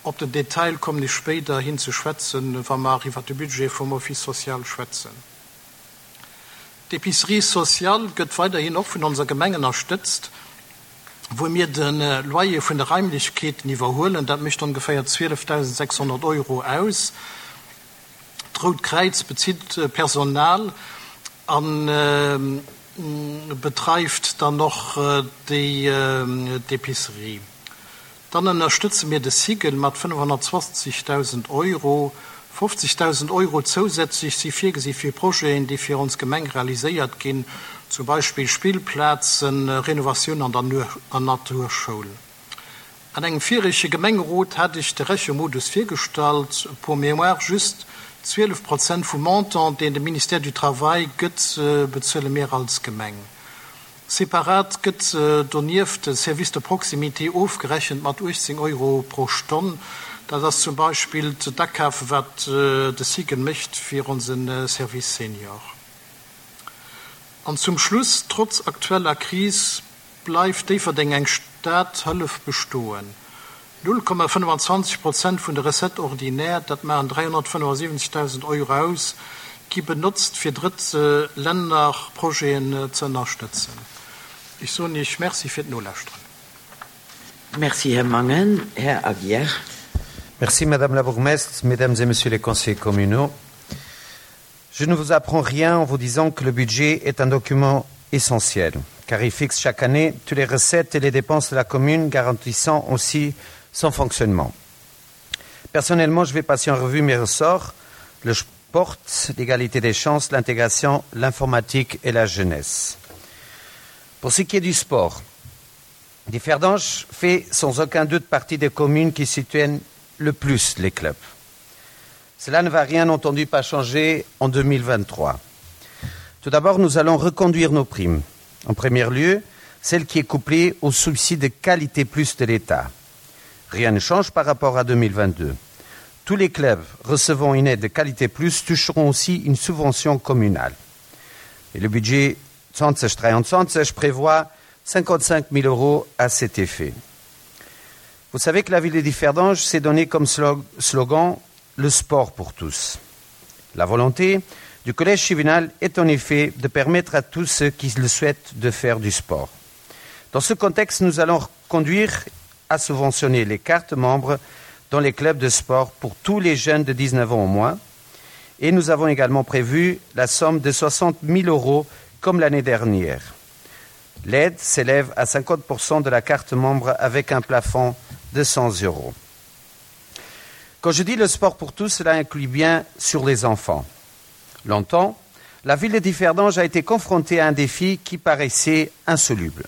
Op den Detail kommen ech spéiderhin ze schwätzen, wa mer iwwert de Budget vum Office social schwätzen. D'Épicerie sociale gëtt weiderhin och vun onser Gemeng ënnerstëtzt, wou mir de Loyer vun de Raimlechkeeten iwwerhuelen. Dat mécht ongeféier zwielefdausendsechshonnert Euro aus. D'Rout Kräiz bezitt Personal a bedreift dann och déi d'Épicerie. Dann ënnerstëtze mir de SIGEL mat fënnefhonnertzwanzegdausend Euro. Fofzegdausend Euro zousätzlech si virgesi fir Projeten, déi fir ons Gemeng realiséiert ginn, zum Beispill Spillplazen, Renovatioun an der Naturschoul. An engem virege Gemengerot hat ech de Rechemodus virgestallt. Pour mémoire just, zwielef Prozent vum Montant, deen de Ministère du Travail gëtt, bezuele mir als Gemeng. Separat gëtt donieft de Service de proximité ofgerechent mat uechtzéng Euro pro Stonn. Dat ass zum Beispill d'Akafe wat de SIGEL mécht fir onse Service Senior. An zum Schluss, Trotz aktueller Kris bleift Déifferdeng eng Stad Hëllef bestoen. Null Komma fënnefanzwanzeg Prozent vun de Recettes ordinaires, dat maachen dräihonnertfënnefasiwwenzegdausend Euro aus, gi benotzt, fir drëtt Lännerprojeten ze ënnerstëtzen. Ech soen Iech Merci fir d'Nolauschteren. Merci, Här Mangen. Här Aguiar. Merci, Madame la bourgmestre, Mesdames et Messieurs les conseillers communaux. Je ne vous apprends rien en vous disant que le budget est un document essentiel, car il fixe chaque année toutes les recettes et les dépenses de la commune, garantissant aussi son fonctionnement. Personnellement, je vais passer en revue mes ressorts, le sport, l'égalité des chances, l'intégration, l'informatique et la jeunesse. Pour ce qui est du sport, Differdange fait sans aucun doute partie des communes qui soutiennent le plus les clubs. Cela ne va rien entendu pas changer en deux mille vingt-trois. Tout d'abord, nous allons reconduire nos primes. En premier lieu, celle qui est couplée au subside de qualité plus de l'État. Rien ne change par rapport à deux mille vingt-deux. Tous les clubs recevant une aide de qualité plus toucheront aussi une subvention communale. Et le budget zwanzeg dräiandzwanzeg prévoit cinquante-cinq mille euros à cet effet. Vous savez que la ville de Differdange s'est donnée comme slogan le sport pour tous. La volonté du collège juvénal est en effet de permettre à tous ceux qui le souhaitent de faire du sport. Dans ce contexte, nous allons conduire à subventionner les cartes membres dans les clubs de sport pour tous les jeunes de dix-neuf ans au moins. Et nous avons également prévu la somme de soixante mille euros comme l'année dernière. L'aide s'élève à cinquante pour cent de la carte membre avec un plafond de cent euros. Quand je dis le sport pour tous, cela inclut bien sur les enfants. Longtemps, la ville de Differdange a été confrontée à un défi qui paraissait insoluble.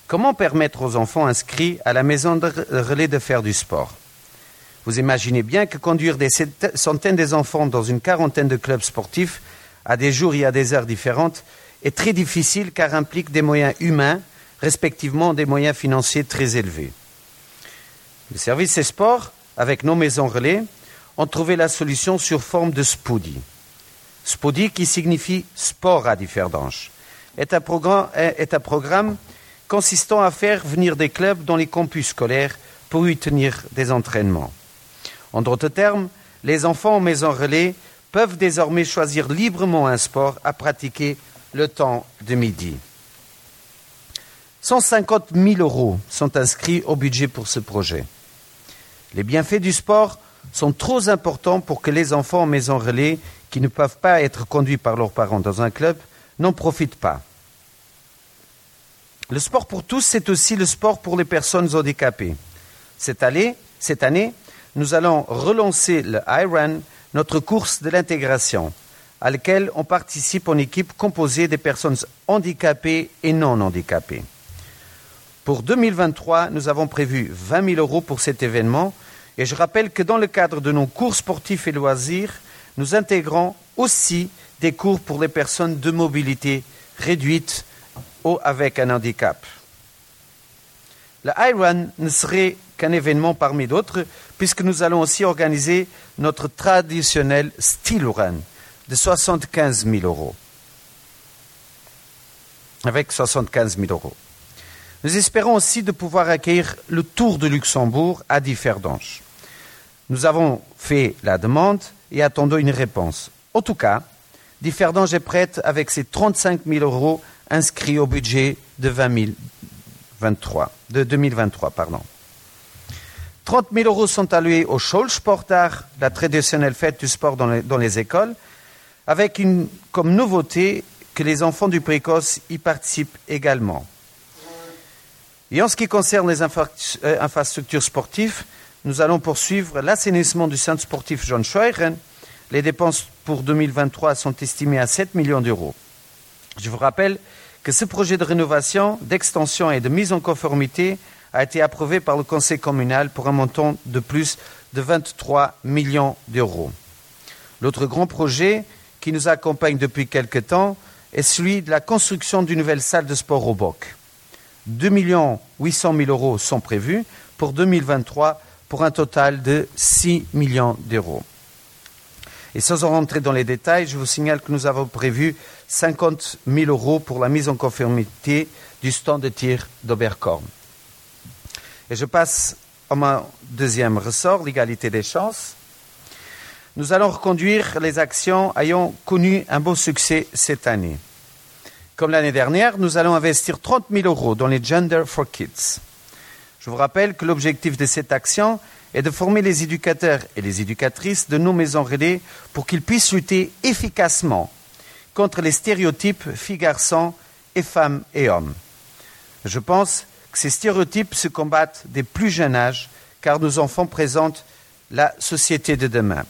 Comment permettre aux enfants inscrits à la maison de relais de faire du sport ? Vous imaginez bien que conduire des centaines d'enfants dans une quarantaine de clubs sportifs à des jours et à des heures différentes est très difficile car implique des moyens humains, respectivement des moyens financiers très élevés. Le service des sports, avec nos maisons relais, ont trouvé la solution sur forme de SPODI. SPODI, qui signifie sport à Differdange, est un programme, est un programme consistant à faire venir des clubs dans les campus scolaires pour y tenir des entraînements. En d'autres termes, les enfants en maison relais peuvent désormais choisir librement un sport à pratiquer le temps de midi. cent cinquante mille euros sont inscrits au budget pour ce projet. Les bienfaits du sport sont trop importants pour que les enfants en maison relais qui ne peuvent pas être conduits par leurs parents dans un club n'en profitent pas. Le sport pour tous, c'est aussi le sport pour les personnes handicapées. Cette année, cette année, nous allons relancer le iRun, notre course de l'intégration, à laquelle on participe en équipe composée des personnes handicapées et non handicapées. Pour deux mille vingt-trois, nous avons prévu vingt mille euros pour cet événement et je rappelle que dans le cadre de nos cours sportifs et loisirs, nous intégrons aussi des cours pour les personnes de mobilité réduite ou avec un handicap. Le iRun ne serait qu'un événement parmi d'autres, puisque nous allons aussi organiser notre traditionnel Steel Run de soixante-quinze mille euros. Avec soixante-quinze mille euros. Nous espérons aussi de pouvoir accueillir le Tour de Luxembourg à Differdange. Nous avons fait la demande et attendons une réponse. En tout cas, Differdange est prête avec ses trente-cinq mille euros inscrits au budget de vingt mille vingt-trois, de deux mille vingt-trois. Pardon. trente mille euros sont alloués au Schoulsportdag, la traditionnelle fête du sport dans les, dans les écoles, avec une, comme nouveauté que les enfants du précoce y participent également. Et en ce qui concerne les infra euh, infrastructures sportives, nous allons poursuivre l'assainissement du centre sportif John Scheuren. Les dépenses pour deux mille vingt-trois sont estimées à sept millions d'euros. Je vous rappelle que ce projet de rénovation, d'extension et de mise en conformité a été approuvé par le conseil communal pour un montant de plus de vingt-trois millions d'euros. L'autre grand projet qui nous accompagne depuis quelque temps est celui de la construction d'une nouvelle salle de sport au Boc. deux millions huit cent mille euros sont prévus pour deux mille vingt-trois pour un total de six millions d'euros. Et sans en rentrer dans les détails, je vous signale que nous avons prévu cinquante mille euros pour la mise en conformité du stand de tir d'Oberkorn. Et je passe à mon deuxième ressort, l'égalité des chances. Nous allons reconduire les actions ayant connu un beau succès cette année. Comme l'année dernière, nous allons investir trente mille euros dans les Gender for Kids. Je vous rappelle que l'objectif de cette action est de former les éducateurs et les éducatrices de nos maisons relais pour qu'ils puissent lutter efficacement contre les stéréotypes filles-garçons et femmes et hommes. Je pense que ces stéréotypes se combattent dès plus jeune âge, car nos enfants présentent la société de demain.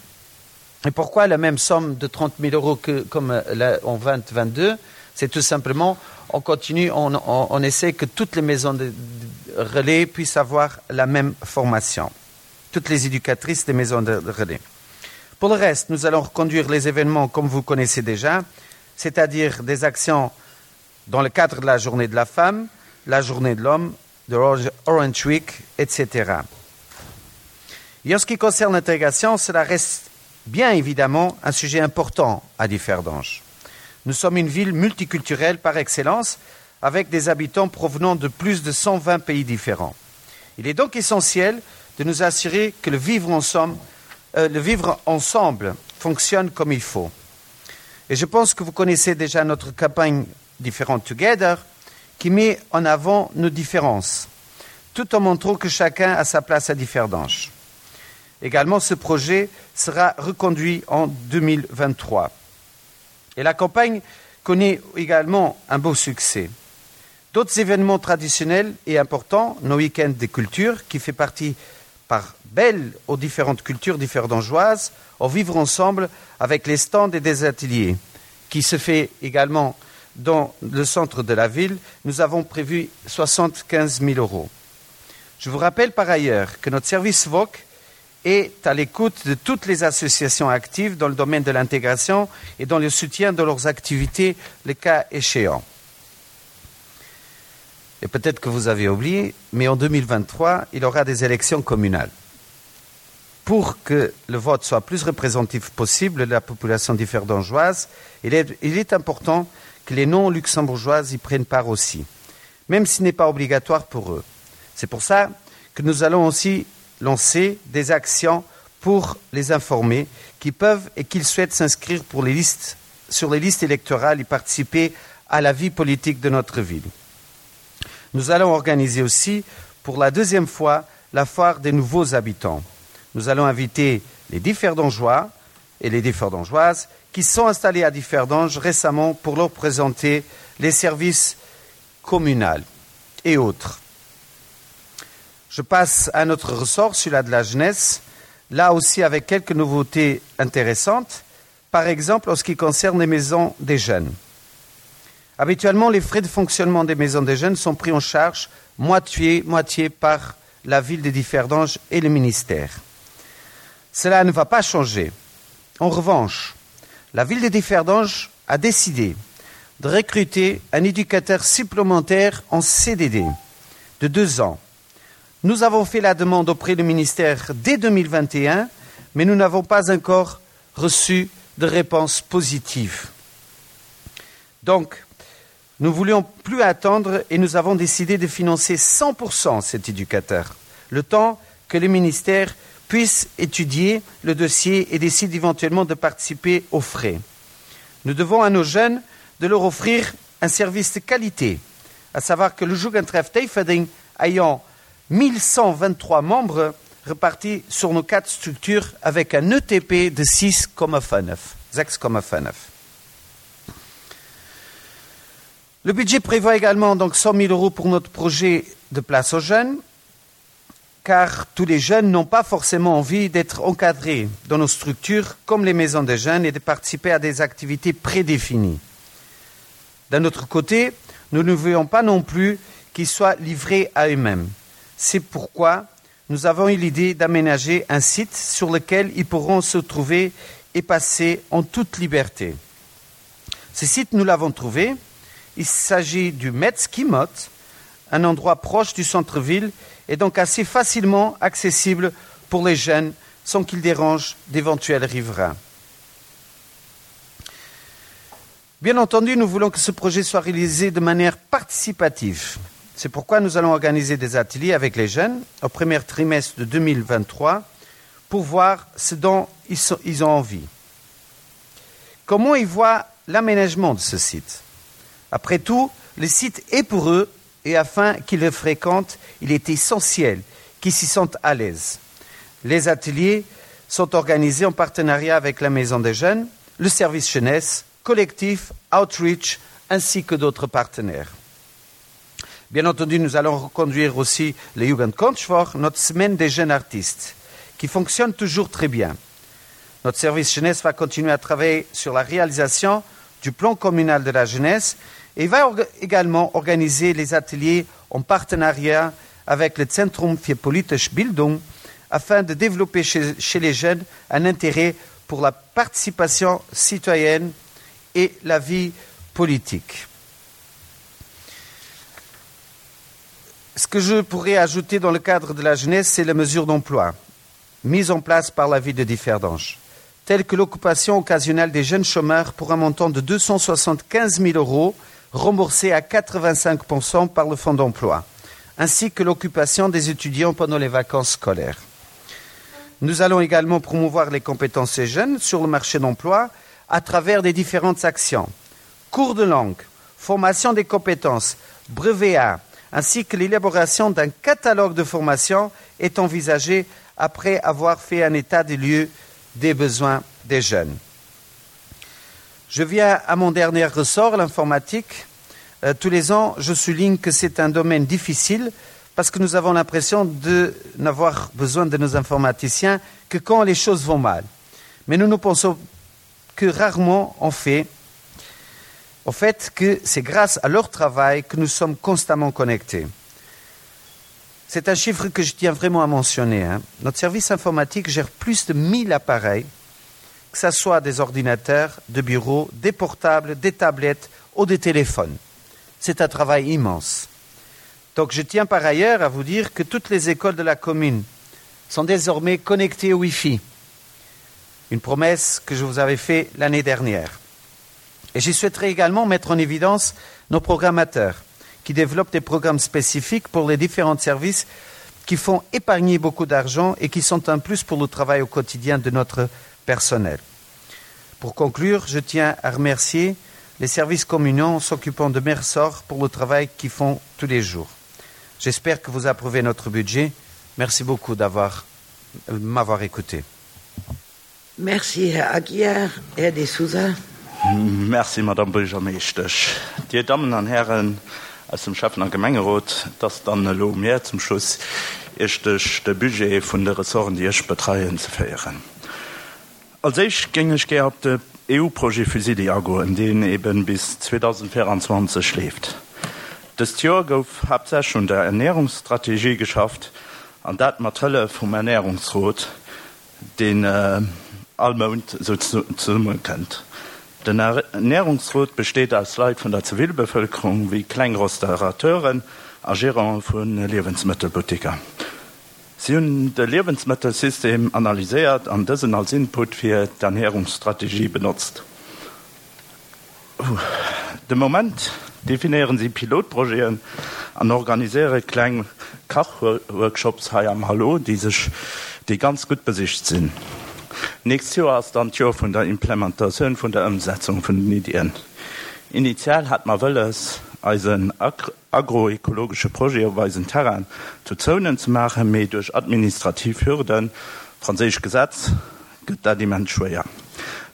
Et pourquoi la même somme de trente mille euros que comme euh, en deux mille vingt-deux? C'est tout simplement, on continue, on, on, on essaie que toutes les maisons de, de relais puissent avoir la même formation. Toutes les éducatrices des maisons de, de relais. Pour le reste, nous allons reconduire les événements comme vous connaissez déjà, c'est-à-dire des actions dans le cadre de la journée de la femme, la journée de l'homme, de Orange Week, et cetera. Et en ce qui concerne l'intégration, cela reste bien évidemment un sujet important à Differdange. Nous sommes une ville multiculturelle par excellence, avec des habitants provenant de plus de cent vingt pays différents. Il est donc essentiel de nous assurer que le vivre ensemble, euh, le vivre ensemble fonctionne comme il faut. Et je pense que vous connaissez déjà notre campagne Different Together, qui met en avant nos différences, tout en montrant que chacun a sa place à Differdange. Également, ce projet sera reconduit en deux mille vingt-trois. Et la campagne connaît également un beau succès. D'autres événements traditionnels et importants, nos week-ends des cultures, qui fait partie part belle aux différentes cultures differdangeoises, au vivre ensemble avec les stands et des ateliers, qui se fait également dans le centre de la ville, nous avons prévu soixante-quinze mille euros. Je vous rappelle par ailleurs que notre service V O C est à l'écoute de toutes les associations actives dans le domaine de l'intégration et dans le soutien de leurs activités, le cas échéant. Et peut-être que vous avez oublié, mais en deux mille vingt-trois, il y aura des élections communales. Pour que le vote soit plus représentatif possible de la population differdangeoise, il est, il est important que les non-luxembourgeoises y prennent part aussi, même si ce n'est pas obligatoire pour eux. C'est pour ça que nous allons aussi lancer des actions pour les informer qui peuvent et qu'ils souhaitent s'inscrire pour les listes, sur les listes électorales et participer à la vie politique de notre ville. Nous allons organiser aussi pour la deuxième fois la foire des nouveaux habitants. Nous allons inviter les Differdangeois et les Differdangeoises qui sont installés à Differdange récemment pour leur présenter les services communaux et autres. Je passe à notre ressort, celui-là de la jeunesse, là aussi avec quelques nouveautés intéressantes, par exemple en ce qui concerne les maisons des jeunes. Habituellement, les frais de fonctionnement des maisons des jeunes sont pris en charge moitié, moitié par la ville de Differdange et le ministère. Cela ne va pas changer. En revanche, la ville de Differdange a décidé de recruter un éducateur supplémentaire en C D D de deux ans. Nous avons fait la demande auprès du ministère dès deux mille vingt et un, mais nous n'avons pas encore reçu de réponse positive. Donc, nous ne voulions plus attendre et nous avons décidé de financer cent pour cent cet éducateur, le temps que le ministère puisse étudier le dossier et décide éventuellement de participer aux frais. Nous devons à nos jeunes de leur offrir un service de qualité, à savoir que le Jugendtreff Déifferdeng ayant mille cent vingt-trois membres répartis sur nos quatre structures avec un E T P de six virgule neuf. six virgule neuf. Le budget prévoit également donc cent mille euros pour notre projet de place aux jeunes, car tous les jeunes n'ont pas forcément envie d'être encadrés dans nos structures comme les maisons des jeunes et de participer à des activités prédéfinies. D'un autre côté, nous ne voulons pas non plus qu'ils soient livrés à eux-mêmes. C'est pourquoi nous avons eu l'idée d'aménager un site sur lequel ils pourront se trouver et passer en toute liberté. Ce site, nous l'avons trouvé. Il s'agit du Metz-Kimot, un endroit proche du centre-ville et donc assez facilement accessible pour les jeunes sans qu'ils dérangent d'éventuels riverains. Bien entendu, nous voulons que ce projet soit réalisé de manière participative. C'est pourquoi nous allons organiser des ateliers avec les jeunes au premier trimestre de deux mille vingt-trois pour voir ce dont ils, sont, ils ont envie. Comment ils voient l'aménagement de ce site. Après tout, le site est pour eux et afin qu'ils le fréquentent, il est essentiel qu'ils s'y sentent à l'aise. Les ateliers sont organisés en partenariat avec la Maison des Jeunes, le service jeunesse, collectif, Outreach, ainsi que d'autres partenaires. Bien entendu, nous allons reconduire aussi le Jugendkonschtwoch, notre semaine des jeunes artistes, qui fonctionne toujours très bien. Notre service jeunesse va continuer à travailler sur la réalisation du plan communal de la jeunesse et va orga également organiser les ateliers en partenariat avec le Zentrum für politische Bildung afin de développer chez, chez les jeunes un intérêt pour la participation citoyenne et la vie politique. Ce que je pourrais ajouter dans le cadre de la jeunesse, c'est les mesures d'emploi mises en place par la ville de Differdange, telles que l'occupation occasionnelle des jeunes chômeurs pour un montant de deux cent soixante-quinze mille euros remboursé à quatre-vingt-cinq pour cent par le fonds d'emploi, ainsi que l'occupation des étudiants pendant les vacances scolaires. Nous allons également promouvoir les compétences des jeunes sur le marché d'emploi à travers des différentes actions. Cours de langue, formation des compétences, brevet A, ainsi que l'élaboration d'un catalogue de formation est envisagée après avoir fait un état des lieux des besoins des jeunes. Je viens à mon dernier ressort, l'informatique. Euh, tous les ans, je souligne que c'est un domaine difficile parce que nous avons l'impression de n'avoir besoin de nos informaticiens que quand les choses vont mal. Mais nous ne pensons que rarement en fait, au fait que c'est grâce à leur travail que nous sommes constamment connectés. C'est un chiffre que je tiens vraiment à mentionner. Hein. Notre service informatique gère plus de mille appareils, que ce soit des ordinateurs, de bureaux, des portables, des tablettes ou des téléphones. C'est un travail immense. Donc je tiens par ailleurs à vous dire que toutes les écoles de la commune sont désormais connectées au Wi-Fi. Une promesse que je vous avais faite l'année dernière. Et je souhaiterais également mettre en évidence nos programmateurs qui développent des programmes spécifiques pour les différents services qui font épargner beaucoup d'argent et qui sont un plus pour le travail au quotidien de notre personnel. Pour conclure, je tiens à remercier les services communaux s'occupant de mes ressorts pour le travail qu'ils font tous les jours. J'espère que vous approuvez notre budget. Merci beaucoup d'avoir euh, m'avoir écouté. Merci, Här Aguiar. Här De Souza. Merci, Madame Buergermeeschtesch. Dir Dammen an Hären aus dem Schäffen- a Gemengerot, et ass dann elo mir zum Schluss, Iech duerch de Budget vun de Ressorten, déi ech betreien, ze féieren. Als éischt géing ech gär op de E U-Projet FuSiDi agoen, deen eben bis zweedausendvéierenzwanzeg leeft. Dëst Joer gouf haaptsächlech un der Ernährungsstrategie geschafft, an dat mat Hëllef vum Ernährungsrot, deen all Mount zesummekënnt. Den Ernärungsrot besteet aus Leit vun der Zivilbevëlkerung, wéi kleng Restaurateuren a Gerante vu Liewensmëttelbuttiker. Si hunn de Liewensmëttelsystem analyséiert an dësen als Input fir d'Ernärungsstrategie benotzt. De Moment definéieren si Pilotprojeten an organiséiere kleng Kachworkshops hei am Hallo, déi sech déi ganz gutt besicht sinn. Nächst Joer ass dann d'Joer vun der Implementatioun vun der Ëmsetzung vun den Iddien. Initial hat mer wëlles, eisen agroekologesche Projet op eisen Terrain zu Zounen ze maachen, mee duerch administrativ Hürden, franséischt Gesetz, gëtt dat immens schwéier.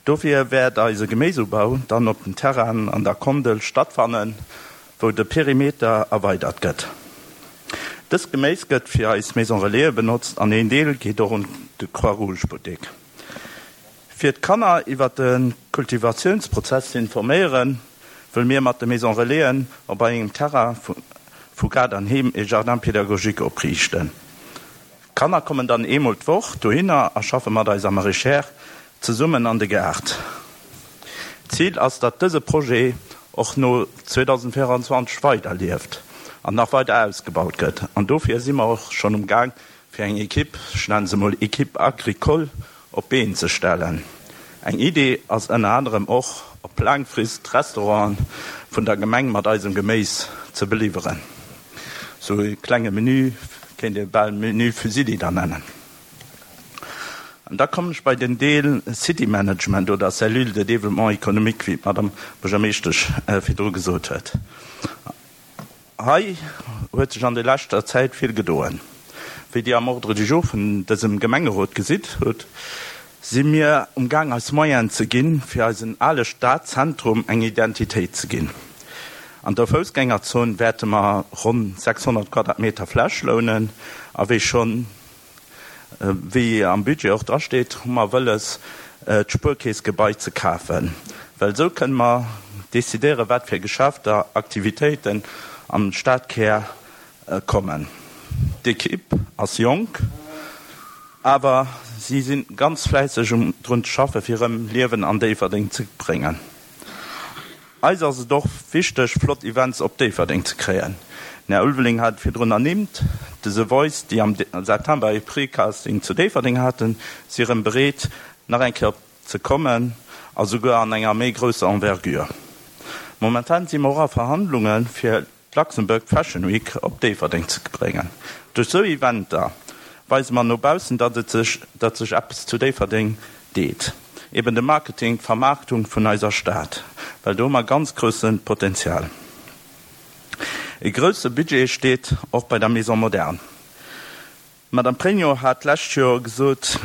Dofir wäert eise Geméisubau dann op den Terrainen an der Kondel stattfannen, wou de Perimeter erweidert gëtt. Dëst Geméis gëtt fir eis Maison Relaisen benotzt an een Deel geet och un de Croix-Rouge-Buttek. Fir d'Kanner iwwer de Kultivatiounsprozess ze informéieren, wëlle mir mat de Maison Relaisen op engem Terrain vu Gaart an Heem e Jardin pédagogique opriichten. D'Kanner kommen dann eemol d'Woch dohinner a schaffe mat eiser Maraîchère zesummen an de Gaart. D'Zil ass, datt dëse Projet och no zweedausendvéierundzwanzeg weiderlieft an nach weider ausgebaut gëtt. An dofir si mer och schonn um Gaang, fir eng Ekipp, ech nenne se mol Équipe agricole, op d'Been ze stellen. Eng Idee ass ënner anerem och, op laang Frist d'Restauranten vun der Gemeng mat eisem Geméis ze beliwweren. Sou e klenge Menü, kéint ee bal Menu Fusilli dann nennen. An da kommen ech bei den Deel City Management oder Cellule de développement économique, wéi d'Madame Buergermeeschtesch virdru gesot huet. Hei huet sech an der leschter Zäit vill gedoen. Wéi Dir am Ordre du jour vun dësem Gemengerot gesitt hutt, si mir um Gaang eis Moyenen ze ginn, fir eisen ale Stadzentrum eng Identitéit ze ginn. An der Foussgängerzon wäerte mer ronn sechshonnert Quadratmeter Fläch lounen a wéi schonn, wéi am Budget och drasteet, hu mer wëlles, d'Spuerkeessgebai ze kafen, well esou kënne mer decidéieren, wat fir Geschäfter, Aktivitéiten am Stadkär kommen. D'Ekipp ass jonk, awer si si ganz fläisseg um drun ze schaffen, fir erëm Liewen an Déifferdeng ze bréngen. Eis ass et och wichteg, flott Events op Déifferdeng ze kréien. Den Här Ulveling hat et virdrun ernimmt, de The Voice, déi am September ee Pre-Casting zu Déifferdeng haten, si erëm bereet, nach eng Kéier ze kommen a souguer an enger méi grousser Envergure. Momentan si mer och a Verhandlunge fir d'Luxembourg Fashion Week op Déifferdeng ze bréngen. Duerch sou Eventer weise mer no baussen, datt et sech, datt sech eppes zu Déifferdeng deet. Eben de Marketing, d'Vermaarktung vun eiser Stad, well do hu mer ganz grousse Potenzial. E grousse Budget steet och bei der Maison moderne. D'Madame Pregno hat d'lescht Joer gesot,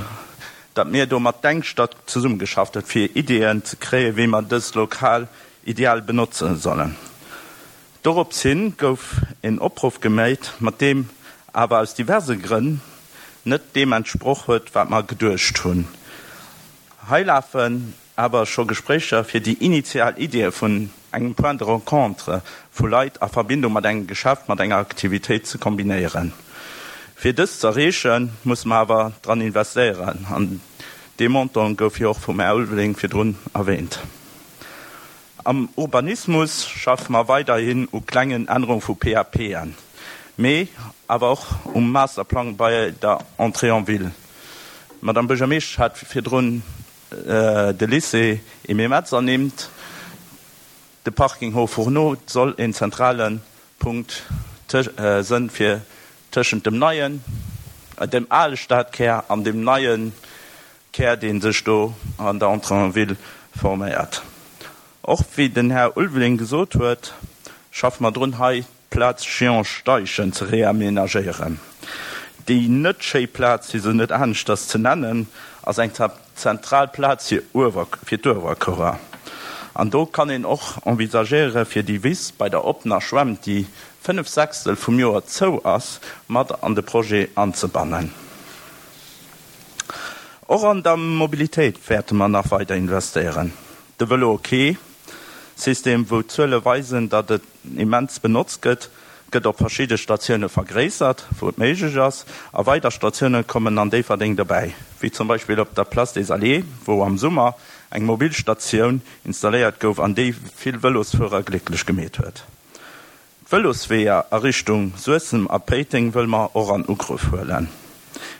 datt mir do mat Denkstatt zesummegeschafft huet, fir Ideeën ze kréien, wéi mer dëst Lokal ideal benotze sollen. Dorops hin gouf en Opruff geméit, mat deem awer aus diverse Grënn net deem entsproch huet, wat mer geduecht hunn. Hei lafen awer scho Gespréicher, fir déi initial Ideeë vun engem Point de rencontre vu Leit a Verbindung mat engem Geschäft, mat enger Aktivitéit ze kombinéieren. Fir dëst ze erreechen, musse mer awer dran investéieren, an dee Montant gouf jo och vum Här Ulveling virdrun erwähnt. Am Urbanismus schaffe mer weiderhin u klengen Ännerunge vu PAPen, mee awer och um Masterplang bei der Entrée en ville. D'Madame Buergermeeschtesch hat virdrun de Lycée Emile Metz ernimmt. De Parking Hauts Fourneaux soll een zentrale Punkt sënn fir tëschent dem neien, dem ale Stadkär an dem neie Kär, dee sech do an der Entrée en ville forméiert. Och wéi den Här Ulveling gesot huet, schaffe mer drun, hei d'Plaz Jean Steichen ze reamenagéieren. Déi net schéi Plaz, fir se net aneschters ze nennen, ass eng zentral Plaz fir d'Uewerkuerer. An do kann een och envisagéieren, fir déi Wiss bei der oppener Schwämm, déi fënnef Sechstel vum Joer zou ass, mat an de Projet anzebannen. Och an der Mobilitéit wäerte mer nach weider investéieren. De Vëlo ok System, wou d'Zuele weisen, datt et immens benotzt gëtt, gëtt op verschidde Statioune vergréissert, wou et méiglech ass, a weider Statioune kommen an Déifferdeng dobäi, wéi zum Beispill op der Place des Alliés, wou am Summer eng Mobilstatioun installéiert gouf an déi vill Vëlosfuerer glécklech gemeet huet. D'Vëlosweeër a Richtung Suessem a Péiteng wëlle mer och an Ugrëff huelen.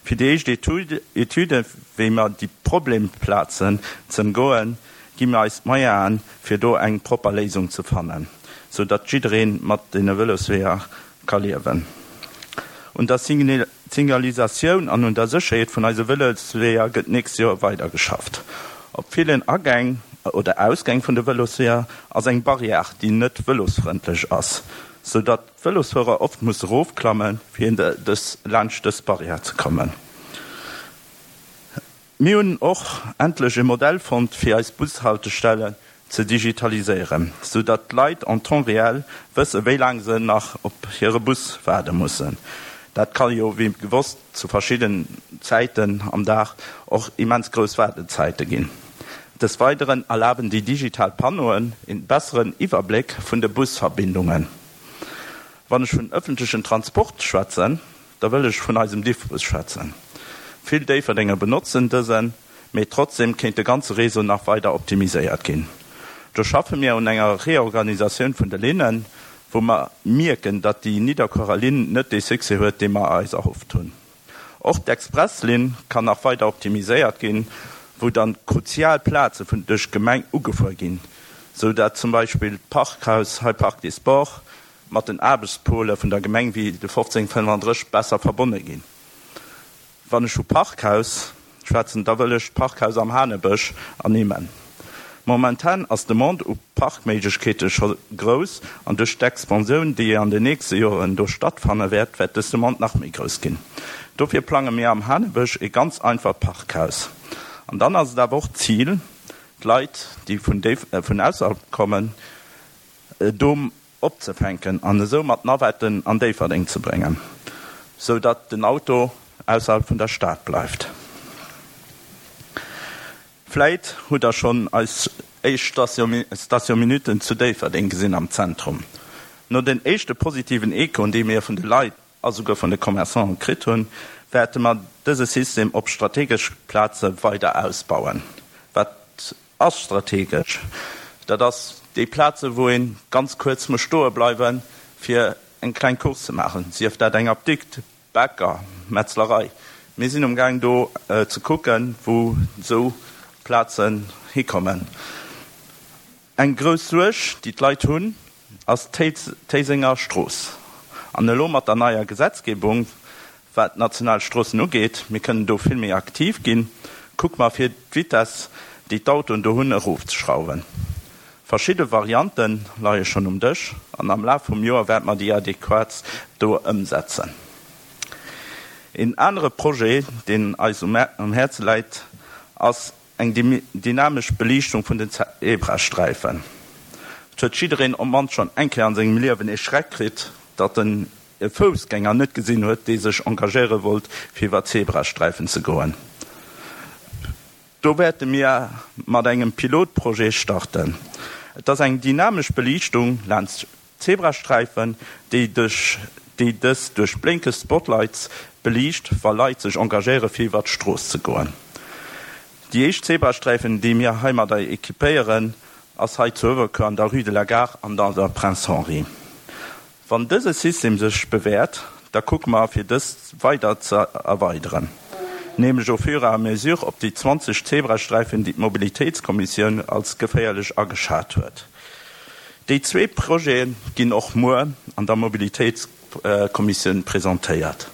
Fir déi éischt Etüde wéi mer déi Problemplazen z'ëmgoen, gi mer eis d'Moyenen, fir do eng propper Léisung ze fannen, sou datt jidderee mat deene Vëlosweeër ka liewen. Un der Signalisatioun an un der Sécherheet vun eise Vëlosweeër gëtt d'nächst Joer weidergeschafft. Op villen Agäng oder Ausgäng vun de Vëlosweeër ass eng Barrière, déi net vëlosfrëndlech ass, sou datt d'Vëlosfuerer oft musse rofklammen, fir dës laanscht dës Barrière ze kommen. Mir hunn och endlech e Modell fonnt, fir eis Bushaltestellen ze digitaliséieren, sou datt d'Leit en temps réel wësse wéi laang se nach op hire Bus waarde mussen. Dat ka jo wéi gewosst zu verschiddenen Zäiten am Dag och immens grouss Waardezäite ginn. Des Weideren erlaben déi digital Panneauen een besseren Iwwerbléck vun de Busverbindungen. Wann ech vun ëffentlechen Transport schwätzen, da wëll ech vun eisem Diffbus schwätzen. Vill Déifferdenger benotzen dësen, mee trotzdeem kéint de ganze Réseau nach weider optimiséiert ginn. Do schaffe mir un enger Reorganisatioun vun de Linnen, wou mer mierken, datt déi Nidderkuerer Linn net dee Succès huet, dee mer eis erhofft hunn. Och d'Expresslinn kann nach weider optimiséiert ginn, wou dann kruzial Plaze vun duerch d'Gemeng ugefuer ginn, sou datt zum Beispill d'Parkhaus hei Parc des Sports mat den Aarbechtspole vun der Gemeng wéi de fofzéng fënnefandrësseg besser verbonne ginn. Wann ech vu Parkhaus schwätzen, da wëll ech d'Parkhaus am Hanebësch ernimmen. Momentan ass d'Demande u Parkméiglechkeete scho grouss an duerch d'Expansioun, déi an den nächste Joren do stattfanne wäert, wäert dës Demande nach méi grouss ginn. Dofir plange mir am Hanebësch e ganz einfacht Parkhaus. An dann ass et awer och d'Zil, d'Leit, déi vun vun ausserhalb kommen, do opzefänken an esou mat Navetten an Déifferdeng ze bréngen, sou datt den Auto ausserhalb vun der Stad bleift. Vläit hutt der schonn eis éischt Station Minuten zu Déifferdeng gesinn am Zentrum. No den éischte positiven Echoen, déi mir vun de Leit a souguer vun de Commerçanten kritt hunn, wäerte mer dëse System op strategesch Plaze weider ausbauen. Wat ass strategesch? Dat ass déi Plaze wou ee ganz kuerz muss stoe bleiwen, fir eng kleng Course ze maachen, sief dat eng Apdikt, Bäcker, Metzlerei. Mir sinn um Gaang do ze kucken, wou esou Plazen hikommen. Eng grouss Suerg, déi d'Leit hunn, ass d'Téisenger Strooss. An elo mat der neier Gesetzgebung, wat d'national Stroossen ugeet, mir kënnen do vill méi aktiv ginn, kucke mer fir d'Vitess, déi d'Autoen do hunn, erofzeschrauwen. Verschidde Variante leie schonn um Dësch an am Laf vum Joer wäerte mer déi adequatst do ëmsetzen. Een anere Projet, deen eis um Häerze läit, ass eng dynamesch Beliichtung vun den Zebrasträifen. Et huet jiddereen op d'mannst schonn eng Kéier an sengem Liewen ee Schreck kritt, datt en e Foussgänger net gesinn huet, dee sech engagéiere wollt, fir iwwer d'Zebrasträifen ze goen. Do wäerte mir mat engem Pilotprojet starten. Et ass eng dynamesch Beliichtung laanscht d'Zebrasträifen, déi duerch déi dës duerch blénkeg Spotlights beliicht, wa Leit sech engagéiere fir iwwer d'Strooss ze goen. Déi éischt Zebrasträifen, déi mir heimadder equipéieren, ass hei zu Uewerkuer an der Rue de la Gare an an der Prince Henri. Wann dëse System sech bewäert, da kucke mer fir dëst weider ze erweideren. Nämlech au fur et à mesure op déi zwanzeg Zebrasträifen, déi d'Mobilitéitskommissioun als geféierlech ageschat huet. Déi zwee Projete ginn och muer an der Mobilitéitskommissioun presentéiert.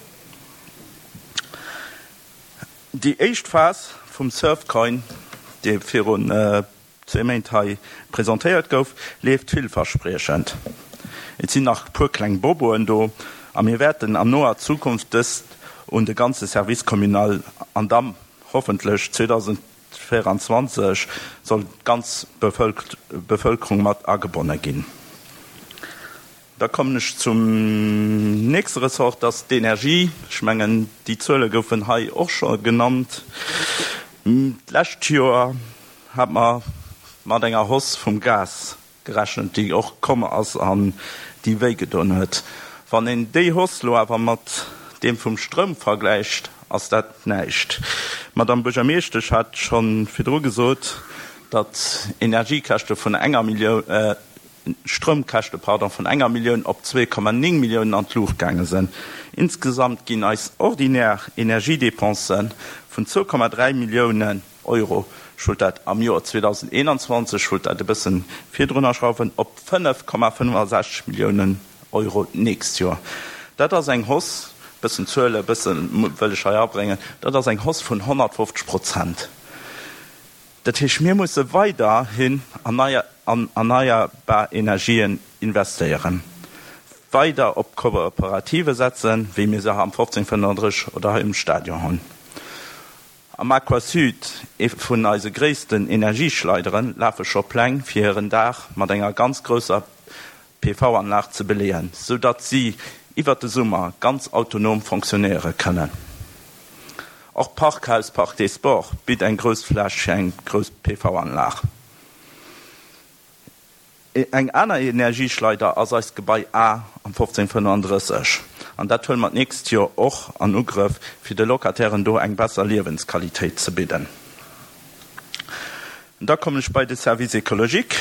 Déi éischt Phas vum Surfcoin, dee virun zwee Méint hei presentéiert gouf, leeft villverspriechend. Et sinn nach e puer kleng Boboen do a mir wäerten an noer Zukunft dëst un de ganze Service communal an da hoffentlech zweedausendvéieranzwanzeg soll d'ganz Bevëlkerung mat agebonne ginn. Da kommen ech zum nächste Ressort, dat ass d'Energie. Ech mengen, déi Zuele goufen hei och scho genannt. D'lescht Joer hat mer mat enger Hausse vum Gas gerechent, déi och komm ass an déi wéigedoen huet. Wann een déi Hausse lo awer mat deem vum Stroum vergläicht, ass dat näischt. D'Madame Buergermeeschtesch hat scho virdru gesot, datt Energiekäschte vun enger Millioun, Stroumkäschte, pardon, vun enger Millioun op zwee Komma néng Milliounen an d'Luucht gaange sinn. Insgesamt ginn eis ordinär Energiedepensen vun zwou Komma dräi Milliounen Euro, ech wollt dat am Joer zweedausendeenanzwanzeg, ech wollt dat e bëssen virdrunner schrauwen, op fënnef Komma fënnefasechzeg Milliounen Euro d'nächst Joer. Dat ass eng Hausse, e bëssen Zuele, e bësse wëll ech hei abréngen, dat ass eng Hausse vun honnertfofzeg Prozent. Dat heescht, mir musse weiderhin an erneierbar Energien investéieren, weider op Kooperative setzen, wéi mir se am fofzéng fënnenddrësseg oder hei um Stadion hunn. Am Aquasud, ee vun eise gréissten Energieschleideren, lafe scho Pläng, fir hiren Daach mat enger ganz grousser P V-Anlag ze beleeën, soudatt si iwwert de Summer ganz autonom fonctionnéiere kënnen. Och Parkhaus Parc des Sports bitt eng grouss Fläch fir eng grouss P V-Anlag. Eng aner Energieschleider ass eist Gebai A am fofzéng fënnenddrësseg. An dat huele mer d'nächst Joer och an Ugrëff, fir de Locatairen do eng besser Liewensqualitéit ze bidden. Da kommen ech bei de Service écologique.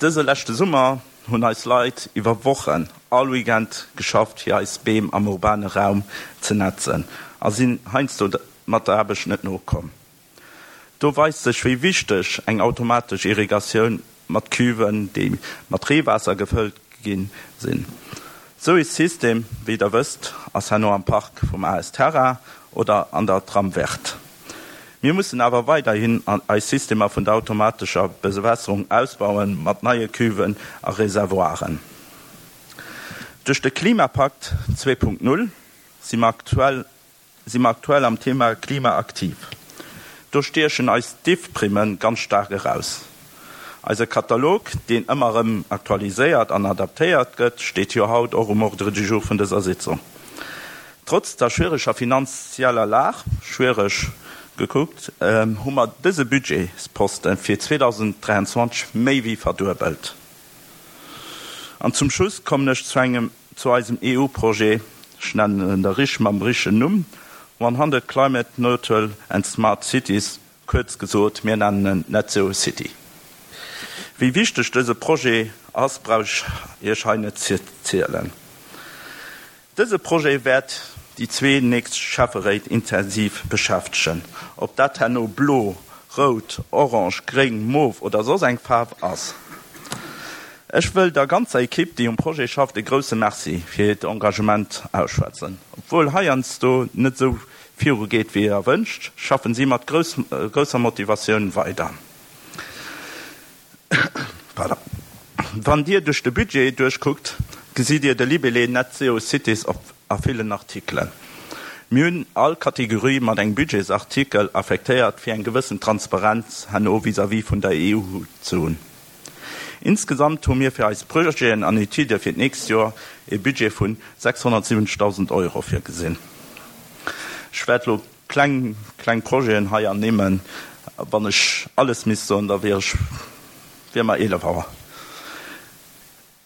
Dëse leschte Summer hunn eis Leit iwwer Wochen all Weekend geschafft, fir eis Beem am urbane Raum ze netzen a sinn heiansdo mat der Aarbecht net nokomm. Do weist sech, wéi wichteg eng automatesch Irrigatioun mat Cuven, déi mat Reewaasser gefëllt ginn, sinn. Sou ee System, wéi der wësst, ass herno am Park vum A S Terra oder an der Tram Verte. Mir mussen awer weiderhin eis Systemer vun der automatescher Bewässerung ausbauen mat neie Cuven a Reservoiren. Duerch de Klimapakt zwee Punkt null si mer aktuell, si mer aktuell am Thema Klima aktiv. Do stiechen eis D I F-Primmen ganz stark eraus. Eise Katalog, deen ëmmer erëm aktualiséiert an adaptéiert gëtt, steet jo haut och um Ordre du jour vun dëser Sitzung. Trotz der schwieriger finanzieller Lag, schwierig gekuckt, hu mer dëse Budgetsposten fir zweetausenddräianzwanzeg méi wéi verduebelt. An zum Schluss kommen ech zu engem, zu eisem E U-Projet, ech nennen en der Rich mam richen Numm, one hundred Climate Neutral and Smart Cities, kuerz gesot, mir nennen en Net Zero City. Wéi wichteg dëse Projet ass, brauch ech Iech hei net ze zielen. Dëse Projet wäert déi zwee nächst Schäfferéit intensiv beschäftegen. Ob dat herno blo, rout, orange, gréng, mauve oder soss eng Faarf ass. Ech wëll der ganzer Ekipp, déi um Projet schafft, e grousse Merci fir hiert Engagement ausschwätzen. Obwohl heiansdo net sou viru geet, wéi erwënscht, schaffen si mat grouss, grousser Motivatioun weider. Pardon. Wann Dir duerch de Budget durchguckt, gesitt Dir de Libellé Net Zero Cities op a villen Artikelen. Mir hunn all Kategorie mat engem Budgetsartikel affektéiert, fir eng gewëssen Transparenz herno vis-à-vis vun der E U ze hunn. Insgesamt hu mir fir eis Projeten an Etüde fir d'nächst Joer e Budget vun sechshunnertsiwwenzegtausend Euro virgesinn. Ech werd lo kleng, kleng Projeten hei annimmen. Wann ech alles misst soen, da wär ech, wär mer eelef Auer.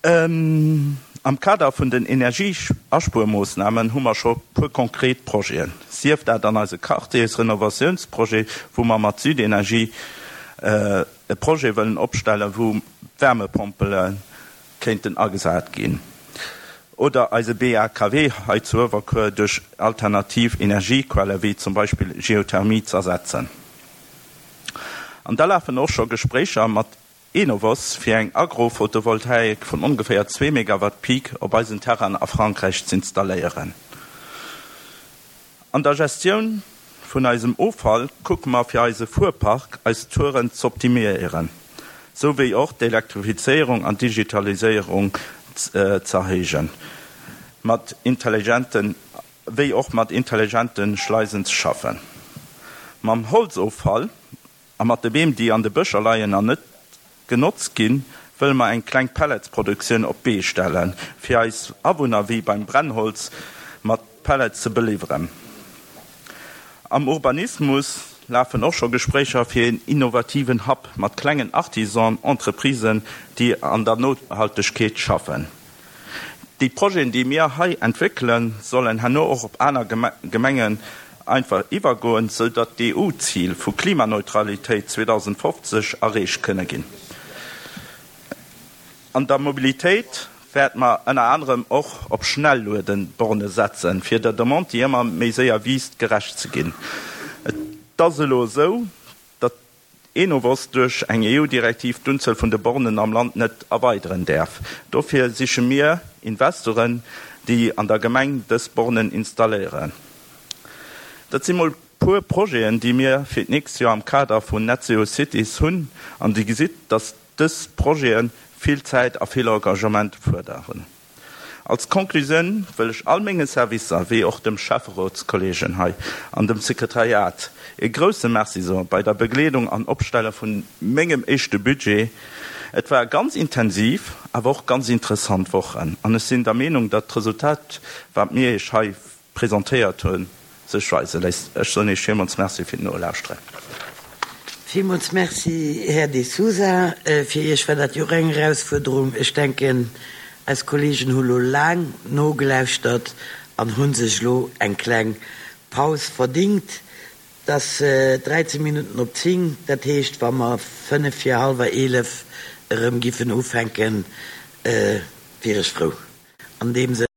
Ähm, am Kader vun den Energieaspuermoossnamen hu mer scho puer konkret Projeten. Sief dat an eise Quartiersrenovatiounsprojet, wou mer mat Südenergie, äh, e Projet wëllen opstellen, wou Wärmepompele kéinten agesat ginn. Oder eise B A K W hei zu Uewerkuer duerch alternativ Energiequelle wéi zum Beispill Geothermie ze ersetzen. An da lafen och scho Gespréicher mat Enovos fir eng Agrophotovoltaik vun ongeféier zwee Megawatt Peak op eisen Terrain a Frankräich ze installéieren. An der Gestioun vun eisem Offall kucke mer fir eise Fuhrpark eis Touren ze optimiéieren, sou wéi och d'Elektrifizéierung an Digitaliséierung z-, äh, ze erhéijen, mat intelligenten, wéi och mat intelligenten Schleisen ze schaffen. Mam Holzoffall a mat de Beem, déi an de Bëscher leien an net genotzt ginn, wëlle mer eng kleng Pelletsproduktioun op d'Bee stellen, fir eis Awunner wéi beim Brennholz mat Pellets ze beliwweren. Am Urbanismus lafen och scho Gespréicher fir een innovativen Hub mat klengen Artisan, Entreprisen, déi an der Nohaltegkeet schaffen. Déi Projeten, déi mir hei entwéckelen, sollen herno och op aner Geme-, Gemengen einfach iwwergoen, sou datt d'EU-Zil vu Klimaneutralitéit zweedausendfofzeg erreecht kënne ginn. An der Mobilitéit wäerte mer ënner anerem och op Schnelluedeborne setzen, fir der Demande, déi ëmmer méi séier wiisst, gerecht ze ginn. Et ass elo esou, datt Enovos duerch eng EU-Direktiv d'Unzuel vun de Bornen am Land net erweideren däerf. Dofir siche mir Investoren, déi an der Gemeng dës Bornen installéieren. Dat si mol puer Projeten, déi mir fir d'nächst Joer am Kader vun Net Zero Cities hunn. An Dir gesitt, datt dës Projete vill Zäit a vill Engagement fuerderen. Als Conclusioun wëll ech all menge Servicer, wéi och dem Schäfferotskolleegen hei an dem Sekretariat e grouse Merci soe bei der Begleedung an Opstelle vu mengem éischte Budget. Et war ganz intensiv, awer och ganz interessant Wochen an ech sinn der Meenung, datt d'Resultat, wat mir Iech hei presentéiert hunn, sech weise léisst. Ech soen Iech villmools Merci fir d'Nolauschteren. Villmools Merci, Här De Sousa. Fir Iech war dat jo och eng Erausfuerderung. Ech denken, eis Kolleegen hu lo laang nogelauschtert an hu sech lo eng kleng Paus verdingt. Et ass dräizéng Minutten op zéng, dat heescht, wa mer fënnef vir hallwer eelef erëm giffen ufänken, wier ech frou. An deem Sënn.